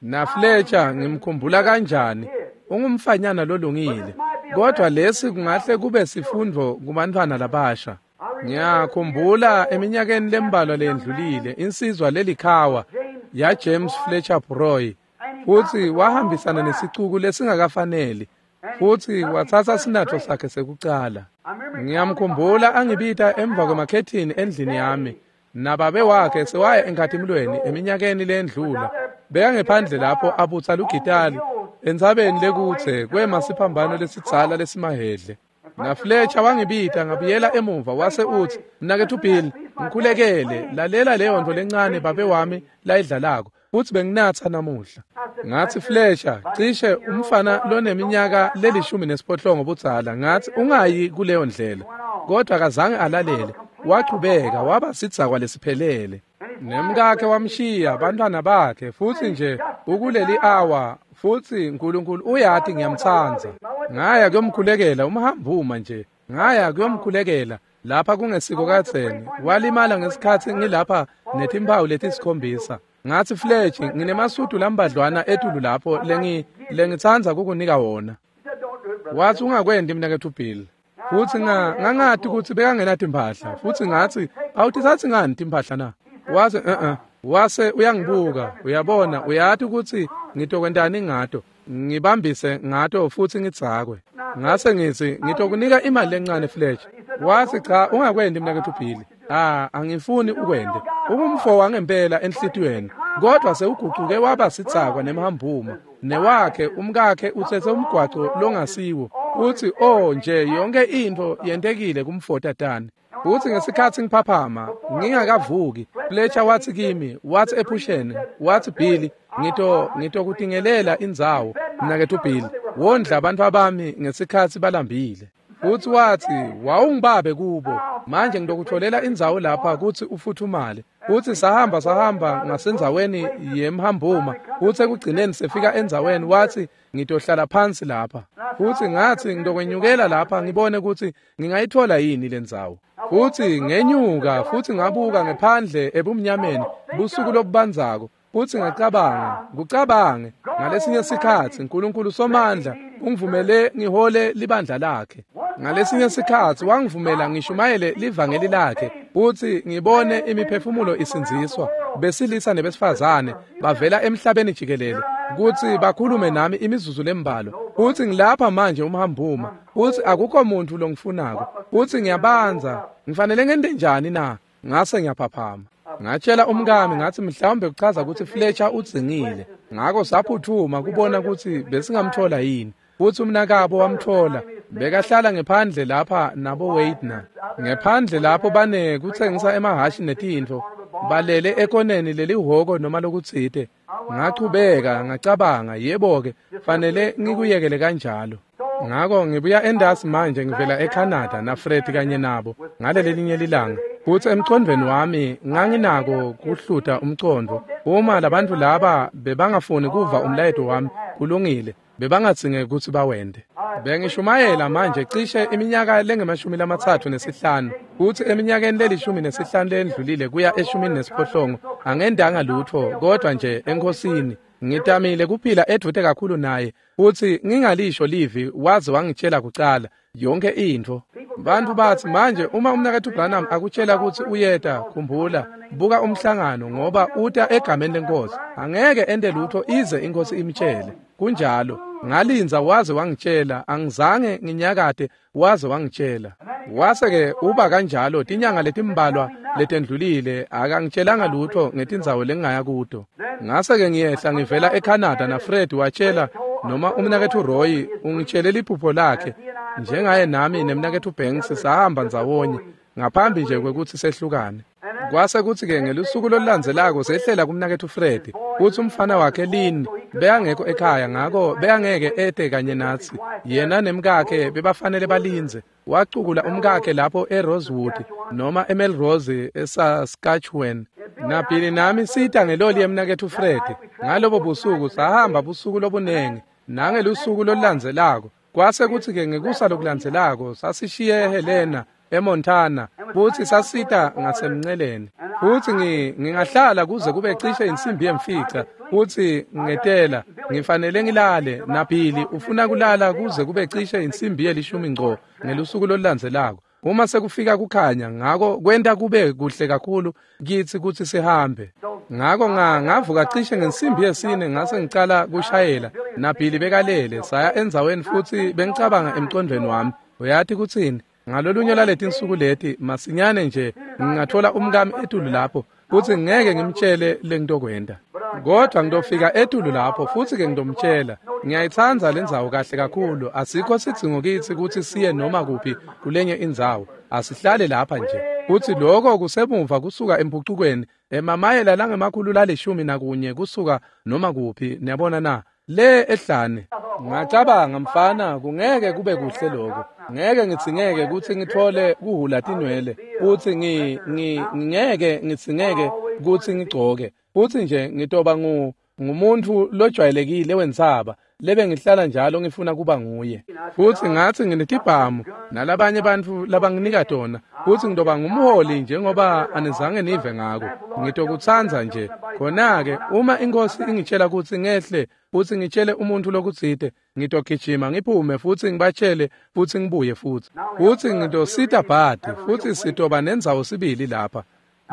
Na Fletcher ngimkhumbula kanjani, ungumfanyana lolungile. Kodwa lesi kungahle kube sifundvo kubantfwana labasha. Ngiyakhumbula eminyakeni lembalwa lendlulile insizwa lelikhawa ya James Fletcher Broy. Futsi wahambisana nesicuku lesingakafaneli futsi watsatsa sinatfo sakhe sekucala. Ngiyamkhumbula angibita emva kwemakhethini endlini yami nababe wakhe sewaya enkhatimulweni eminyakeni lendlula. Bekangephandle lapho abutsa lugitali entsabeni lekutse kwema siphambano lesidzala lesimahedle. Na Fletcher wangibita ngabuyela emuva wase utsi, "Mnaketfu Bill, ngikhulekele, lalela leyo ntfo lencane babe wami layidlalako. Futsi benginatsa namuhla." Ngatsi, "Fletcher, cishe umfana loneminyaka lelishumi nesiphohlongo budzala, ngatsi ungayi kuleyo ndlela." Kodwa akazange alalele, wachubeka waba sidzakwa lesiphelele. Nemkakhe wamshiya, bantwana bakhe, futsi nje ukuleli awa, futsi uNkulunkulu uyati ngiyamtsandza. Ngaya kuyomkhulekela umhambuma nje, ngaya kuyomkhulekela lapha kungesiko kadzeni, walimala ngesikhatsi ngilapha netimphawu letisikhombisa. Ngatsi, "Fletcher, nginemasudu lambadlwana etulu lapho lengi lengitsandza kukunika wona." Watsi, "Ungakwenti mnaketfu Bill." Futsi nga ngangati kutsi bekangenatimpahla, futsi ngatsi, "Awutitsatsi ngani timphahla na?" Watsi, "Eh eh." Wase uyangibuka, uyabona, uyati kutsi ngitokwentani ngato, ngibambise ngato futsi ngidzakwe. Ngase ngitsi, "Ngitokunika imali lencane Fletcher." Watsi, "Cha, ungakwenti mnaketfu Bill. Ah, angifuni ukwente. Ungumfo wangempela enhlitiyweni, kodwa sewugucuke waba sidzakwa nemhambuma. Newakhe umkakhe utsetse umgwaco longasiwo. Utsi, oh nje yonke intfo yentekile kumfotatane." Futsi ngesikhatsi ngiphaphama ngingakavuki, Fletcher watsi kimi, watsi ephusheni, watsi, "Billy, ngito ngitokutingelela indzawo, mnaketfu Bill, wondla abantfu bami ngesikhatsi balambile." Futsi watsi, "Wawungibabe kubo, manje ngitokutfolela indzawo lapha kutsi ufuthumale." Futsi sahamba sahamba ngasendzaweni yemhambuma, futsi ekugcineni sefika endzaweni, watsi, "Ngitohlala phansi lapha." Futsi ngatsi, "Ngitokwenyukela lapha ngibone kutsi ngingayitfola yini lendzawo." Futsi ngenyuka futsi ngabuka ngephandle ebumnyameni busuku lobubandzako, futsi ngacabanga, kucabange ngalesinye sikhatsi uNkulunkulu Somandla ungivumele ngihole libandla lakhe. Ngalesinye sikhatsi wangivumela ngishumayele livangeli lakhe futsi ngibone imiphefumulo isindziswa, besilisa nebesifazane bavela emhlabeni jikelele kutsi bakhulume nami imizuzu lembalwa. Futsi ngilapha manje umhambuma, futsi akukho muntu longifunako, futsi ngiyabanza, ngifanele ngente njani na? Ngase ngiyaphaphama. Ngatshela umkami ngatsi mhlawumbe kuchaza kutsi Fletcher udzingile. Ngako saphuthuma kubona kutsi besingamthola yini. Futsi umnakabo wamthola, bekahlala ngephandle lapha nabo Waitner. Ngephandle lapho bane kutsengisa emahhashi netintfo, balele ekoneni lelihhoko noma lokutsite. Ngachubeka ngacabanga, yebo-ke, fanele ngikuyekele kanjalo. Ngako ngibuya endasi manje ngivela eCanada na Fred kanye nabo ngalelelinye lilanga. Futsi emcondvweni wami nganginako kuhluta umcondvo. Uma labantfu laba bebangafuni kuva umlayeto wami, kulungile, bebangadzinge kutsi bawente. Bengishumayela manje cishe iminyaka lengemashumi lamatsatfu nesihlanu, futsi eminyakeni lelishumi nesihlanu lendlulile kuya eshumini nesiphohlongo angendanga lutfo kodwa nje eNkhosini. Ngitamile kuphila edvute kakhulu naye futsi ngingalisho livi waze wangitshela kucala yonke intfo. Bantfu batsi, "Manje uma umnaketfu Branham akutshela kutsi uyeta, khumbula, buka umhlangano ngoba uta egameni leNkhosi. Angeke ente lutfo ize iNkhosi imtshele." Kunjalo. Ngalinza waze wangitshela, angizange nginyakate waze wangitshela. Wase-ke uba kanjalo tinyanga letimbalwa letendlulile akangitshelanga lutfo ngetindzawo lengingaya kuto. Ngase-ke ngiyehla ngivela eCanada na Fred watshela noma umnaketfu Roy ungitshele liphupho lakhe njengaye nami nemnaketfu Banks sahamba ndzawonye ngaphambi nje kwekutsi sehlukane. Kwase kutsi-ke ngelusuku lolulandzelako sehlela kumnaketfu Fred kutsi umfana wakhe Lynn bekangekho ekhaya, ngako bekangeke ete kanye natsi. Yena nemkakhe bebafanele balindze. Wacukula umkakhe lapho eRosewood noma eMelrose eSaskatchewan. NaBilly nami sita ngeloli yemnaketfu Fred. Ngalobo busuku sahamba busuku lobunengi nangelusuku lolulandzelako. Kwase kutsi-ke ngekusa lokulandzelako sasishiye Helena eMontana futsi sasita ngasemnceleni. Futsi ngingahlala kuze kube cishe insimbi yemfica futsi ngetela ngifanele ngilale. NaBilly ufuna kulala kuze kube cishe insimbi yelishumi ngco ngelusuku lolulandzelako uma sekufika kukhanya. Ngako kwenta kube kuhle kakhulu kitsi kutsi sihambe. Ngako ngavuka cishe ngensimbi yesine ngase ngicala kushayela. NaBilly bekalele. Saya endzaweni futsi bengicabanga emcondvweni wami, uyati kutsini, ngalolunye laletinsuku leti masinyane nje ngingathola umkami etulu lapho futsi ngeke ngimtshele lengitokwenta, kodwa ngitofika etulu lapho futsi-ke ngitomtshela. Ngiyayitsandza lendzawo kahle kakhulu. Asikho sidzingo kitsi kutsi siye noma kuphi kulenye indzawo, asihlale lapha nje. Futsi loko kusemuva kusuka empucukweni emamayela langemakhulu lalishumi nakunye kusuka noma kuphi, niyabona na, le ehlane. Ngacabanga, mfana, kungeke kube kuhle lokho. Ngeke ngitsingeke kutsi ngitfole kuhhula tinwele futsi ngi ngeke ngitsingeke kutsi ngigcoke futsi nje ngitoba ngu ngumuntfu lojwayelekile wentsaba lebe ngihlala njalo ngifuna kuba nguye. Futsi ngatsi nginetibhamu nalabanye bantfu labanginika tona futsi ngitoba ngumholi njengoba anizange nive ngako. Ngitokutsandza nje. Khona-ke uma inkosi ingitshela kutsi ngehle futsi ngitshele umuntfu lokutsite, ngitogijima ngiphume futsi ngibatshele futsi ngibuye futsi. Futsi ngitosita Bhadi futsi sitoba nendzawo sibili lapha.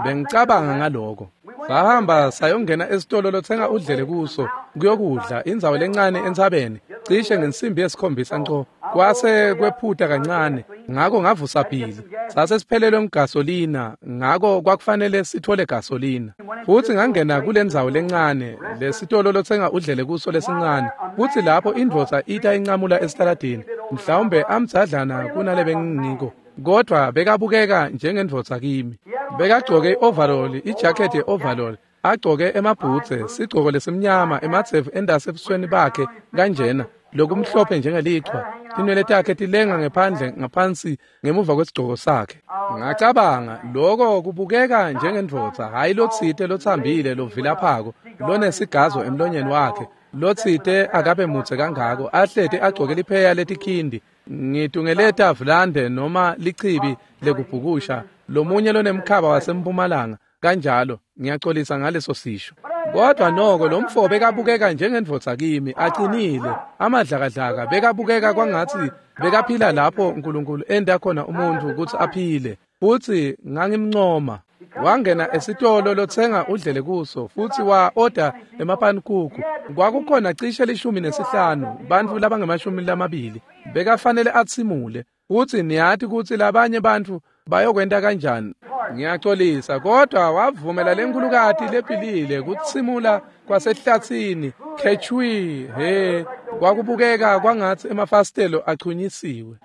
Bengicabanga ngaloko. Sahamba sayongena esitolo lotsenga udlele kuso kuyokudla, indzawo lencane entsabeni cishe ngensimbi yesikhombisa nco. Kwase kwephuta kancane, ngako ngavusa Billy. Sase siphelelwe ngugasolina, ngako kwakufanele sithole gasolina. Futsi ngangena kulendzawo lencane lesitolo lotsenga udlele kuso lesincane. Futsi lapho indvodza ita incamula esitaladini, mhlawumbe amdzadlana kunale bengingiko, kodwa bekabukeka njengendvodza kimi. Bekagcoke i-overall, ijacket ye-overall, agcoke emabhutse, sigcoko lesimnyama, emadzevu endase ebusweni bakhe kanjena, lokumhlophe njengelichwa. Tinwele takhe tilenga ngephandle ngaphansi ngemuva kwesigcoko sakhe. Ngacabanga, loko kubukeka njengendvodza, hhayi lotsite lotsambile lovilaphako, lonesigazo emlonyeni wakhe, lotsite akabe mudze kangako, ahlete agcoke lipheya letikhindi, ngitungeleta vulande noma lichibi lekubhukusha, lomunye lonemkhaba wasempumalanga kanjalo. Ngiyaxolisa ngaleso sisho, kodwa noko lo mfo bekabukeka njengendvodza kimi, acinile, amadlakadlaka. Bekabukeka kwangatsi bekaphila lapho uNkulunkulu enta khona umuntfu kutsi aphile. Futsi ngangimncoma. Wangena esitolo lotsenga udlele kuso futsi wa-oda emapanikuku. Kwakukhona cishe lishumi nesihlanu bantfu labangemashumi lamabili. Bekafanele atsimule. Futsi niyati kutsi labanye bantfu bayokwenta kanjani. Ngiyaxolisa, kodwa wavumela lenkulukati lephilile kutsimula kwasehlatsini khechwi. He, kwakubukeka kwangatsi emafasitelo achunyisiwe.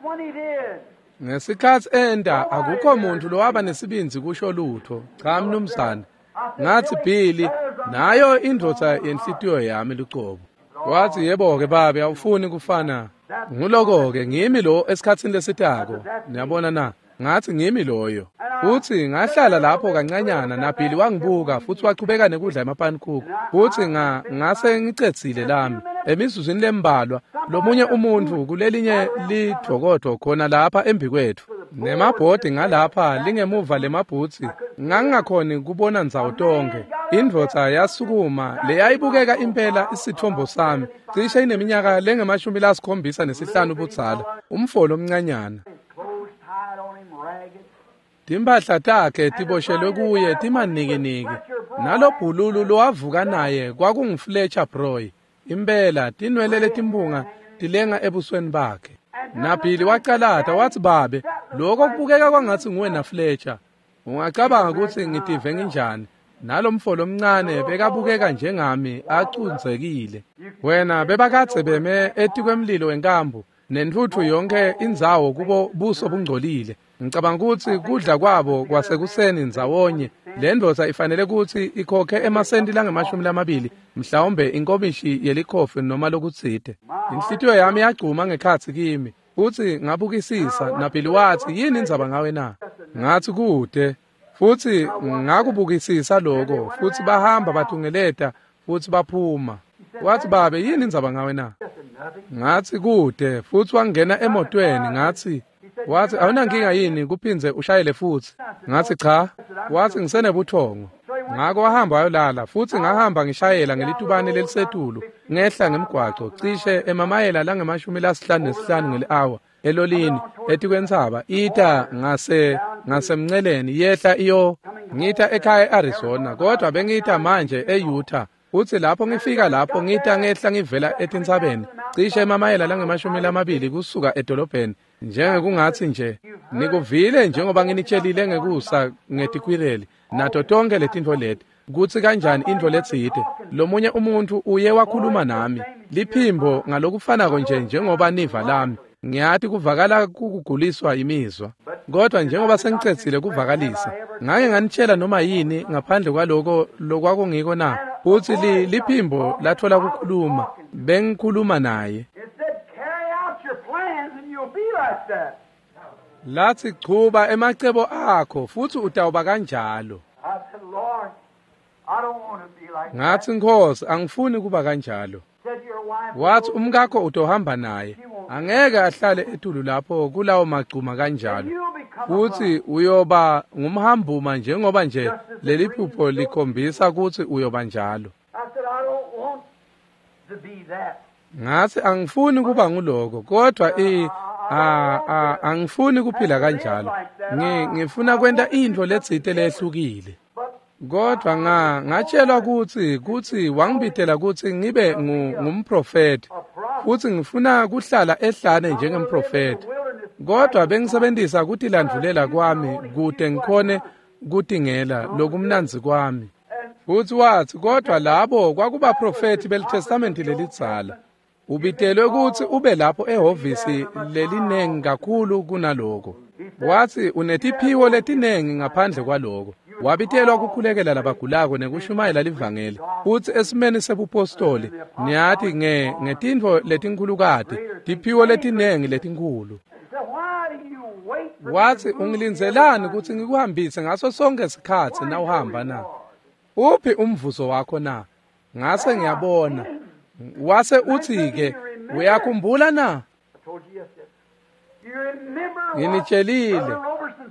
Ngesikhatsi enta, akukho muntu lowaba nesibindzi kusho lutho. Cha mnumzane. Ngatsi, Billy, nayo indvodza yenhlitiyo yami lucobo. Watsi, yebo-ke babe, awufuni kufana. Nguloko-ke ngimi lo esikhatsini lesitako. Niyabona na? Ngatsi ngimi loyo. Futsi ngahlala lapho kancanyana naBilly wangibuka futsi wachubeka nekudla emapanikuku. Futsi nga ngase ngicedzile lami. Emizuzwini lembalwa lomunye umuntfu kulelinye lidvokodvo khona lapha embikwetfu nemabhodi ngalapha lingemuva lemabhutsi, ngangingakhoni kubona ndzawo tonkhe. Indvodza yasukuma leyayibukeka impela isithombo sami, cishe ineminyaka lengemashumi lasikhombisa nesihlanu budzala, umfo lomncanyana. Timphahla takhe tiboshelwe kuye timanikiniki. Nalobhululu lowavuka naye kwakunguFletcher Broy. Impela tinwele letimpunga tilenga ebusweni bakhe. NaBilly wacalata watsi, babe, loko kubukeka kwangatsi nguwe naFletcher. Ungacabanga kutsi ngitive nginjani? Nalomfo lomncane bekabukeka njengami acundzekile. Wena bebakadze beme etikwemlilo wenkambu nentfutfu yonke indzawo kubo buso bungcolile. Ngicabanga kutsi kudla kwabo kwasekuseni ndzawonye. Le ndvodza ifanele kutsi ikhokhe emasenti langemashumi lamabili, mhlawumbe inkomishi yelikhofi noma lokutsite. Inhlitiyo yami yagcuma ngekhatsi kimi, futsi ngabukisisa. NaBilly watsi, yini indzaba ngawe na? Ngatsi kude. Futsi ngakubukisisa lokho, futsi bahamba batungeleta futsi baphuma. Watsi, babe, yini indzaba ngawe na? Ngatsi kude. Futsi wangena emotweni. Ngatsi, watsi, awunankinga yini kuphindze ushayele futsi? Ngatsi cha. Watsi ngisenebuthongo. Ngako wahamba wayolala, futsi ngahamba ngishayela ngelitubane lelisetulu ngehla ngemgwaco cishe emamayela langemashumi lasihlanu nesihlanu ngeli-awa elolini etikwentsaba ita ngase ngasemnceleni yehla iyo ngita ekhaya e-Arizona, kodwa bengita manje e-Utah. Futsi lapho ngifika lapho ngita ngehla ngivela etintsabeni cishe emamayela langemashumi lamabili kusuka edolobheni, njengekungatsi nje nikuvile njengoba nginitshelile ngekusa ngetikwireli nato tonke letintfo leti kutsi kanjani intfo letsite. Lomunye umuntfu uye wakhuluma nami liphimbo ngalokufanako nje njengoba niva lami. Ngiyati kuvakala kukuguliswa imizwa, kodwa njengoba sengicedzile kuvakalisa, ngake nganitshela noma yini ngaphandle kwaloko lokwakungiko na? Futsi li, liphimbo lathola kukhuluma, bengikhuluma naye. Lathi chuba emacebo akho futsi utawuba kanjalo. Ngatsi Nkosi, angifuni kuba kanjalo. Wathi umkakho utohamba naye, angeke ahlale etulu lapho kulawo magcuma kanjalo, futsi uyoba ngumhambuma njengoba nje leli phupho likhombisa kutsi uyoba njalo. Ngatsi angifuni kuba nguloko, kodwa i a a angifuni kuphila kanjalo. Ngi ngifuna kwenta intfo letsite lehlukile. Kodwa nga ngatshelwa kutsi kutsi wangibitela kutsi ngibe ngumprofeti, futsi ngifuna kuhlala ehlane njengemprofeti. Kodwa bengisebenzisa kutilandvulela kwami kute ngikhone kutingela lokumnandzi kwami. Futsi watsi kodwa labo kwakubaprofeti beliTestamenti lelidzala. Ubitelwe kutsi ube lapho ehhovisi lelinengi kakhulu kunaloko. Watsi unetiphiwo letinengi ngaphandle kwaloko. Wabitelwa kukhulekela labagulako nekushumayela livangeli. Futsi esimeni sebupostoli niyati nge ngetintfo letinkhulukati, tiphiwo letinengi letinkhulu. Watsi ungilindzelani kutsi ngikuhambise ngaso sonke sikhatsi nawuhamba na? Uphi umvuzo wakho na? Ngase ngiyabona. Wase uthi-ke, uyakhumbula na? Nginitshelile.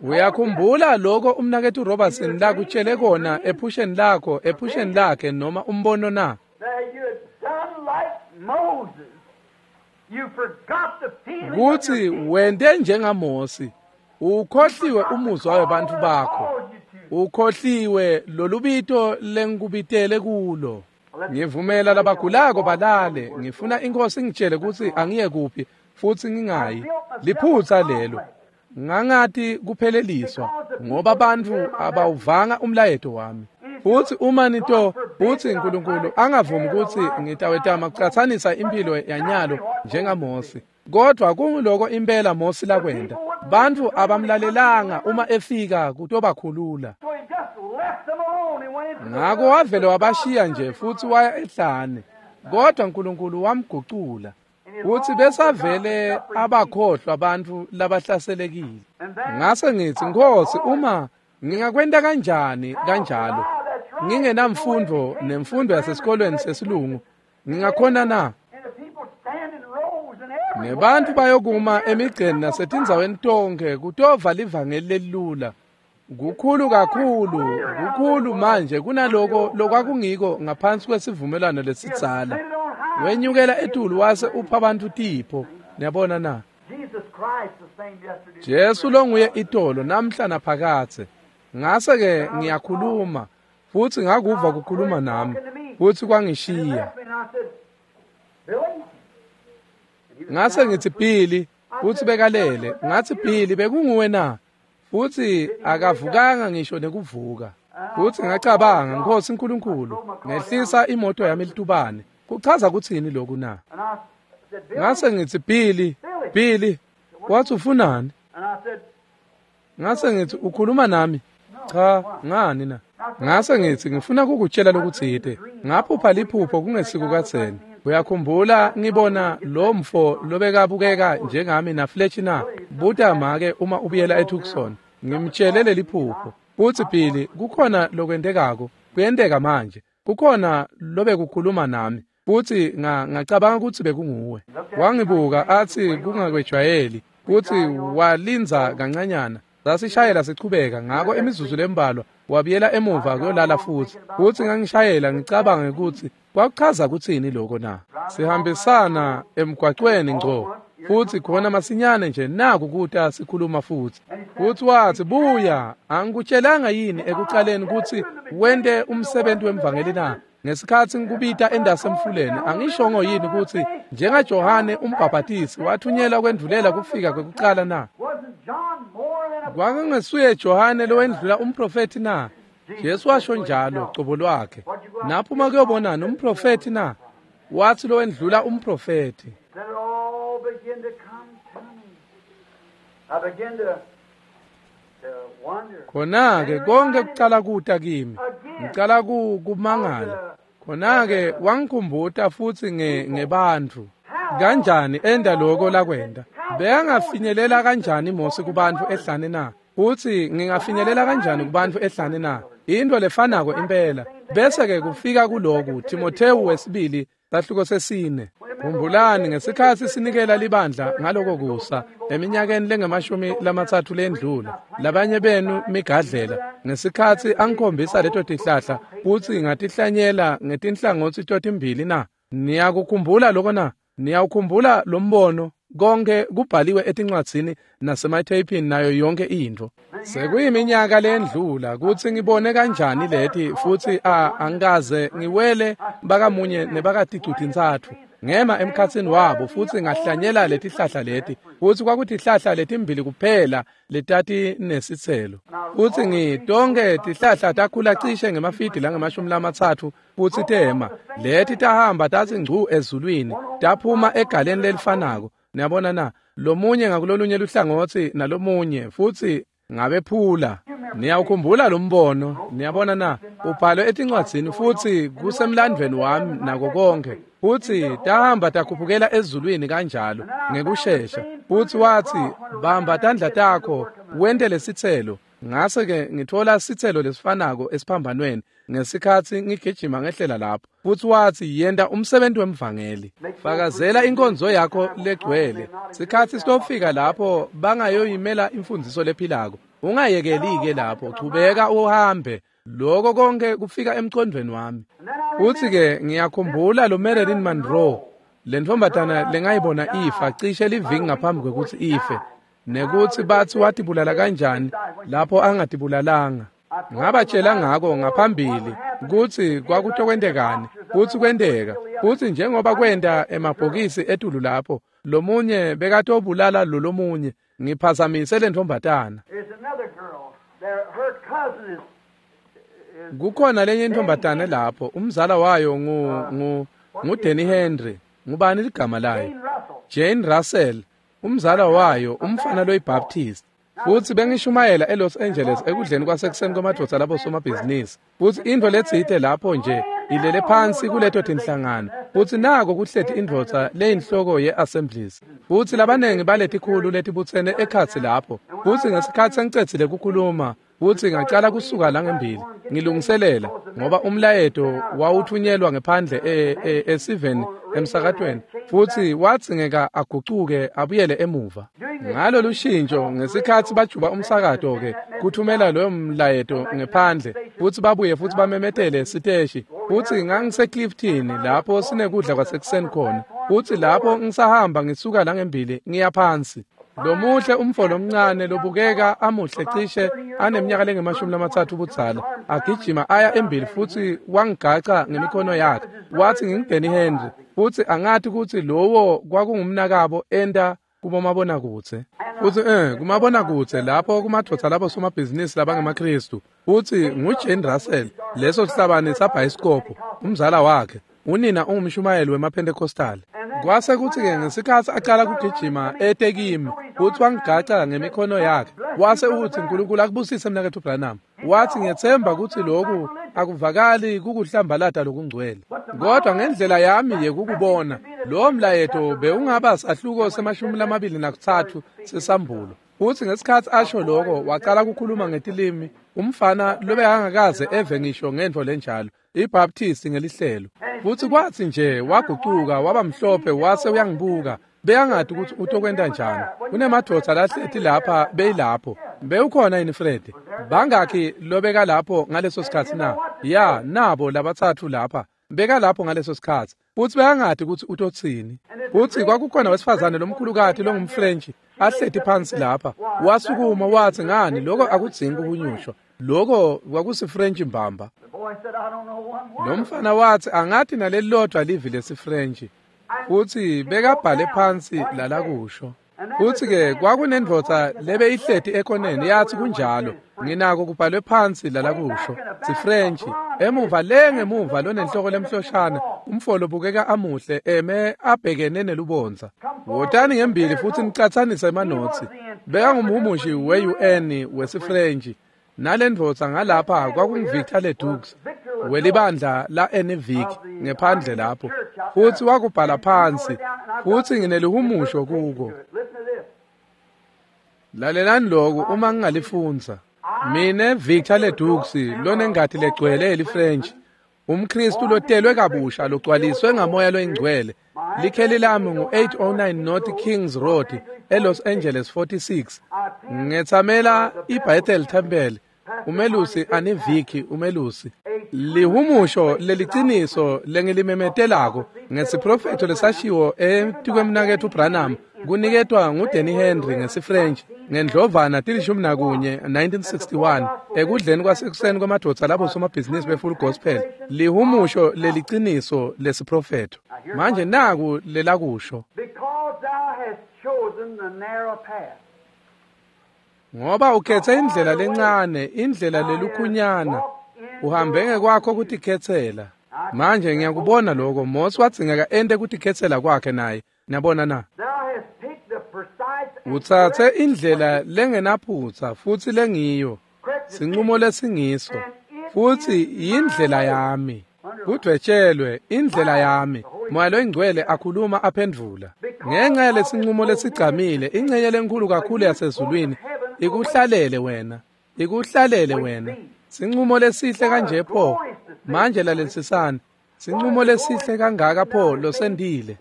Uyakhumbula lokho umnaketfu Robertson lakutshele kona ephusheni lakho, ephusheni lakhe noma umbono na? Kutsi wente njengaMosi, ukhohliwe umuzwa webantfu bakho, ukhohliwe lolubito lengikubitele kulo. Ngivumela labagulako balale, ngifuna inkosi ingitshele kutsi angiye kuphi futsi ngingayi. Liphutsa lelo. Ngangati kupheleliswa ngoba bantfu abawuvanga umlayeto wami. Futsi uma nito futsi uNkulunkulu angavumi kutsi ngitawetama kucatsanisa impilo yanyalo njengaMosi. Kodwa kunguloko impela Mosi lakwenta. Bantfu abamlalelanga uma efika kutobakhulula. Ngako wavele wabashiya nje futsi waya ehlane. Kodwa uNkulunkulu wamgucula. Futsi besavele abakhohlwa bantfu labahlaselekile. Ngase ngitsi, Nkosi, uma ngingakwenta kanjani kanjalo, ngingenamfundo nemfundo yasesikolweni sesilungu, ngingakhona na? Nebantfu bayokuma emigceni nasetindzaweni tonkhe kutova livangeli lelilula. Kukhulu kakhulu, kukhulu manje kunaloko lokwakungiko ngaphansi kwesivumelwano lesidzala. Wenyukela etulu wase upha bantfu tipho. Niyabona na? Jesu longuye itolo namhla naphakadze. Ngase ke ngiyakhuluma futsi ngakuva kukhuluma nami futsi kwangishiya. Ngase ngitsi Billy, futsi bekalele. Ngatsi Billy, bekunguwe na? Futsi akavukanga ngisho nekuvuka. Futsi ngacabanga, Nkosi Nkulunkulu, ngehlisa imoto yami litubane. Kuchaza kutsini lokhu na? Ngase ngithi, Billy, Billy, wathi ufunani? Ngase ngithi, ukhuluma nami? Cha, ngani na? Ngase ngithi, ngifuna kukutshela lokutsite. Ngaphupha liphupho kungesiko katseni. Uyakhumbula ngibona lo mfo lobekabukeka njengami na Fletcher na? Buta make uma ubuyela eTucson. Ngimtshele leli phupho. Futsi Billy, kukhona lokwentekako. Kuyenteka manje. Kukhona lobekukhuluma nami. Futsi ngacabanga kutsi bekunguwe. Wangibuka athi kungakwejwayeli. Futsi walindza kancanyana. Sasishayela sichubeka ngako imizuzu lembalwa wabuyela emuva kuyolala futsi. Futsi ngangishayela ngicabanga ukuthi kwakuchaza kutsini lokho na? Sihambisana emgwacweni ngco. Futsi khona masinyane nje naku kuta sikhuluma futsi. Futsi wathi, buya, angikutshelanga yini ekucaleni kutsi wente umsebenzi wemvangeli na? Ngesikhatsi ngikubita endasemfuleni, angishongo yini kutsi njengaJohane umbhabhatisi wathunyelwa kwendvulela kufika kwekucala na? Kwakungesuye Johane lowendlula umprofethi na? Jesu washo njalo cobo lwakhe. Naphuma kuyobonana umprofethi na? Wathi lowendlula umprofethi. Khona-ke konke kucala kuta kimi. Ngicala kumangala. Khona-ke wangikhumbuta futsi nge ngebantfu. Kanjani enda lokho lakwenda? Bekangafinyelela kanjani Mose kubantfu ehlane na? Futsi ngingafinyelela kanjani kubantfu ehlane na? Into lefanako impela. Bese-ke kufika kuloku Timothewu wesibili sahluko sesine. Khumbulani ngesikhatsi sinikela libandla ngaloko kusa eminyakeni lengemashumi lamatsatfu lendlula, labanye benu migadlela ngesikhatsi angikhombisa leto tihlahla futsi ngatihlanyela ngetinhlangotsi totimbili na? Niyakukhumbula lokho na? Niyawukhumbula lo mbono? Konke kubhaliwe etincwadzini nasematheyphini nayo yonke intfo. Sekuyiminyaka lendlula kutsi ngibone kanjani leti futsi a angikaze ngiwele bakamunye nebakaticutintsatfu. Ngema emkhatsini wabo futsi ngahlanyela letihlahla leti, futsi kwakutihlahla letimbili kuphela letati nesitselo. Futsi ngitonke tihlahla takhula cishe ngemafidi langemashumi lamatsatfu futsi tema. Leti tahamba tatsi ngcu ezulwini, taphuma egaleni lelifanako. Niyabona na? Lomunye ngakulolunye luhlangotsi nalomunye futsi ngabephula. Niyawukhumbula lo mbono? Niyabona na? Ubhalwe etincwadzini futsi kusemlandvweni wami nako konke. Futsi tahamba takhuphukela ezulwini kanjalo ngekushesha. Futsi wathi, bamba tandla takho wente lesitselo. Ngase-ke ngithola sitselo lesifanako esiphambanweni ngesikhatsi ngigijima ngehlela lapho. Futsi wathi, yenta umsebenzi wemvangeli. Fakazela inkonzo yakho legcwele. Sikhatsi sitofika lapho bangayoyimela imfundiso lephilako. Ungayekeli-ke lapho, chubeka uhambe. Lokho konke kufika emcondvweni wami. Futsi-ke ngiyakhumbula lo Marilyn Monroe, le ntombazana lengayibona ifa cishe liviki ngaphambi kwekutsi ife, nekutsi batsi watibulala kanjani lapho angatibulalanga. Ngabatshela ngako ngaphambili kutsi kwakutokwentekani, futsi kwenteka. Futsi njengoba kwenta emabhokisi etulu lapho, lomunye bekatobulala lo lomunye. Ngiphazamise le ntombazana. Kukhona lenye intombazane lapho, umzala wayo ngu ngu nguDenny Henry. Ngubani ligama layo? Jane Russell. Umzala wayo umfana loyiBaptist. Futsi bengishumayela eLos Angeles ekudleni kwasekuseni kwemadvodza labo somabhizinisi. Futsi intfo letsite lapho nje ilele phansi kuleto tinhlangano. Futsi nako kuhleti indvodza leyinhloko ye-Assemblies. Futsi labanengi baletikhulu letibutsene ekhatsi lapho. Futsi ngesikhatsi sengicedzile kukhuluma, futsi ngacala kusuka la ngembili ngilungiselela ngoba umlayeto wawuthunyelwa ngephandle esiveni emsakatweni, futsi wadzingeka agucuke abuyele emuva. Ngalo lushintsho ngesikhatsi bajuba umsakato ke kuthumela loyo mlayeto ngephandle, futsi babuye futsi bamemetele siteshi. Futsi ngangiseClifton lapho sinekudla kwasekuseni khona, futsi lapho ngisahamba ngisuka la ngembili ngiya phansi. Lomuhle umfo lomncane lobukeka amuhle cishe aneminyaka lengemashumi lamatsatfu budzala agijima aya embili futsi wangigaca ngemikhono yakhe. Wathi nginguDenny Henry, futsi angathi kutsi lowo kwakungumnakabo enta kubomabonakudze. Futsi eh kumabonakudze lapho kumadvodza labo somabhizinisi labangemaKhristu. Futsi nguJane Russell, leso sihlabane sabhayisikobho, umzala wakhe. Unina ungumshumayeli wemaPentecostal. Kwase kutsi-ke ngesikhatsi acala kugijima ete kimi, futsi wangigaca ngemikhono yakhe. Wase utsi, "Nkulunkulu akubusise mnaketfu Branham." Watsi, "Ngiyetsemba kutsi loku akuvakali kukuhlambalata lokungcwele. Kodwa ngendlela yami yekukubona, lowo mlayeto bewungaba sahluko semashumi lamabili nakutsatfu sesambulo." Futsi ngesikhatsi asho loko, wacala kukhuluma ngetilimi, umfana lobekangakaze eve ngisho ngentfo lenjalo, iBaptist ngelihlelo. Futsi kwatsi nje wagucuka waba mhlophe wase uyangibuka, beyangati ukuthi utokwenta njani. Kunemadvodza lahleti lapha beyilapho. Bewukhona yini Fred? Bangakhi lobeka lapho ngaleso sikhatsi na? Ya, nabo labatsatfu lapha. Beka lapho ngaleso sikhatsi. Futsi beyangati ukuthi utotsini. Futsi kwakukhona wesifazane lomkhulukati longumFrench ahleti phansi lapha. Wasukuma watsi, "Ngani, lokho akudzingi kuhunyushwa. Lokho kwakusiFrench mbamba." Lo mfana watsi, "Angati nalelilodwa livi lesiFrench." Futsi bekabhale phansi lalakusho. Futsi-ke kwakunendvodza lebeyihleti ekoneni yatsi, "Kunjalo, nginako kubhalwe phansi lalakusho." SiFrench, emuva le ngemuva lonenhloko lemhloshana, umfo lobukeka amuhle eme abhekene nelubondza. Wotani ngembili futsi nicatsanise emanotsi. Bekangumhumushi we-U N wesiFrench. Nalendvodza ngalapha kwakunguVictor Ledoux welibandla la Enivik ngephandle lapho. Futsi wakubhala phansi, futsi nginelihumusho kuko. Lalelani lokhu uma ngingalifundza. Mine Victor Ledoux lonengati legcwele eliFrench, umKristu lotelwe kabusha logcwaliswe ngamoya loyingcwele. Likheli lami ngu eight oh nine North Kings Road eLos Angeles forty-six. Ngetsamela iBethel Temple. Umelusi Aniviki umelusi. Lihumusho leliciniso lengilimemetelako ngesiprofetho lesashiwo etikwemnaketfu Branham kuniketwa nguDanny Henry ngesiFrench ngendlovana tilishumi nakunye nineteen sixty-one ekudleni kwasekuseni kwemadvodza labo somabhizinisi beFull Gospel. Lihumusho leliciniso lesiprofetho. Manje naku lelakusho. Ngoba ukhethe indlela lencane, indlela lelukhunyana, uhambe ngekwakho kutikhetsela. Manje ngiyakubona lokho. Mose wadzingeka ente kutikhetsela kwakhe naye. Niyabona na? Utsatse indlela lengenaphutsa futsi lengiyo, sinqumo lesingiso, futsi yindlela yami. Kudvwetshelwe indlela yami. Moya loyingcwele akhuluma aphendvula. Ngenxa yalesinqumo lesigcamile, ingcenye lenkulu kakhulu yasezulwini ikuhlalele wena, ikuhlalele wena. Sinqumo lesihle kanje pho. Manje lalelisisani. Sinqumo lesihle kangaka pho losendile.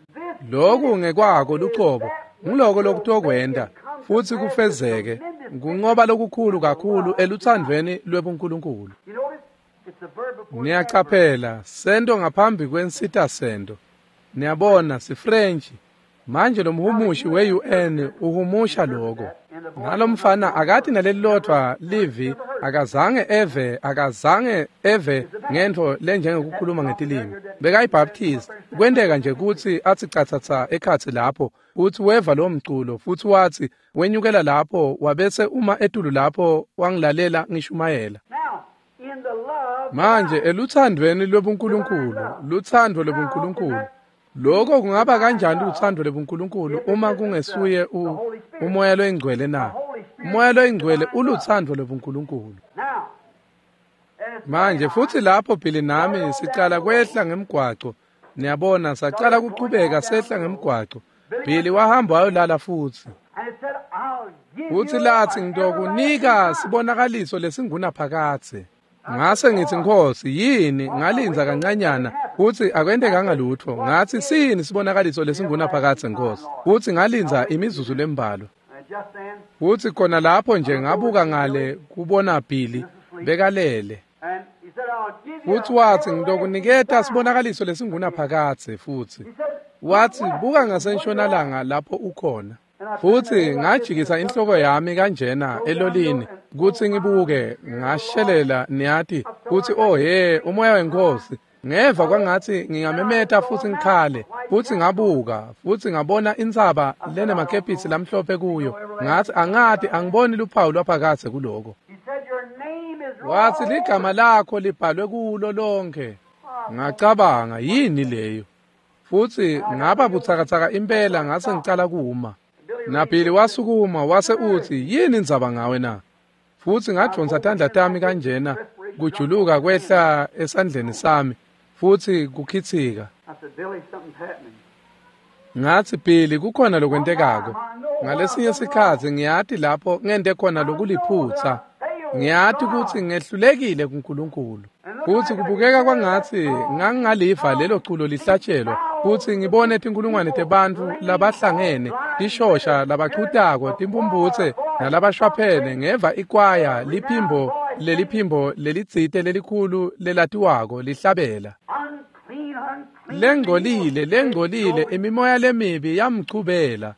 Lokhu ngekwako lucobo, nguloko lokutokwenta futsi kufezeke, kunqoba lokukhulu kakhulu eluthandvweni lwebuNkulunkulu. Niyacaphela, sento ngaphambi kwensita sento. Niyabona siFrench. Manje lo mhumushi we-U N uhumusha lokho. Nalomfana akati nalelilodwa livi, akazange eve, akazange eve ngentfo lenjengekukhuluma ngetilimi. BekayiBaptist. Kwenteka nje kutsi atsi catsatsa ekhatsi lapho, utsi weva lo mculo futsi watsi wenyukela lapho wabese uma etulu lapho wangilalela ngishumayela. Manje eluthandvweni lwebuNkulunkulu, luthando lwebuNkulunkulu. Lokho kungaba kanjani uthando lwebuNkulunkulu uma kungesuye umoya loyingcwele na? Umoya loyingcwele uluthando lwebuNkulunkulu. Manje futhi lapho Billy nami sicala kwehla ngemgwaco. Niyabona sacala kuchubeka sehla ngemgwaco. Billy wahamba wayolala futhi. Futhi lathi ngitokunika sibonakaliso lesingunaphakadze. Ngase ngithi Nkosi yini? Ngalinza kancanyana futhi akwentekanga lutho. Ngathi sini sibonakaliso lesingunaphakadze Nkosi? Futhi ngalinza imizuzu lembalwa. Futhi khona lapho nje ngabuka ngale kubona Billy bekalele. Futhi wathi ngitokuniketa sibonakaliso lesingunaphakadze futhi. Wathi buka ngasentshonalanga lapho ukhona. Futhi ngajikisa inhloko yami kanjena elolini kutsi ngibuke, ngashelela niyati kutsi oh he umoya wenkosi. Ngeva kwangatsi ngingamemeta futsi ngikhale, futsi ngabuka, futsi ngabona intsaba lenemakepisi lamhlophe kuyo. Ngatsi angati angiboni luphawu lwaphakadze kuloko. Watsi ligama lakho libhalwe kulo lonke. Ngacabanga yini leyo? Futsi ngaba butsakatsaka impela ngase ngicala kuma. Nabili wasukuma wase utsi yini indzaba ngawe na? Futsi ngadvonsa tandla tami kanjena kujuluka kwehla esandleni sami futsi kukhitsika. Ngatsi Billy kukhona lokwentekako. Ngalesinye sikhatsi ngiyati lapho ngente khona lokuliphutsa. Ngiyati kutsi ngehlulekile kuNkulunkulu. Futsi kubukeka kwangatsi ngangingaliva lelo culo lihlatshelwa futsi ngibone tinkulungwane tebantfu labahlangene tishosha labachutako timpumputse nalabashwaphene ngeva ikwaya liphimbo leliphimbo lelitsite lelikhulu lelatiwako lihlabela. Lengcolile lengcolile imimoya lemibi yamchubela.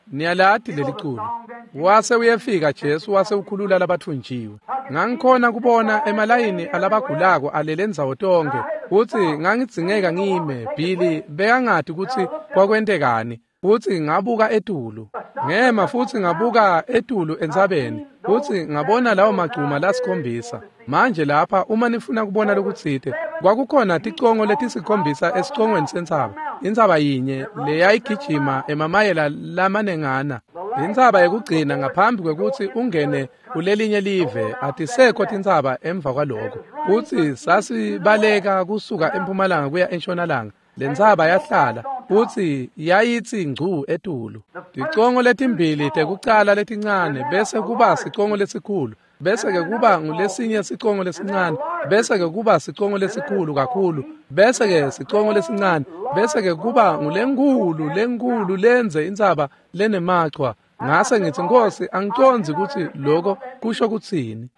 Niyalati leliculo. Wase uyefika Jesu wase ukhulula labathunjiwe. Ngangikhona kubona emalayini alabagulako alele ndzawo tonkhe futsi ngangidzingeka ngime. Billy bekangati kutsi kwakwentekani futsi ngabuka etulu. Ngema futsi ngabuka etulu entsabeni futsi ngabona lawo magcuma lasikhombisa. Manje lapha uma nifuna kubona lokutsite kwakukhona ticongo letisikhombisa esicongweni sentsaba. Intsaba yinye leyayigijima emamayela lamanengana. Intsaba yekugcina ngaphambi kwekutsi ungene kulelinye live atisekho tintsaba emva kwaloko. Futsi sasibaleka kusuka empumalanga kuya entshonalanga. Lentsaba yahlala futsi yayitsi ngcu etulu. Ticongo letimbili tekucala letincane bese kuba sicongo lesikhulu. Bese ke kuba ngulesinye sicongo lesincane, bese ke kuba sicongo lesikhulu kakhulu, bese ke sicongo lesincane, bese ke kuba ngulenkulu lenkulu lenze intsaba lenemachwa. Ngase ngitsi Nkosi angicondzi kutsi lokho kusho kutsini.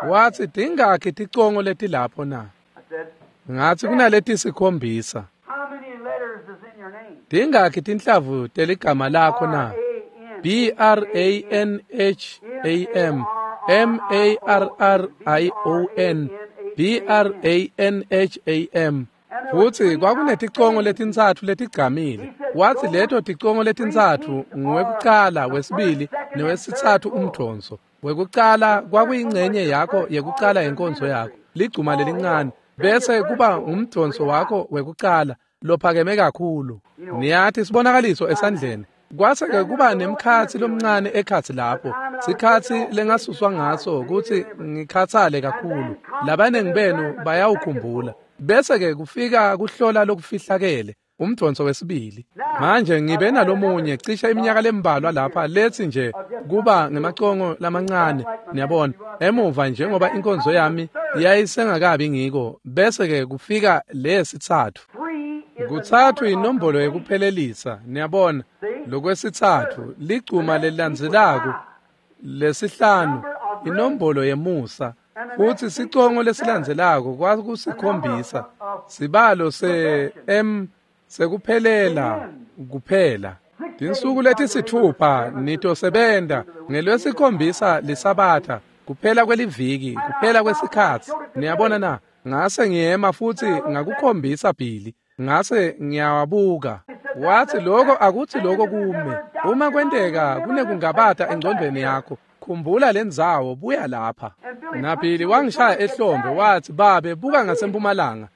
Watsi tingakhi ticongo letilapho na? Ngatsi kunaleti sikhombisa. Tingakhi tinhlavu teligama lakho na? B R A N H A M M A R R I O N B R A N H A M. Futsi kwakuneticongo letintsatfu letigcamile. Watsi leto ticongo letintsatfu nguwekucala, wesibili newesitsatfu umdvonso. Wekucala kwakuyingcenye yakho yekucala yenkonzo yakho, ligcuma lelincane, bese kuba ngumdvonso wakho wekucala lophakeme kakhulu. Niyati sibonakaliso esandleni. Kwase ke kuba nemkhatsi lomncane ekhatsi lapho. Sikhatsi lengasuswa ngaso kutsi ngikhatsale kakhulu. Labanengi benu bayawukhumbula. Bese ke kufika kuhlola lokufihlakele, umdvonso wesibili. Manje ngibe nalomunye cishe iminyaka lembalwa lapha lethi nje kuba ngemacongo lamancane, niyabona, emuva njengoba inkonzo yami yayisengakabi ngiko. Bese ke kufika lesitsatfu. Kutsatfu inombolo yekuphelelisa, niyabona. Lokwesitsatfu ligcuma lelilandzelako lesihlanu inombolo yemusa. Futsi sicongo lesilandzelako kwakusikhombisa sibalo se M sekuphelela kuphela. Tinsuku letisitfupha nitosebenta ngelwesikhombisa lisabatha kuphela kweliviki kuphela kwesikhatsi. Niyabona na? Ngase ngiyema futsi ngakukhombisa Billy. Ngase ngiyawabuka. Watsi lokho akutsi lokho kume. Uma kwenteka kunekungabata engcondvweni yakho, khumbula lendzawo, buya lapha. Nabili wangishaya ehlombe watsi babe buka ngasempumalanga.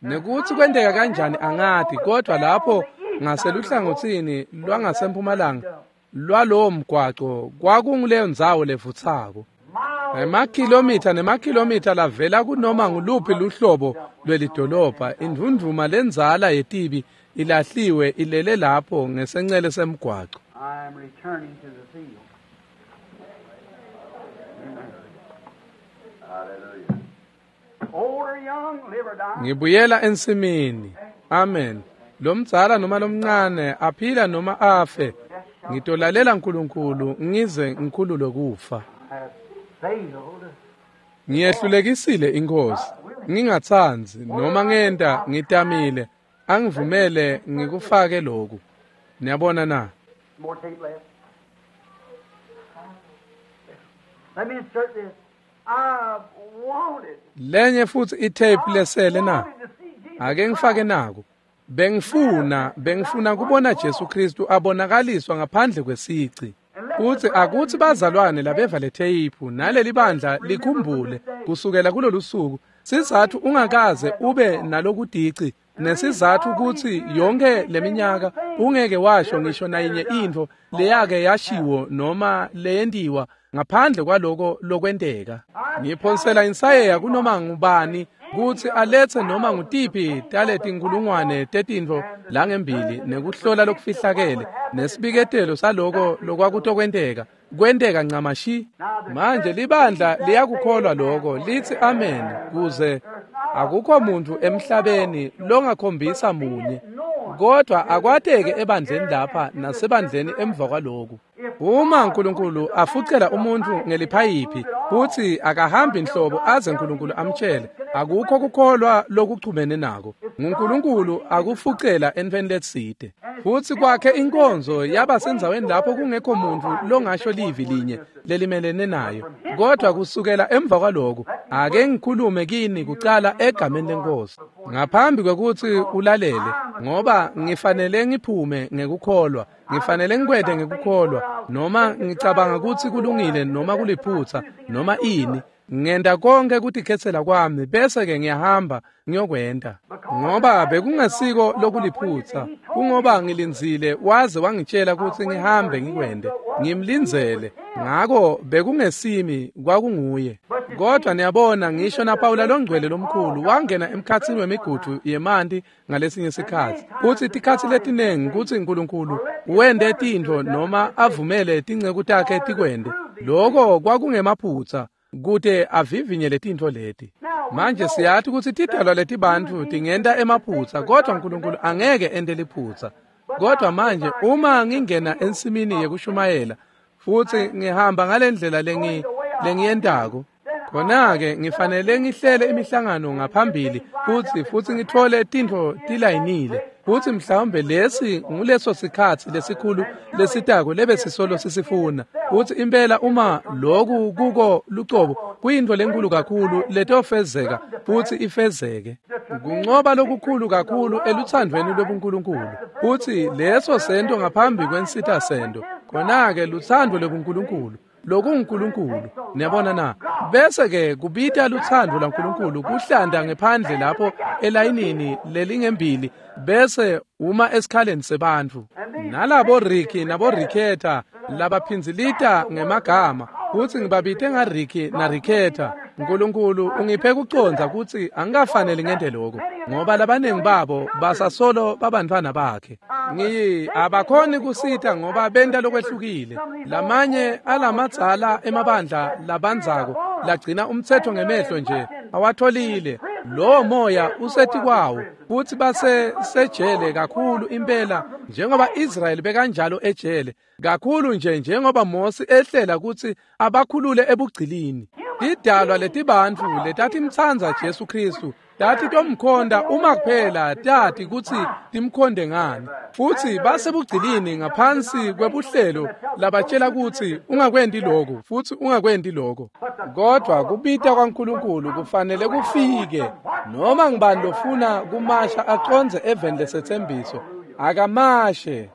Nekuthi kwenteka kanjani angati, kodwa lapho ngaseluhlangotsini lwangasempumalanga lwalowo mgwaco kwakunguleyo ndzawo levutsako. Emakhilomitha nemakhilomitha lavela kunoma nguluphi luhlobo lwelidolobha, indvundvuma lendzala yetibi ilahliwe ilele lapho ngesencele semgwaco. I am returning to the field. Hallelujah. Old or young, live or die. Ngibuyela ensimini. Amen. Lomdzala noma lomncane, aphila noma afe, ngitolalela uNkulunkulu ngize ngikhululwe kufa. Have failed. Ngiyehlulekisile inkosi, ngingatsandzi noma ngenta ngitamile, angivumele ngikufake lokhu. Niyabona na? More tape left. Let me insert this. I wanted. Lenye futsi itape lesele na? Ake ngifake naku. Bengifuna, bengifuna kubona Jesu Kristu abonakaliswa ngaphandle kwesici. Futsi akutsi bazalwane labeva le tape naleli bandla likhumbule kusukela kulolu suku, sizathu ungakaze ube nalokudici, nesizathu kutsi yonke leminyaka ungeke washo ngisho nayinye intfo leyake yashiwo noma leyentiwa ngaphandle kwaloko lokwenteka. Ngiphonsela insayeya kunoma ngubani kutsi aletse noma ngutiphi taletinkulungwane tetintfo langembili nekuhlola lokufihlakele nesibiketelo saloko lokwakutokwenteka kwenteka ncamashi. Manje libandla liyakukholwa lokho, litsi amen, kuze akukho muntu emhlabeni longakhombisa munye, kodwa akwateke ebandleni lapha nasebandleni emva kwaloku. Uma uNkulunkulu afucela umuntu ngeliphayiphi futhi akahambi inhlobo aze uNkulunkulu amtshele, akukho kukholwa lokuchumene nako. NguNkulunkulu akufucela entfweni letsite. Futsi kwakhe inkonzo yaba sendzaweni lapho kungekho muntu longasho livi linye lelimelene nayo. Kodwa kusukela emva kwaloko, ake ngikhulume kini kucala egameni leNkosi ngaphambi kwekutsi ulalele, ngoba ngifanele ngiphume ngekukholwa, ngifanele ngikwente ngekukholwa, noma ngicabanga kutsi kulungile noma kuliphutsa noma ini. Ngenta konke kutikhetsela kwami bese ke ngiyahamba ngiyokwenta, ngoba bekungasiko lokuliphutsa, kungoba ngilindzile waze wangitshela kutsi ngihambe ngikwente, ngimlindzele. Ngako bekungesimi, kwakunguye. Kodwa niyabona, ngisho naPawula longcwele lomkhulu wangena emkhatsini wemigudu yemanti ngalesinye sikhatsi. Kutsi tikhatsi letinengi kutsi uNkulunkulu wente tintfo noma avumele tinceku takhe tikwente, loko kwakungemaphutsa kute avivinye letintfo leti. Manje siyati kutsi tidalwa letibantfu tingenta emaphutsa, kodwa uNkulunkulu angeke ente liphutsa. Kodwa manje uma ngingena ensimini yekushumayela futsi ngihamba ngalendlela lengi lengiyentako, khona-ke ngifanele ngihlele imihlangano ngaphambili futsi futsi ngitfole tintfo tilayinile. Futsi mhlawumbe lesi nguleso sikhatsi lesikhulu lesitako lebesisolo sisifuna. Futsi impela uma loku kuko lucobo kuyintfo lenkulu kakhulu letofezeka futsi ifezeke. Kuncoba lokukhulu kakhulu elutsandvweni lwebuNkulunkulu. Futsi leso sento ngaphambi kwensita sento, khona-ke lutsandvo lwebuNkulunkulu lokunguNkulunkulu. Niyabona na? Bese ke kubita lutsandvo lwaNkulunkulu kuhlanda ngephandle lapho elayinini lelingembili, bese uma esikhaleni sebantfu. Nalabo Ricky nabo Ricketta labaphindzilita ngemagama, kutsi ngibabite ngaRicky naRicketta. uNkulunkulu ungiphe kucondza kutsi angikafanele ngente lokho, ngoba labaningi babo basasolo babantfwana bakhe. Ngiyi abakhoni kusita ngoba benta lokwehlukile. Lamanye alamadzala emabandla labandzako lagcina umtsetfo ngemehlo nje awatholile. Lowo moya usetikwawo futsi base sejele kakhulu impela, njengoba Israyeli bekanjalo ejele kakhulu nje, njengoba Mose ehlela kutsi abakhulule ebugcilini. Tidalwa letibantfu letatimtsandza Jesu Kristu tati tomkhonda uma kuphela tati kutsi timkhonde ngani, futsi basebugcilini ngaphansi kwebuhlelo labatshela kutsi ungakwenti lokho futsi ungakwenti lokho. Kodwa kubita kwaNkulunkulu kufanele kufike. Noma ngibani lofuna kumasha acondze eveni lesetsembiso, akamashe.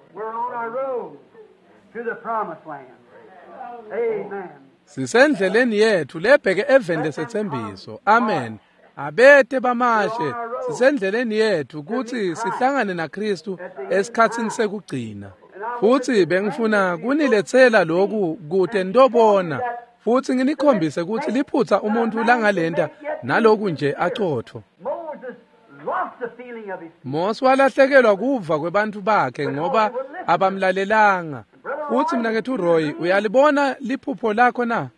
Sisendleleni yethu lebheke eveni lesetsembiso. Amen. Abete bamashe, sisendleleni yethu kutsi sihlangane naKristu esikhatsini sekugcina. Futsi bengifuna kuniletsela lokhu kute nitobona futsi nginikhombise kutsi liphutsa umuntu langalenta naloku nje acotfo. Mose walahlekelwa kuva kwebantfu bakhe ngoba abamlalelanga. Futsi mnaketfu Roy, uyalibona liphupho lakho na?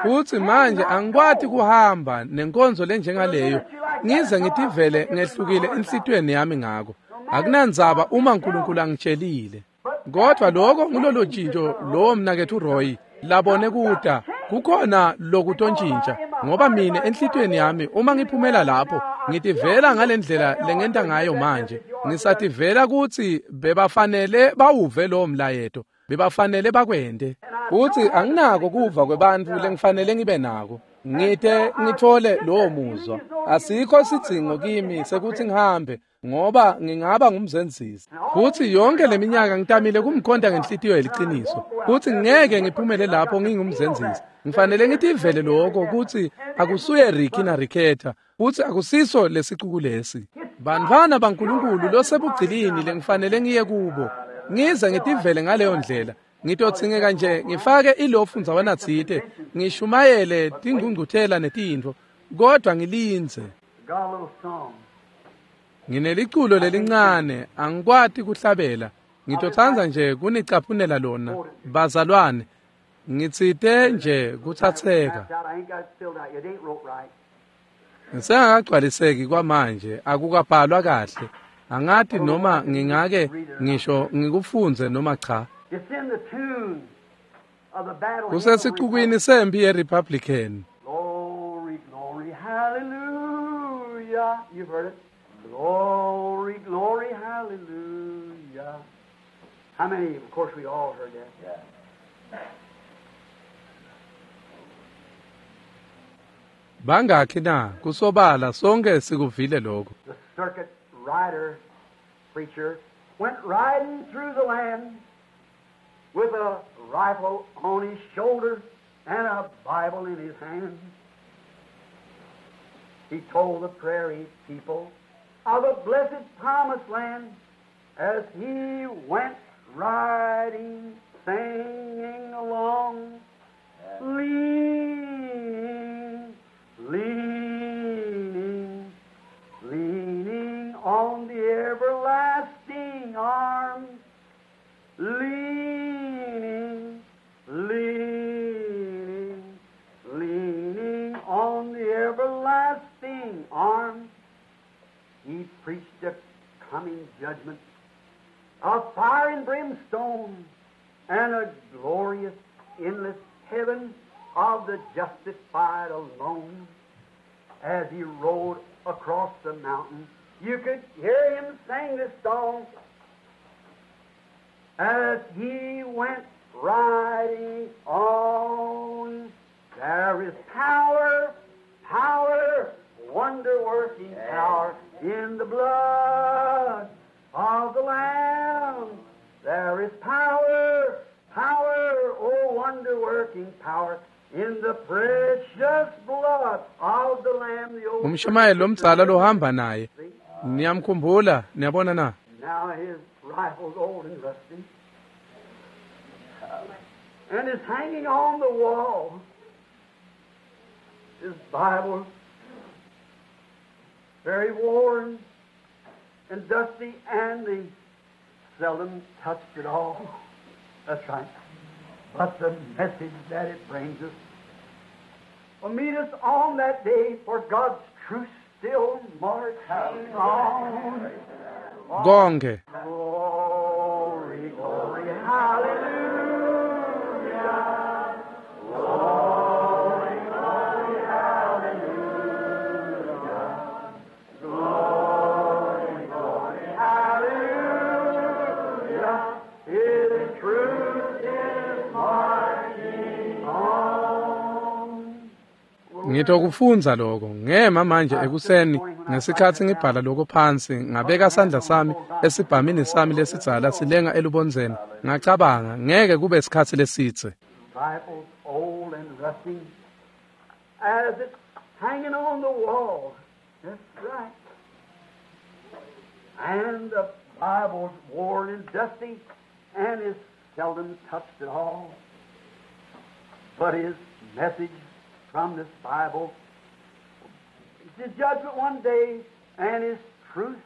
Futsi manje angikwati kuhamba nenkonzo lenjengaleyo, ngize ngitivele ngehlukile enhlitiyweni yami ngako. Akunandzaba uma uNkulunkulu angitshelile. Kodwa lokho ngulolo tshintsho lowo mnaketfu Roy labone kuta kukhona lokutontshintsha, ngoba mina enhlitiyweni yami uma ngiphumela lapho ngitivela ngalendlela lengenta ngayo manje. Ngisativela kutsi bebafanele bawuve lowo mlayeto. Bebafanele bakwente. Utsi anginako kuva kwebantfu lengifanele ngibe nako. Ngite ngithole lowo muzwa. Asikho sidzingo kimi sekuthi ngihambe ngoba ngingaba ngumzenzisi. Futhi yonke leminyaka ngitamile kumkhonta ngenhlitiyo yeliciniso. Futhi ngeke ngiphumele lapho ngingumzenzisi. Ngifanele ngitivele lokho ukuthi akusuye Ricky na Ricketta, futhi akusiso lesicuku lesi. Bantfwana baNkulunkulu losebugcilini lengifanele ngiye kubo. Ngize ngitivele ngaleyo ndlela. Ngitotsingeka nje ngifake ilofu ndzawana tsite, ngishumayele tingcungcuthela netintfo, kodwa ngilindze. Got a little song. Ngineliculo lelincane, angikwati kuhlabela. Ngitotsandza nje kunicaphunela lona, bazalwane. Ngitsite nje kutsatseka. That's out. I ain't got it filled out yet. It ain't wrote right. Ngisengakagcwaliseki kwamanje, akukabhalwa kahle. Angati noma ngingake ngisho ngikufundze noma cha. It's in the tune of the battle hymn of the Kusesicukwini sempi yeRepublican. Glory, glory, hallelujah. You've heard it. Glory, glory, hallelujah. How many? Of course, we all heard that. Yeah. Bangakhi na kusobala sonke sikuvile lokho. The circuit rider preacher went riding through the land with a rifle on his shoulder and a Bible in his hand. He told the prairie people of a blessed promised land as he went riding, singing along, leaning, leaning, leaning on the everlasting arm, leaning, leaning, leaning on the everlasting arm. He preached a coming judgment of fire and brimstone and a glorious, endless heaven of the justified alone. As he rode across the mountain, you could hear him sing this song. As he went riding on, there is power, power, wonder-working power in the blood of the Lamb. There is power, power, oh wonder-working power in the precious blood of the Lamb. The old Umshumayeli lomdzala lohamba naye. Niyamkhumbula, niyabona na? Now his rifle's old and rusty, and is hanging on the wall. His Bible, very worn and dusty, and he seldom touched it all. That's right. But the message that it brings us will meet us on that day, for God's truth still marching on. Konke. Glory, glory, hallelujah. Glory, glory, hallelujah. Glory, glory, hallelujah. His truth is marching on. Ngitokufundza lokho ngema manje ekuseni ngesikhathi ngibhala lokho phansi ngabeka sandla sami esibhamini sami lesidzala silenga elubondzeni ngacabanga ngeke kube isikhathi lesitse. Rifle's old and rusty as it's hanging on the wall. That's right. And the Bible's worn and dusty and is seldom touched at all. But his message from this Bible is the judgment one day, and his truth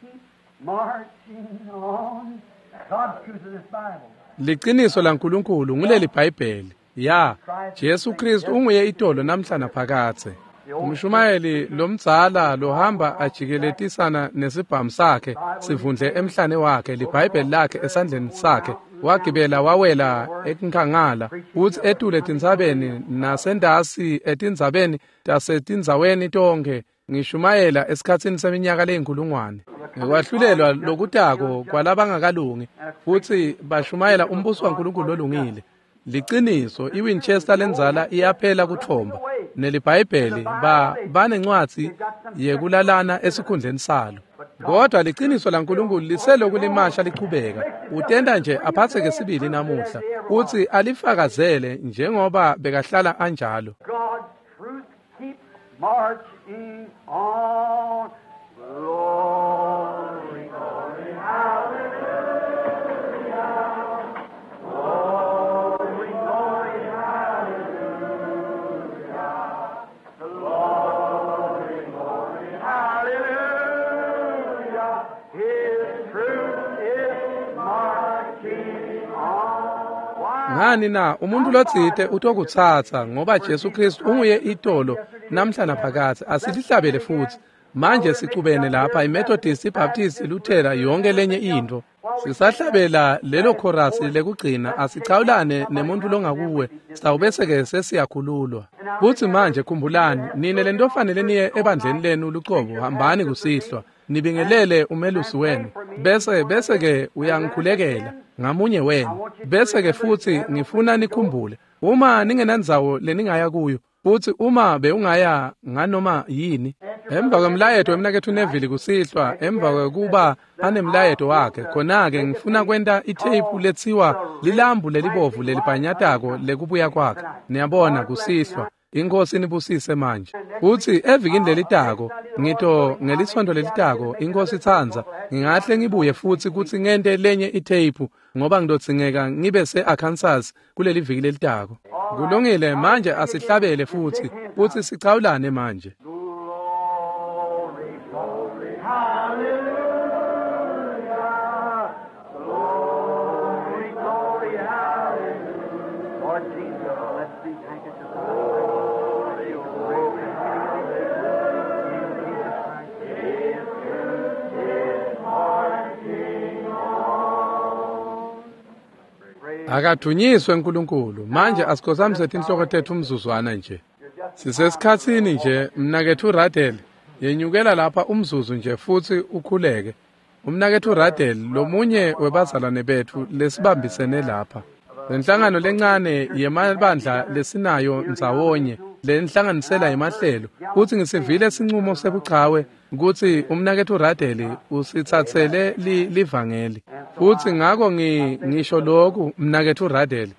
keeps marching on. God's truth of this Bible. Liqiniso laNkulunkulu nguleli Bhayibheli. Ya, Jesu Kristu unguye itolo namhla naphakathe. Umshumayeli lomdzala lohamba ajikeletisana nesibhamu sakhe sivundle emhlane wakhe liBhayibheli lakhe esandleni sakhe wagibela wawela enkangala uthi etule etintsabeni nasendasi etindzabeni tasetindzaweni tonkhe Ngishumayela esikhatsini seminyaka leyinkulungwane. Ngekwahlulelwa lokutako kwalabangakalungi futsi bashumayela umbuso waNkulunkulu lolungile. Liciniso iWinchester lendzala iyaphela kuthomba neliBhayibheli ba banencwadzi yekulalana esikhundleni salo. Kodwa liciniso laNkulunkulu liseloku limasha lichubeka. Utenta nje aphatheke sibili namuhla utsi alifakazele njengoba bekahlala anjalo. God's truth keeps marching on. Glory, glory, hallelujah. Glory, glory, hallelujah. Glory, glory, hallelujah. His truth is marching on. Why? Ngani na umuntu lotsite utokutsatsa ngoba Jesu Kristu unguye itolo namhla naphakadze. Asilihlabele futsi. Manje sicubene lapha iMethodist, iBaptist, iLuthera yonke lenye intfo. Sisahlabela lelo chorus lekugcina asichawulane nemuntu longakuwe sitawubese-ke sesiyakhululwa. Futsi manje khumbulani nine lentofanele niye ebandleni lenu lucobo hambani kusihlwa nibingelele umelusi wenu bese bese-ke uyangikhulekela ngamunye wenu. Bese-ke futsi ngifuna nikhumbule uma ningenandzawo leningaya kuyo futsi uma bewungaya nganoma yini emva kwemlayeto wemnaketfu Neville kusihlwa emva kwekuba anemlayeto wakhe khona-ke ngifuna kwenta itheyiphu letsiwa lilambu lelibovu lelibhanyatako lekubuya kwakhe. Niyabona kusihlwa. Inkosi inibusise manje. Futsi evikini lelitako ngito ngelisonto lelitako inkosi itsandza ngingahle ngibuye futsi kutsi ngente lenye itheyiphu ngoba ngidodzingeka ngibe se-Arkansas kuleli viki lelitako. Kulungile manje asihlabele futsi futsi sichawulane manje. Glory, glory, hallelujah. Glory, glory, hallelujah. Lord Jesus, bless these handkerchiefs. Glory, glory, hallelujah. In Jesus Christ. His truth is marching on. Praise Akathunyiswe uNkulunkulu. Manje asikhothamise tinhloko tetfu umzuzwana nje. Sisesikhatsini nje mnaketfu Radel yenyukela lapha umzuzu nje futsi ukhuleke. Umnaketfu Radel lomunye webazalwane betfu lesibambisene lapha. Lenhlangano lencane yemabandla lesinayo ndzawonye lenhlanganisela yemahlelo kutsi ngisivile sincumo sebuchawe kutsi umnaketfu Radel usitsatsele li, livangeli. Futsi ngako ngi ngisho lokhu mnaketfu Radel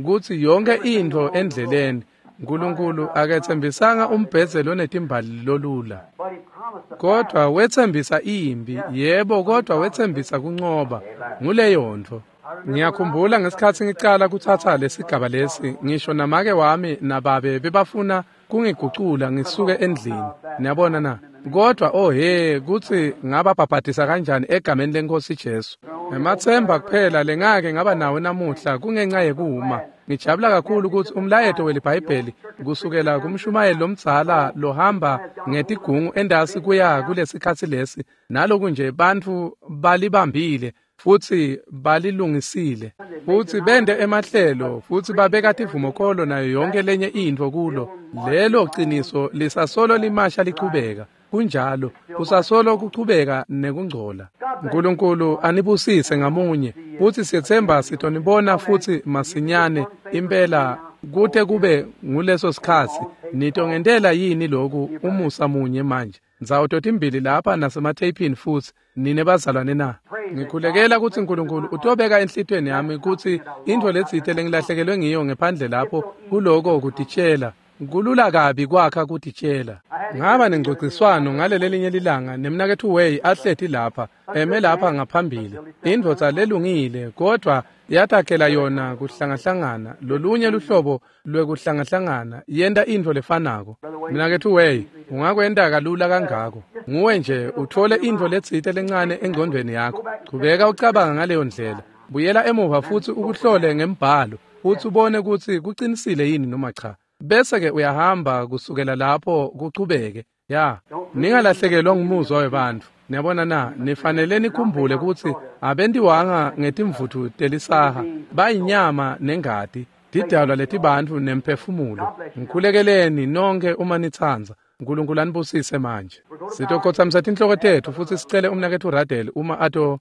kutsi yonke intfo endleleni uNkulunkulu aketsembisanga umbhedze lonetimbali lolula. But he promised the Kodwa wetsembisa impi, yebo kodwa wetsembisa kuncoba. Nguleyo ntfo. Ngiyakhumbula ngesikhatsi ngicala kutsatsa lesigaba lesi, ngisho namake wami nababe bebafuna kungigucula ngisuke endlini. Niyabona na? Kodwa oh he kutsi ngababhabhadisa kanjani egameni lenkosi Jesu. Ematsemba kuphela lengake ngaba nawo namuhla kungenxa yekuma. Ngijabula kakhulu kutsi umlayeto weliBhayibheli kusukela kumshumayeli lomdzala lohamba ngetigungu endasi kuya kulesikhatsi lesi naloku nje bantfu balibambile futsi balilungisile futsi bente emahlelo futsi babeka tivumokholo nayo yonke lenye intfo kulo. Lelo ciniso lisasolo limasha lichubeka. Kunjalo kusasolo kuchubeka nekungcola. uNkulunkulu anibusise ngamunye futsi siyetsemba sitonibona futsi masinyane impela kute kube nguleso sikhatsi. Nitongentela yini loku umusa munye manje ndzawo totimbili lapha nasematheyphini futsi nine bazalwane na? Ngikhulekela kutsi uNkulunkulu utobeka enhlitiyweni yami kutsi intfo letsite lengilahlekelwe ngiyo ngephandle lapho kuloko kutitshela. Kulula kabi kwakha kutitshela. Ngaba nengcogciswano ngalelelinye lilanga nemnaketfu Way ahleti lapha eme lapha ngaphambili. Indvodza lelungile kodwa yatakhela yona kuhlangahlangana lolunye luhlobo lwekuhlangahlangana yenta intfo lefanako. Mnaketfu Way ungakwenta kalula kangako. Nguwe nje uthole intfo letsite lencane engcondvweni yakho. Chubeka ucabanga ngaleyo ndlela. Buyela emuva futsi ukuhlole ngembhalo futsi ubone kutsi kucinisile yini noma cha. Bese ke uyahamba kusukela lapho kuchubeke. Ya, ningalahlekelwa ngumuzwa webantfu. Niyabona na, nifanele nikhumbule kutsi abentiwanga ngetimvutfu telisaha, bayinyama nengati, tidalwa letibantfu nemphefumulo. Ngikhulekeleni nonke uma nitsandza. Nkulunkulu anibusise manje. Sitokhotsamisa tinhloko tetfu futsi sicele umnaketfu Ruddell uma ato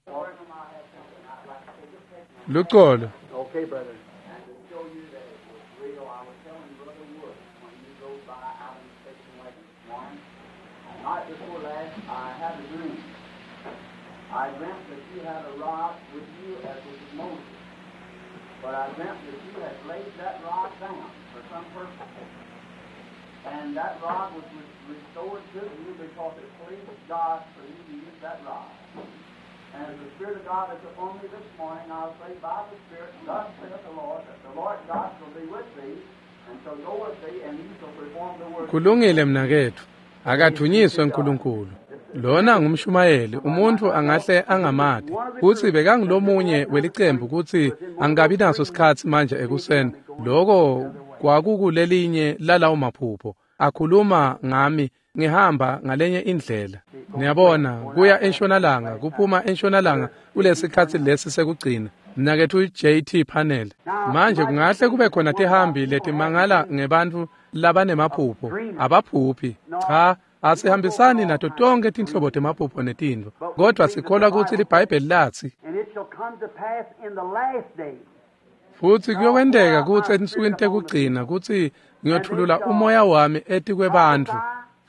Lucolo. Okay, brother. And to show you that it was real, I was telling Brother Wood when you rode by out in the station wagon this morning, night before last, I had a dream. I dreamt that you had a rod with you as was Moses. But I dreamt that you had laid that rod down for some purpose. And that rod was restored to you because it pleased God for you to use that rod. And as the Spirit of God is upon me this morning, I'll say by the Spirit, thus saith the Lord, that the Lord God shall be with thee, and shall go with thee, and you shall perform the work. Kulungile mnaketfu, akathunyiswe uNkulunkulu. Lona ngumshumayeli, umuntu angahle angamati. Kutsi bekangulomunye welicembu kutsi angabi naso sikhatsi manje ekuseni. Loko kwakukulelinye lalawo maphupho. Akhuluma ngami ngihamba ngalenye indlela. Niyabona, kuya entshonalanga, kuphuma entshonalanga kulesikhatsi lesi sekugcina. Mnaketfu J T Panel. Manje kungahle kube khona tihambi letimangala ngebantfu labanemaphupho. Abaphuphi. Cha, asihambisani nato tonke tinhlobo temaphupho netintfo. Kodwa sikholwa kutsi liBhayibheli latsi, And it shall come to pass in the last days. Futsi kuyokwenteka kutsi etinsukwini tekugcina kutsi ngiyothulula umoya wami etikwebantfu,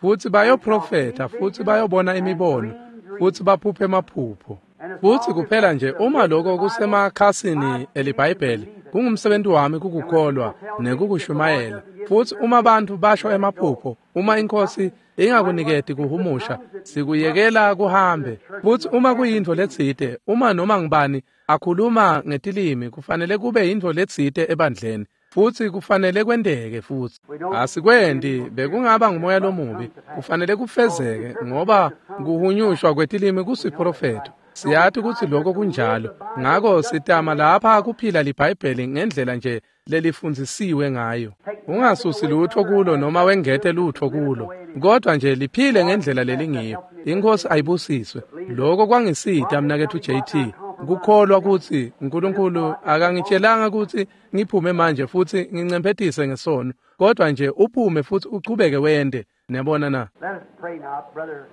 futsi bayoprofetha, futsi bayobona imibono, futsi baphuphe emaphupho. Futsi kuphela nje uma lokho kusemakhasini eliBhayibheli, kungumsebenzi wami kukukholwa nekukushumayela. Futsi uma bantfu basho emaphupho, uma inkosi ingakuniketi kuhumusha, sikuyekela kuhambe. Futsi uma kuyintfo letsite, uma noma ngubani akhuluma ngetilimi, kufanele kube yintfo letsite ebandleni. Futsi kufanele kwenteke futsi. Asikwendi, bekungaba ngumoya lomubi. Kufanele kufezeke ngoba kuhunyushwa kwetilimi kusiprofetho. Siyati kutsi lokho kunjalo. Ngako sitama lapha kuphila liBhayibheli ngendlela nje lelifundzisiwe ngayo. Ungasusi lutho kulo noma wengete lutho kulo, kodwa nje liphile ngendlela lelingiyo. Inkosi ayibusiswe. Lokho kwangisita mnaketfu J T. Kukholwa kutsi uNkulunkulu akangitshelanga kutsi ngiphume manje futsi ngincemphetise ngesono, kodwa nje uphume futsi uchubeke wende. Niyabona na? Let us pray now, brother.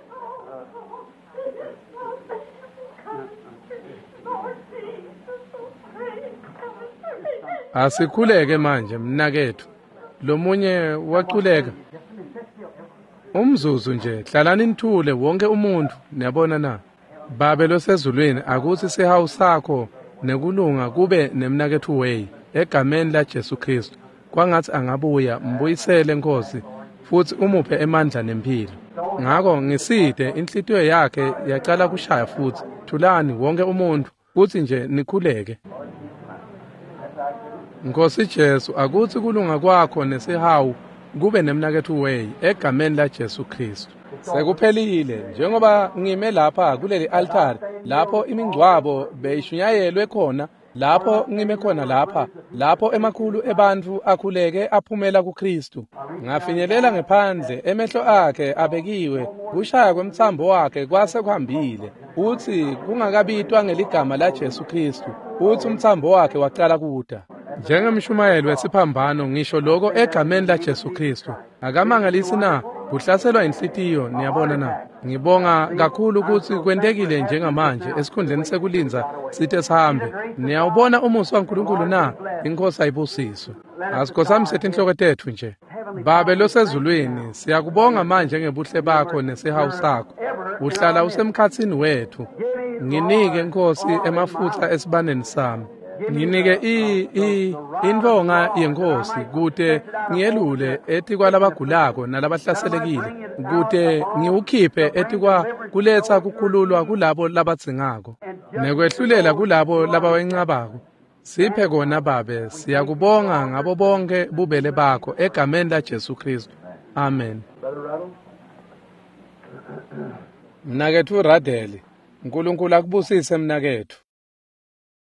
Asikhuleke manje mnaketfu. Lomunye waculeka. Umzuzu nje, hlalani nithule wonke umuntu. Niyabona na? Babe losezulwini, akutsi sihawu sakho nekulunga kube nemnaketfu Way egameni la Jesu Kristu. Kwangatsi angabuya, mbuyisele Nkosi, futsi umuphe emandla nemphilo. Ngako ngisite inhlitiyo yakhe yacala kushaya futsi. Thulani wonke umuntu, kutsi nje nikhuleke. Nkosi Jesu, akutsi kulunga kwakho nesihawu kube nemnaketfu Way egameni la Jesu Kristu. Sekuphelile, njengoba ngime lapha kuleli altari, lapho imingcwabo beyishunyayelwe khona, lapho ngime khona lapha, lapho emakhulu ebantfu akhuleke aphumela kuKristu. Ngafinyelela ngephandle, emehlo akhe abekiwe, kushaya kwemtsambo wakhe kwase kuhambile. Utsi kungakabitwa ngeligama la Jesu Kristu, utsi umtsambo wakhe wacala kuda. Njengemshumayeli wesiphambano ngisho lokho egameni la Jesu Kristu. Akamangalisi na kuhlaselwa inhlitiyo, niyabona na? Ngibonga kakhulu kutsi kwentekile njengamanje esikhundleni sekulindza sithe sihambe. Niyawubona umusa waNkulunkulu na? Inkosi ayibusiswe. Asikhotsamise tinhloko tetfu nje. Babe losezulwini, siyakubonga manje ngebuhle bakho nesihawu sakho. Uhlala usemkhatsini wetfu. Nginike Nkosi emafutha esibaneni sami. Nginike i i intfonga yenkosi kute ngiyelule etikwalabagulako nalabahlaselekile, kute ngiwukhiphe etikwa kuletsa kukhululwa kulabo labadzingako nekwehlulela kulabo labawencabako. Siphe kona Babe, siyakubonga ngabo bonke bubele bakho egameni la Jesu Kristu. Amen. Mnaketfu Ruddell, uNkulunkulu akubusise mnaketfu.